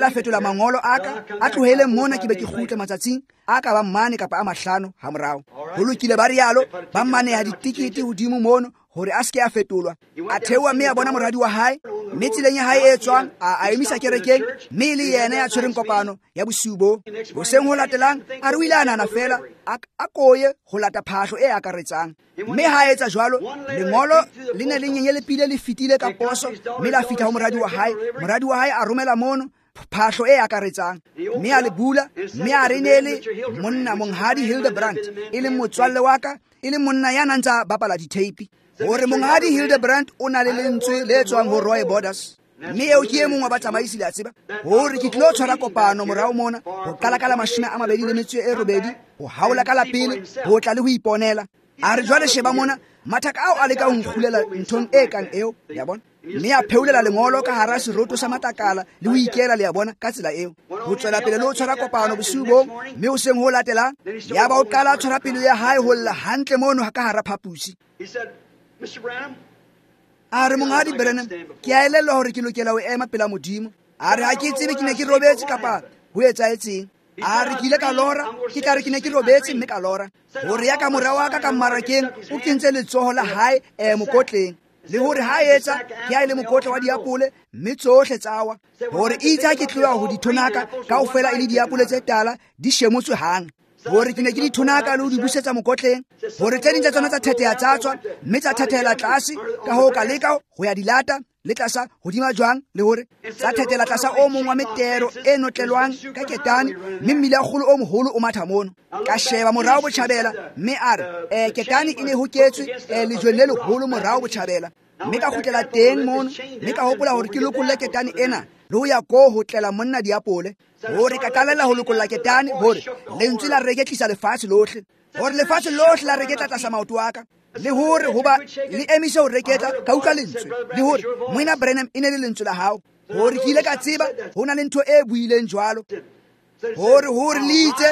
la fetola mangolo a ka, a tlohele mona ke be ke kgutle matsatsing a ka ba 4 kapa a 5 ha morao. Ho lokile, ba rialo, ba maneha ditikete hodimo mono hore a seke a fetolwa. A theoha mme a bona moradi wa hae, mme tseleng ya hae e tswang a emisa kerekeng, mme le yena ya tshwereng kopano ya bosiu bo. Hoseng ho latelang a re o ile a nahana feela a koye ho lata phahlo e akaretsang, mme ha etsa jwalo lengolo le ne le nyenyelepile le fetile ka poso, mme la fihla ho moradi wa hae. Moradi wa hae a romela mono phahlo e akaretsang, mme a le bula, mme a re ne le monna Monghadi Hildebrandt, e leng motswalle wa ka, e leng monna ya nang ntsa bapala ditheipi, hore Monghadi Hildebrandt o na le lentswe le tswang ho Roy Borders, mme eo ke e mong wa batsamaisi le a tseba, hore ke tlilo tshwara kopano morao mona ho qala ka la 28 ho haola ka la pele ho tla le ho iponela. A re jwale sheba mona, mathaka ao a leka ho nkgulela nthong e kang eo, le a bona, mme a pheulela lengolo ka hara seroto sa matakala le ho ikela, le a bona, ka tsela eo. Ho tswela pele le ho tshwara kopano bosiu bong, mme hoseng ho latelang ya ba o qala a tshwara pelo ya hae ho lla hantle mono ka hara phaposi. A re Monghadi Branham, ke a elellwa hore ke lokela ho ema pela Modimo. A re ha ke tsebe ke ne ke robetse kapa ho etsahetseng. A re ke ile ka lora, ke tla re ke ne ke robetse mme ka lora, hore ya ka mora wa ka ka mmarakeng o kentse letsoho la hae mokotleng, le hore ha etsa ke a ile mokotla wa diapole, mme tsohle tsa wa, hore itse ha ke tloha ho dithonaka kaofela e le diapole tse tala di shemotswe hang, hore ke ne ke di thonaka le ho di busetsa mokotleng, hore tse ding tsa tsona tsa thetheha tsa tswa, mme tsa thethela tlase, ka hoo ka leka ho ya di lata le tlasa hodima jwang, le hore tsa thethela tlasa o mong wa metero e notlelwang ka ketane, mme mmila kgolo o moholo o matha mono. Ka sheba morao botjhabela, mme a re ketane e ne hoketswe lejweng le leholo morao botjhabela, mme ka kgutlela teng mono, mme ka hopola hore ke lokolle ketane ena le ho ya ko ho tlela monna diapole, hore ka qalella ho lokolla ketane, hore lentswe la reketlisa lefatshe lohle, hore lefatshe lohle la reketla tlasa maoto a ka, le hore hoba le emise ho reketla ka utlwa lentswe, le hore Moena Branham e ne le lentswe la hao, hore ke ile ka tseba ho na le ntho e buileng jwalo, hore le itse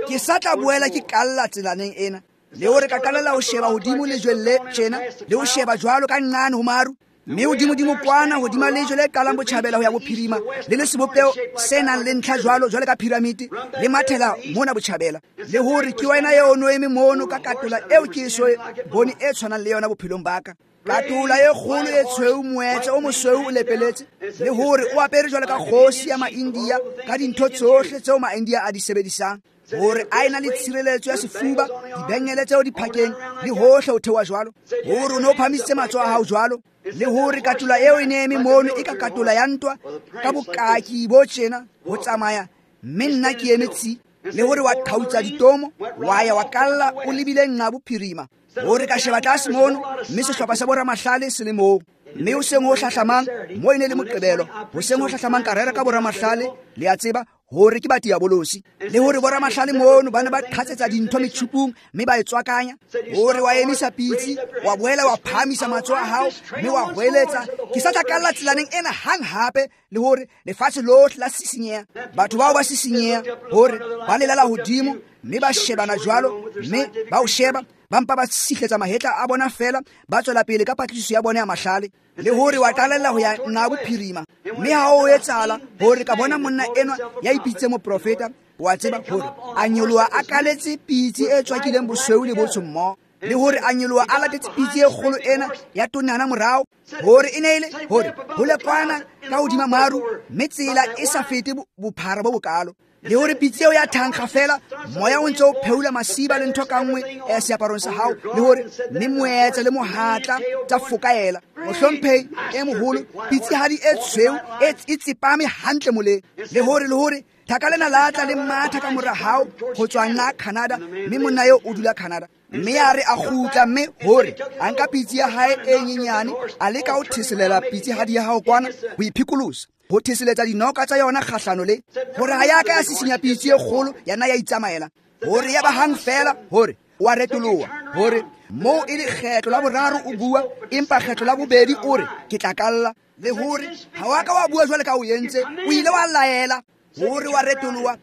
ke sa tla boela ke kalla tselaneng ena, le hore ka qalella ho sheba hodimo lejweng le tjena, le ho sheba jwalo ka nqane ho maru, mme hodimo-dimo kwana hodima lejwe le qalang botjhabela ho ya bophirima, le le sebopeho se nang le ntlha jwalo jwalo ka piramite, le mathela mona botjhabela, le hore ke wena eo no eme mono ka katola eo ke eso bone e tshwanang le yona bophelong ba ka, katola e kgolo e tshweu, moetse o mosweu o lepeletse, le hore o apere jwalo ka kgosi ya ma-India ka dintho tsohle tseo ma-India a di sebedisang. Hore a ena le tshireletso ya sefuba, dibengele tseo diphakeng le hohle ho theoha jwalo. Hore o ne o phahamisitse matsoho a hao jwalo, le hore katola eo e ne eme mono e ka katola ya ntwa ka bokaki bo tjena ho tsamaya, mme nna ke eme tsi. Le hore wa qhautsa ditomo, wa ya wa kalla o lebile nqa bophirima. Hore ka sheba tlase mono, mme sehlopha sa boramahlale se le moo. Mme hoseng ho hlahlamang, mo e ne le Moqebelo, hoseng ho hlahlamang ka rera ka boramahlale, le a tseba hore ke ba diabolosi. Le hore boramahlale mono ba ne ba qhatsetsa dintho metjhupung mme ba e tswakanya. Hore wa emisa pitsi, wa boela wa phahamisa matsoho a hao mme wa hweletsa, ke sa tla kalla tselaneng ena hang hape. Le hore lefatshe lohle la sisinyeha, batho bao ba sisinyeha, hore ba lelala hodimo mme ba shebana jwalo, mme ba o sheba, ba mpa ba sihletsa mahetla a bona fela, ba tswela pele ka patlisiso ya bona ya mahlale. Le hore wa qalella ho ya nqa bophirima, mme ha o etsahala hore ka bona monna enwa ya ipitsitse moprofeta, wa tseba hore a nyoloha a kaletse pitsi e tswakileng bosweu le botsho mmoho, le hore a nyoloha a latetse pitsi e kgolo ena ya tonana morao, hore e ne e le hore ho lekwana ka hodima maru, mme tsela e sa fete bophara bo bokalo. Le hore pitsi eo ya thankga fela, moya o ntse o pheula masiba le ntho ka nngwe e seaparong sa hao, le hore mme moetsa le mohatla tsa fokaela. Mohlomphehi e moholo, pitsihadi e tshweu e tsepame hantle moleng. Le hore thaka lena la tla le matha ka mora hao ho tswa nqa Canada, mme monna eo o dula Canada. Mme a re a kgutla, mme hore a nka pitsi ya hae e nyenyane, a leka ho theselela pitsihadi ya hao kwana ho iphikolosa, ho theseletsa dinoka tsa yona kgahlano le hore ha ya ka ya sisinya pitsi e kgolo ya nna ya itsamaela. Hore ya ba hang fela hore wa retoloha, hore moo e le kgetlo la boraro o bua, empa kgetlo la bobedi o re ke tla kalla. Le hore ha wa ka wa bua jwale ka o entse, o ile wa laela. Hore wa retoloha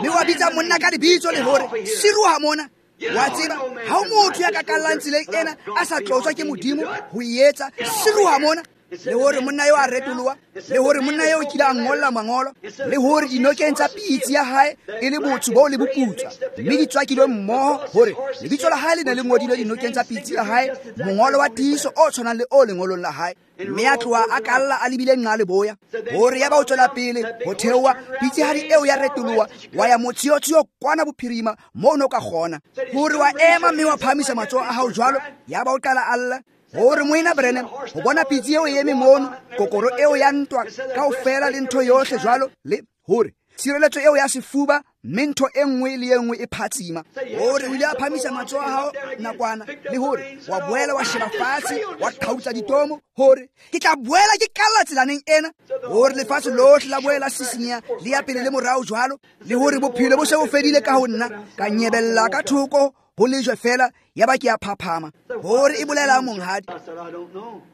mme wa bitsa monna ka lebitso, le hore siruha mona. Wa tseba ha o motho ya ka kallang tseleng ena a sa tlotswa ke Modimo ho e etsa, siruha mona. Le hore monna eo a retoloha, le hore monna eo kile a ngolla mangolo, le hore dinokeng tsa pitsi ya hae e le botsho bo le boputswa, mme di tswakilwe mmoho, hore lebitso la hae le ne le ngodilwe dinokeng tsa pitsi ya hae, mongolo wa tiiso o tshwanang le o lengolong la hae. Mme a tloha a kalla a lebile nqa leboya. Hore ya ba o tswela pele ho theoha, pitsihadi eo ya retoloha, wa ya motshiotshio kwana bophirima moo no ka kgona. Hore wa ema mme wa phahamisa matsoho a hao jwalo, ya ba o qala a lla. Hore moena Branham ho bona pitsi eo e eme mono, kokoro eo ya ntwa kaofela le ntho yohle jwalo, le hore tshireletso eo ya sefuba, mme ntho e nngwe le e nngwe e phatsima. Hore o ile a phahamisa matsoho a hao nakwana, le hore wa boela wa sheba fatshe, wa qhautsa ditomo, hore ke tla boela ke kalla tselaneng ena. Hore lefatshe lohle la boela sisinyeha le ya pele le morao jwalo, le hore bophelo bo se bo fedile ka ho nna, ka nyebella ka thoko ho lejwe fela, ya ba ke a phaphama. Hore e bolela monghadi,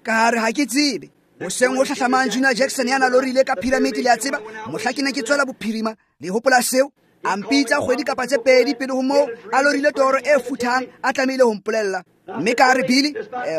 ka re ha ke tsebe. Hoseng ho hlahlamang Junior Jackson ya na lorile ka pyramid, le a tseba, mohla ke ne ke tswela bophirima, le hopola seo? A mpitsa kgwedi kapa tse pedi pele ho moo, a lorile toro e futhang, a tlamehile ho mpolella. Mme ka re Billy,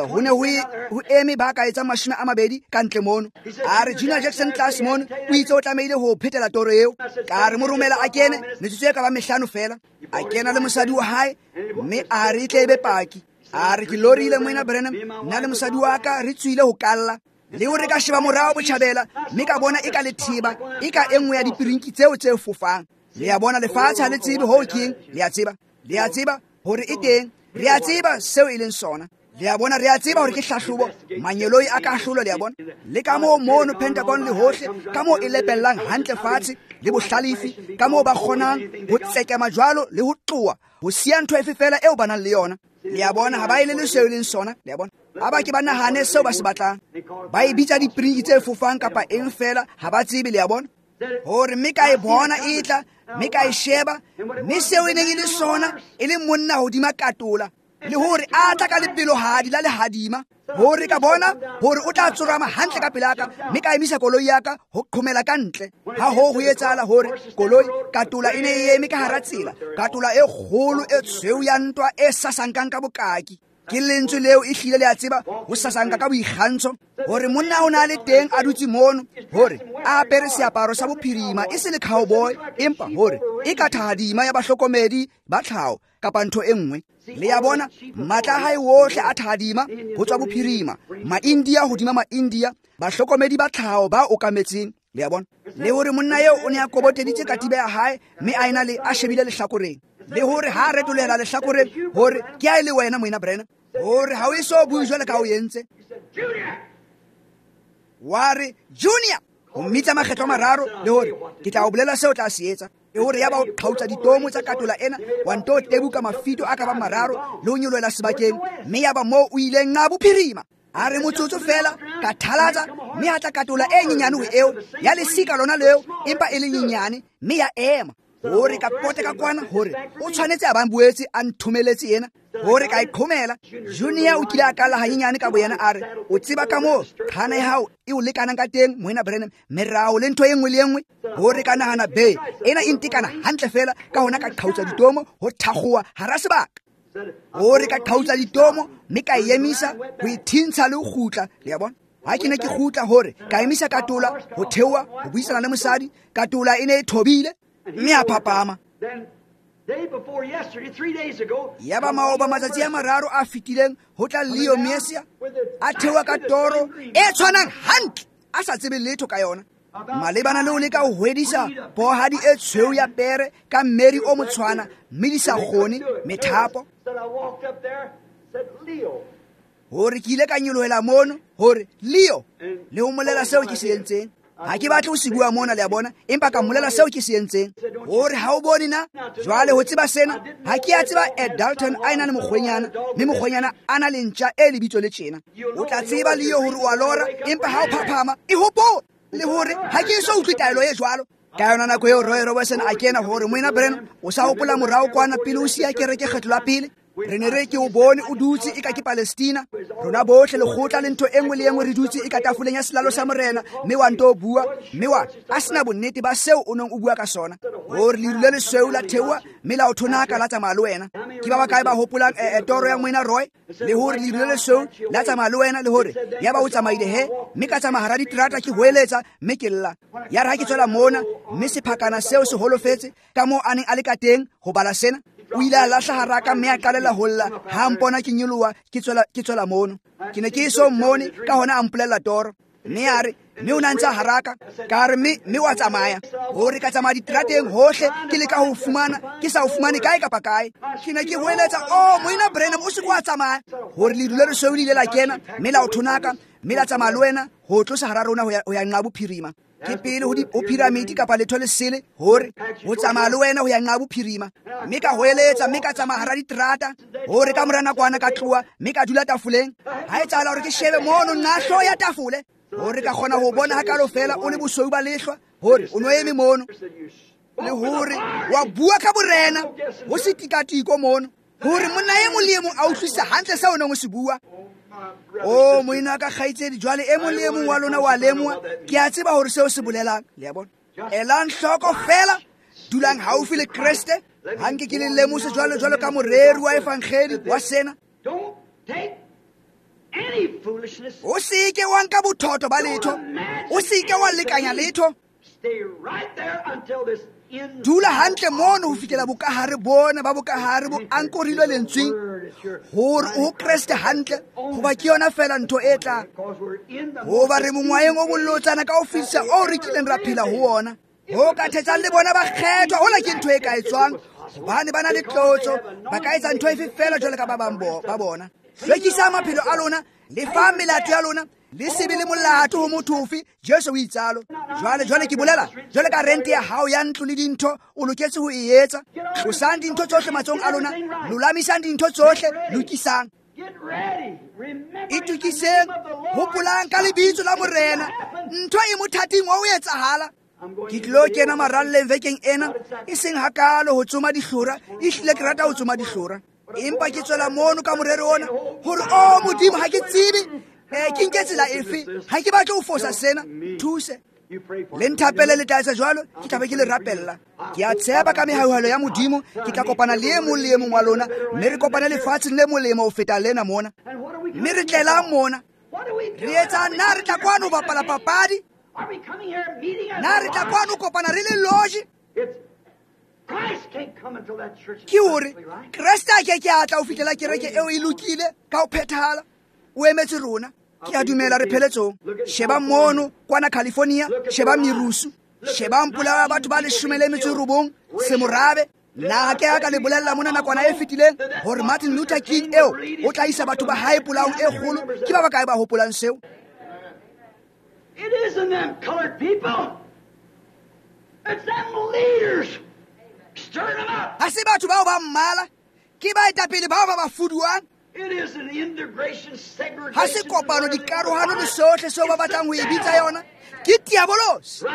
ho ne ho eme ba ka etsang 20 ka ntle mono. A re Junior Jackson tlase mono o itse o tlamehile ho phetela toro eo. Ka re mo romela a kene, metsotso e ka ba 5 fela. A kena le mosadi wa hae, mme a re e tle e be paki. A re ke lorile moena Branham, nna le mosadi wa ka re tswile ho kalla. Le hore ka sheba morao botjhabela, mme ka bona e ka letheba, e ka e nngwe ya dipirinki tseo tse fofang. Le a bona lefatshe ha le tsebe hoo keng, le a tseba. Le a tseba hore e teng, re a tseba seo e leng sona. Le a bona, re a tseba hore ke hlahlobo, manyeloi a kahlolo, le a bona. Le ka moo mono Pentagon le hohle, ka moo e lepellang hantle fatshe, le bohlalefi, ka moo ba kgonang ho tsekema jwalo le ho tloha, ho siya ntho efe fela eo ba nang le yona. Le a bona, ha ba e le seo e leng sona, le a bona. Ha ba ke ba nahane seo ba se batlang. Ba e bitsa dipirinki tse fofang kapa eng fela, ha ba tsebe, le a bona. Hore mme ka e bona e tla, mme ka e sheba, mme seo e neng e le sona e le monna hodima katola, le hore a tla ka lepelohadi la lehadima. Hore ka bona hore o tla tsorama hantle ka pela ka, mme ka emisa koloi ya ka ho qhomela ka ntle. Ha ho ho etsahala hore koloi katola e ne e eme ka hara tsela, katola e kgolo e tshweu ya ntwa e sasankang ka bokaki. Ke lentswe leo e hlile le a tseba ho sasanka ka boikgantsho, hore monna o na le teng a dutse mono, hore a apere seaparo sa bophirima e se le cowboy, empa hore e ka thahadima ya bahlokomedi ba tlhaho kapa ntho e nngwe. Le a bona, matla a hae wohle a thahadima ho tswa bophirima, ma-India hodima ma-India, bahlokomedi ba tlhaho ba okametseng. Le a bona? Le hore monna eo o ne a koboteditse katiba ya hae mme a ena le a shebile lehlakoreng. Le hore ha a retolela lehlakoreng hore ke a e le wena moena Branham. Hore ha o eso bue jwalo ka o entse. Wa re Junior, o mmitsa makgetlo a mararo le hore ke tla o bolela seo o tla se etsa. E hore yaba o qhautsa ditomo tsa katola ena, wa nto tebuka mafito a ka bang mararo le ho nyolohela sebakeng, mme yaba moo o ileng nqa bophirima. A re motsotso fela ka thalatsa, mme ha tla katola e nyenyane ho eo ya lesika lona leo, empa e le nyenyane, mme ya ema. Hore ka pote ka kwana hore o tshwanetse a bang boetse a nthomeletse ena, hore ka e qhomela. Junior o kile a kala hanyenyane ka boyena, a re o tseba ka moo qhana ya hao e o lekanang ka teng moena Branham, merao le ntho e nngwe le e nngwe. Hore ka nahana be ena e ntekana hantle fela, ka hona ka qhautsa ditomo ho thakgowa hara sebaka. Hore ka qhautsa ditomo mme ka e emisa ho e thintsha le ho kgutla. Le a bona? Ha ke ne ke kgutla hore ka emisa katola ho theoha ho buisana le mosadi, katola e ne e thobile mme a phapama. Yaba maoba matsatsi a mararo a fetileng ho tla Leo Mesia a theoha ka toro e tshwanang hantle, a sa tsebe letho ka yona, malebana le ho leka ho hwedisa pohadi e tshweu ya pere ka mmeri o motshwana, mme di sa kgone methapo. Hore ke ile ka nyolohela mono hore Leo le ho molela seo ke se entseng. Ha ke batle ho se bua mona, le a bona, empa ka mmolela seo ke se entseng. Hore ha o bone na jwale ho tseba sena, ha ke a tseba Ed Dalton a ena le mokgwenyana, mme mokgwenyana a na le ntja e lebitso le tjena. O tla tseba Leo hore o a lora, empa ha o phaphama e hopole le hore ha ke eso utlwe taelo e jwalo. Ka yona nako eo Roy Robertson a kena hore moena Branham o sa hopola morao kwana pele o siya kereke kgetlo la pele. Re ne re ke o bone o dutse e ka ke Palestina, rona bohle lekgotla le ntho e nngwe le e nngwe re dutse e ka tafoleng ya selalo sa morena, mme wa nto o bua, mme wa a sena bonnete ba seo o neng o bua ka sona. Hore leru le lesweu la theoha mme la o thonaka la tsamaya le wena. Ke ba bakae ba hopolang toro ya moena Roy? Le hore leru le lesweu la tsamaya le wena, le hore yaba o tsamaile he, mme ka tsamaya hara diterata ke hoeletsa mme ke lla. Ya re ha ke tswela mona, mme sephakana seo se holofetse ka moo a neng a le ka teng ho bala sena. O ile a lahla haraka mme a qalela ho lla ha mpona ke nyoloha ke tswela mono. Ke ne ke eso mmone, ka hona a mpolella toro. Mme a re, mme o na ntse a haraka. Ka re, mme wa tsamaya. Hore ka tsamaya diterateng hohle ke leka ho fumana, ke sa o fumane kae kapa kae. Ke ne ke hoeletsa, oh moena Branham o se ke wa tsamaya. Hore leru le lesweu le ile la kena mme la o thonaka, mme la tsamaya le wena ho tlosa hara rona ho ya nqa bophirima. Ke pele ho piramidi kapa letho le sele, hore ho tsamaya le wena ho ya nqa bophirima. Mme ka hoeletsa, mme ka tsamaya hara diterata, hore ka mora nakwana ka tloha, mme ka dula tafoleng. Ha etsahala hore ke shebe mono nqa hlooho ya tafole, hore ka kgona ho bona hakalo fela o le bosweu ba lehlwa, hore o no eme mono. Le hore wa bua ka borena, ho se tikatiko mono, hore monna e mong le e mong a utlwisisa hantle seo o neng o se bua. O moena ka kgaitsedi, jwale e mong le e mong wa lona wa lemoha, ke a tseba hore seo se bolelang. Le a bona? Elang hloko fela, dulang haufi le Kreste. Ha nke ke le lemose jwalo jwalo ka moreri wa evangeli wa sena. O se ke wa nka bothoto ba letho, o se ke wa lekanya letho. Dula hantle mono ho fihlela bokahare bona ba bokahare bo ankorilwe lentsweng, hore o Kreste hantle, hoba ke yona fela ntho e tla. Hoba re mongwaheng o bolotsana ka ho fetisa o re kileng ra phela ho ona. Ho ka thetsang le bona ba kgethwa, hola ke ntho e ka etswang, hobane ba na le tlotso, ba ka etsa ntho efe fela jwalo ka ba bang ba bona. Hlwekisang maphelo a lona, lefang melato ya lona, le se be le molato ho motho ofe. Jesu o itsalo. Jwale ke bolela jwale ka rente ya hao ya ntlo le dintho o loketse ho e etsa. Tlosang dintho tsohle matsohong a lona, lolamisang dintho tsohle, lokisang. Itokiseng, hopolang ka lebitso la morena, ntho e mothating wa ho etsahala. Ke tlilo kena maralleng vekeng ena, e seng hakalo ho tsoma dihlora, ehlile ke rata ho tsoma dihlora, empa ke tswela mono ka morero ona hore o Modimo, ha ke tsebe ke nke tsela efe, ha ke batle ho fosa sena, thuse le nthapele le tla etsa jwalo, ke tla be ke le rapella. Ke a tshepa ka mehauhelo ya Modimo ke tla kopana le e mong le e mong wa lona, mme re kopane lefatsheng le molemo ho feta lena mona. Mme re tlelang mona, re etsang? Na re tla kwano ho bapala papadi? Na re tla kwano ho kopana re le loje? Ke hore Kreste a ke ke a tla ho fihlela kereke eo e lokile ka ho phethahala. O emetse rona. Ke a dumela re pheletsong. Sheba mono kwana California, sheba merusu, shebang polao ya batho ba 19 semorabe. Nna ke a ka le bolella mona nakwana e fetileng hore Martin Luther King eo o tla isa batho ba hae polaong e kgolo. Ke ba bakae ba hopolang seo? It isn't them colored people. It's them leaders. Stirring them up. Ha se batho bao ba mmala, ke baetapele bao ba ba fuduang. It isn't integration, segregation. Ha se kopano, dikarohano le sohle seo ba batlang ho e bitsa yona. Ke diabolosi.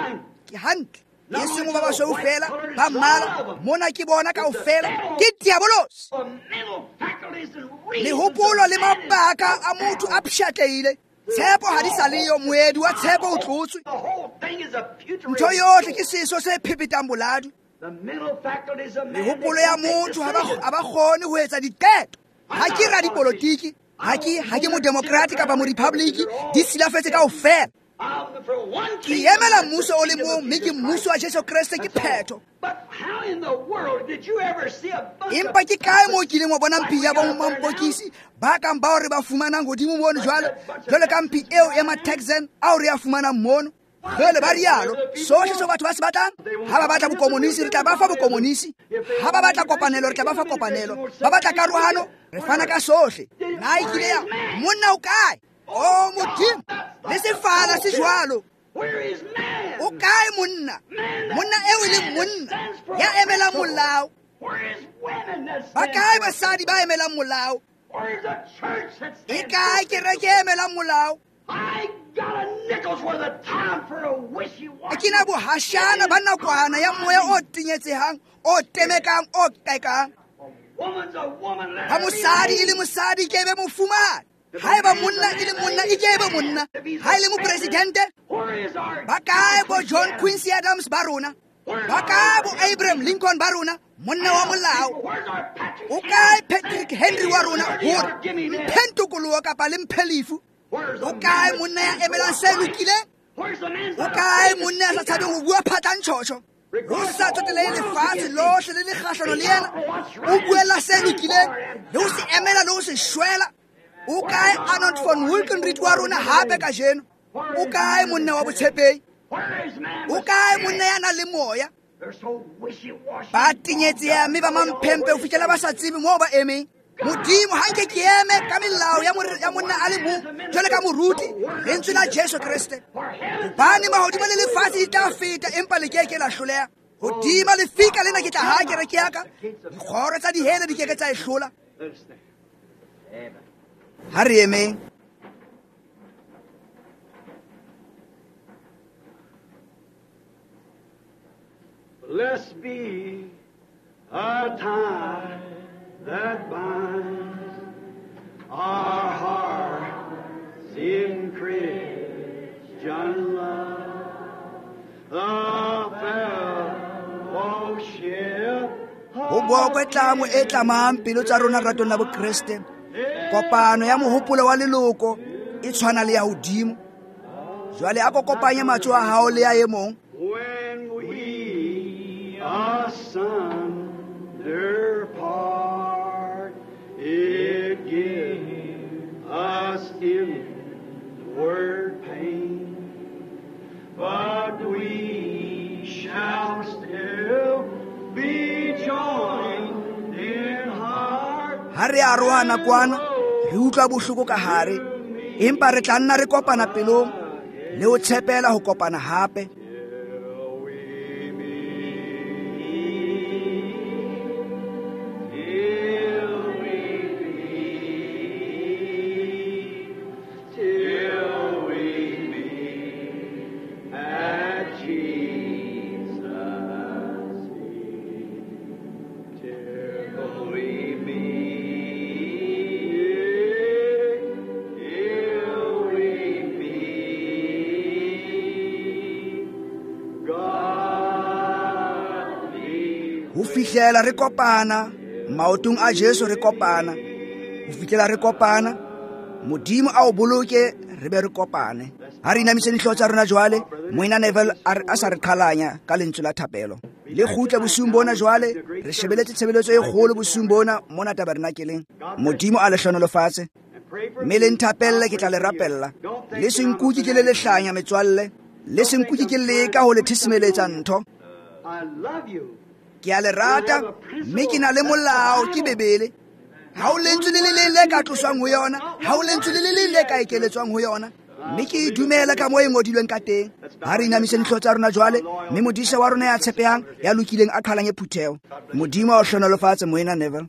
Ke hantle. E seng ba basweu fela, ba mmala, mona ke bona kaofela, ke diabolosi. Mehopolo le mabaka a motho a pshatlehile. Tshepo ha di sa leyo, moedi wa tshepo o tlotswe. Ntho yohle ke seso se phephetang boladu. Mehopolo ya motho ha ba kgone ho etsa diqeto. Ha ke radipolotiki, ha ke modemokrate kapa morepublic, di silafetse kaofela. Ke emela mmuso o le mong, mme ke mmuso wa Jesu Kreste, ke phetho. Empa ke kae moo kileng wa bona mphi ya bomampokisi ba kang bao re ba fumanang hodimo mono jwalo, jwalo ka mphi eo ya ma-Texan ao re a fumanang mono? Jwale ba rialo, sohle seo batho ba se batlang. Ha ba batla bokomonisi, re tla ba fa bokomonisi. Ha ba batla kopanelo, re tla ba fa kopanelo. Ba batla karohano, re fana ka sohle. Na e kile ya monna o kae? O Modimo, le sefala se jwalo. O kae monna? Monna eo e leng monna ya emelang molao. Ba kae basadi ba emelang molao? E kae kereke e emelang molao? Ke na bohashana ba nakwana ya moya o tenyetsehang, o temekang, o qekang. Ha mosadi e le mosadi, ke be mofumahadi. Haeba monna e le monna, e ke be monna. Ha e le mopresidente, ba kae bo John Quincy Adams ba rona? Ba kae bo Abraham Lincoln ba rona? Monna wa molao. O kae Patrick Henry wa rona hore mphe ntokoloho kapa le mphe lefu? O kae monna ya emelang se lokileng? O kae monna ya sa tshabeng ho bua phatlantjhotjho? Ho sa tsotelehe lefatshe lohle le le kgahlano le yena, o buella se lokileng le ho se emela le ho se shwela. O kae Arnold von Winkelried wa rona hape kajeno? O kae monna wa botshepehi? O kae monna ya nang le moya? Ba tenyetseha mme ba mamphempe ho fihlela ba sa tsebe moo ba emeng. Modimo, ha nke ke eme ka melao ya monna a le mong jwale ka moruti, lentswe la Jesu Kreste. Hobane mahodimo le lefatshe di tla feta, empa le keke la hloleha. Hodima lefika lena ke tla haha kereke ya ka, dikgoro tsa dihele di keke tsa e hlola. Ha re emeng. Blessed be a tie that binds our hearts in Christian love. The fellowship. Ho bokwe tlamo e tlamang pelo tsa rona ratong la Bokreste. Kopano ya mohopolo wa leloko e tshwana le ya hodimo. Jwale a kopanye matsoho a hao le ya e mong. When we asunder part, it gives us inward pain, but we shall still be joined in heart. Ha re arohana kwana, re utlwa bohloko ka hare, empa re tla nna re kopana pelong le ho tshepela ho kopana hape. Till we meet at Jesus' feet. Till we meet, till we meet, God be Ho fihlela re kopana maotong a Jesu, re kopana. Ho fihlela re kopana, Modimo a o boloke, re be re kopane. Ha re inamise dihlooho tsa rona jwale, Moena Neville a sa re qhalanya ka lentswe la thapelo. Le kgutle bosiung bona jwale, re shebeletse tshebeletso e kgolo bosiung bona mona tabernakeleng. Modimo a le hlohonolofatse. Mme le nthapelle, ke tla le rapella. Le se nkuke ke le lehlanya, metswalle. Le se nkuke ke leka ho le thisimeletsa ntho. Ke a le rata, mme ke na le molao, ke Bibele. Ha o lentswe le le leng le ka tloswang ho yona, ha o lentswe le le leng le ka ekeletswang ho yona. Mme ke e dumela ka moo e ngodilweng ka teng. Ha re inamiseng dihlooho tsa rona jwale, mme modisa wa rona ya tshepehang, ya lokileng a qhalanye phutheho. Modimo a o hlohonolofatse, Moena Neville.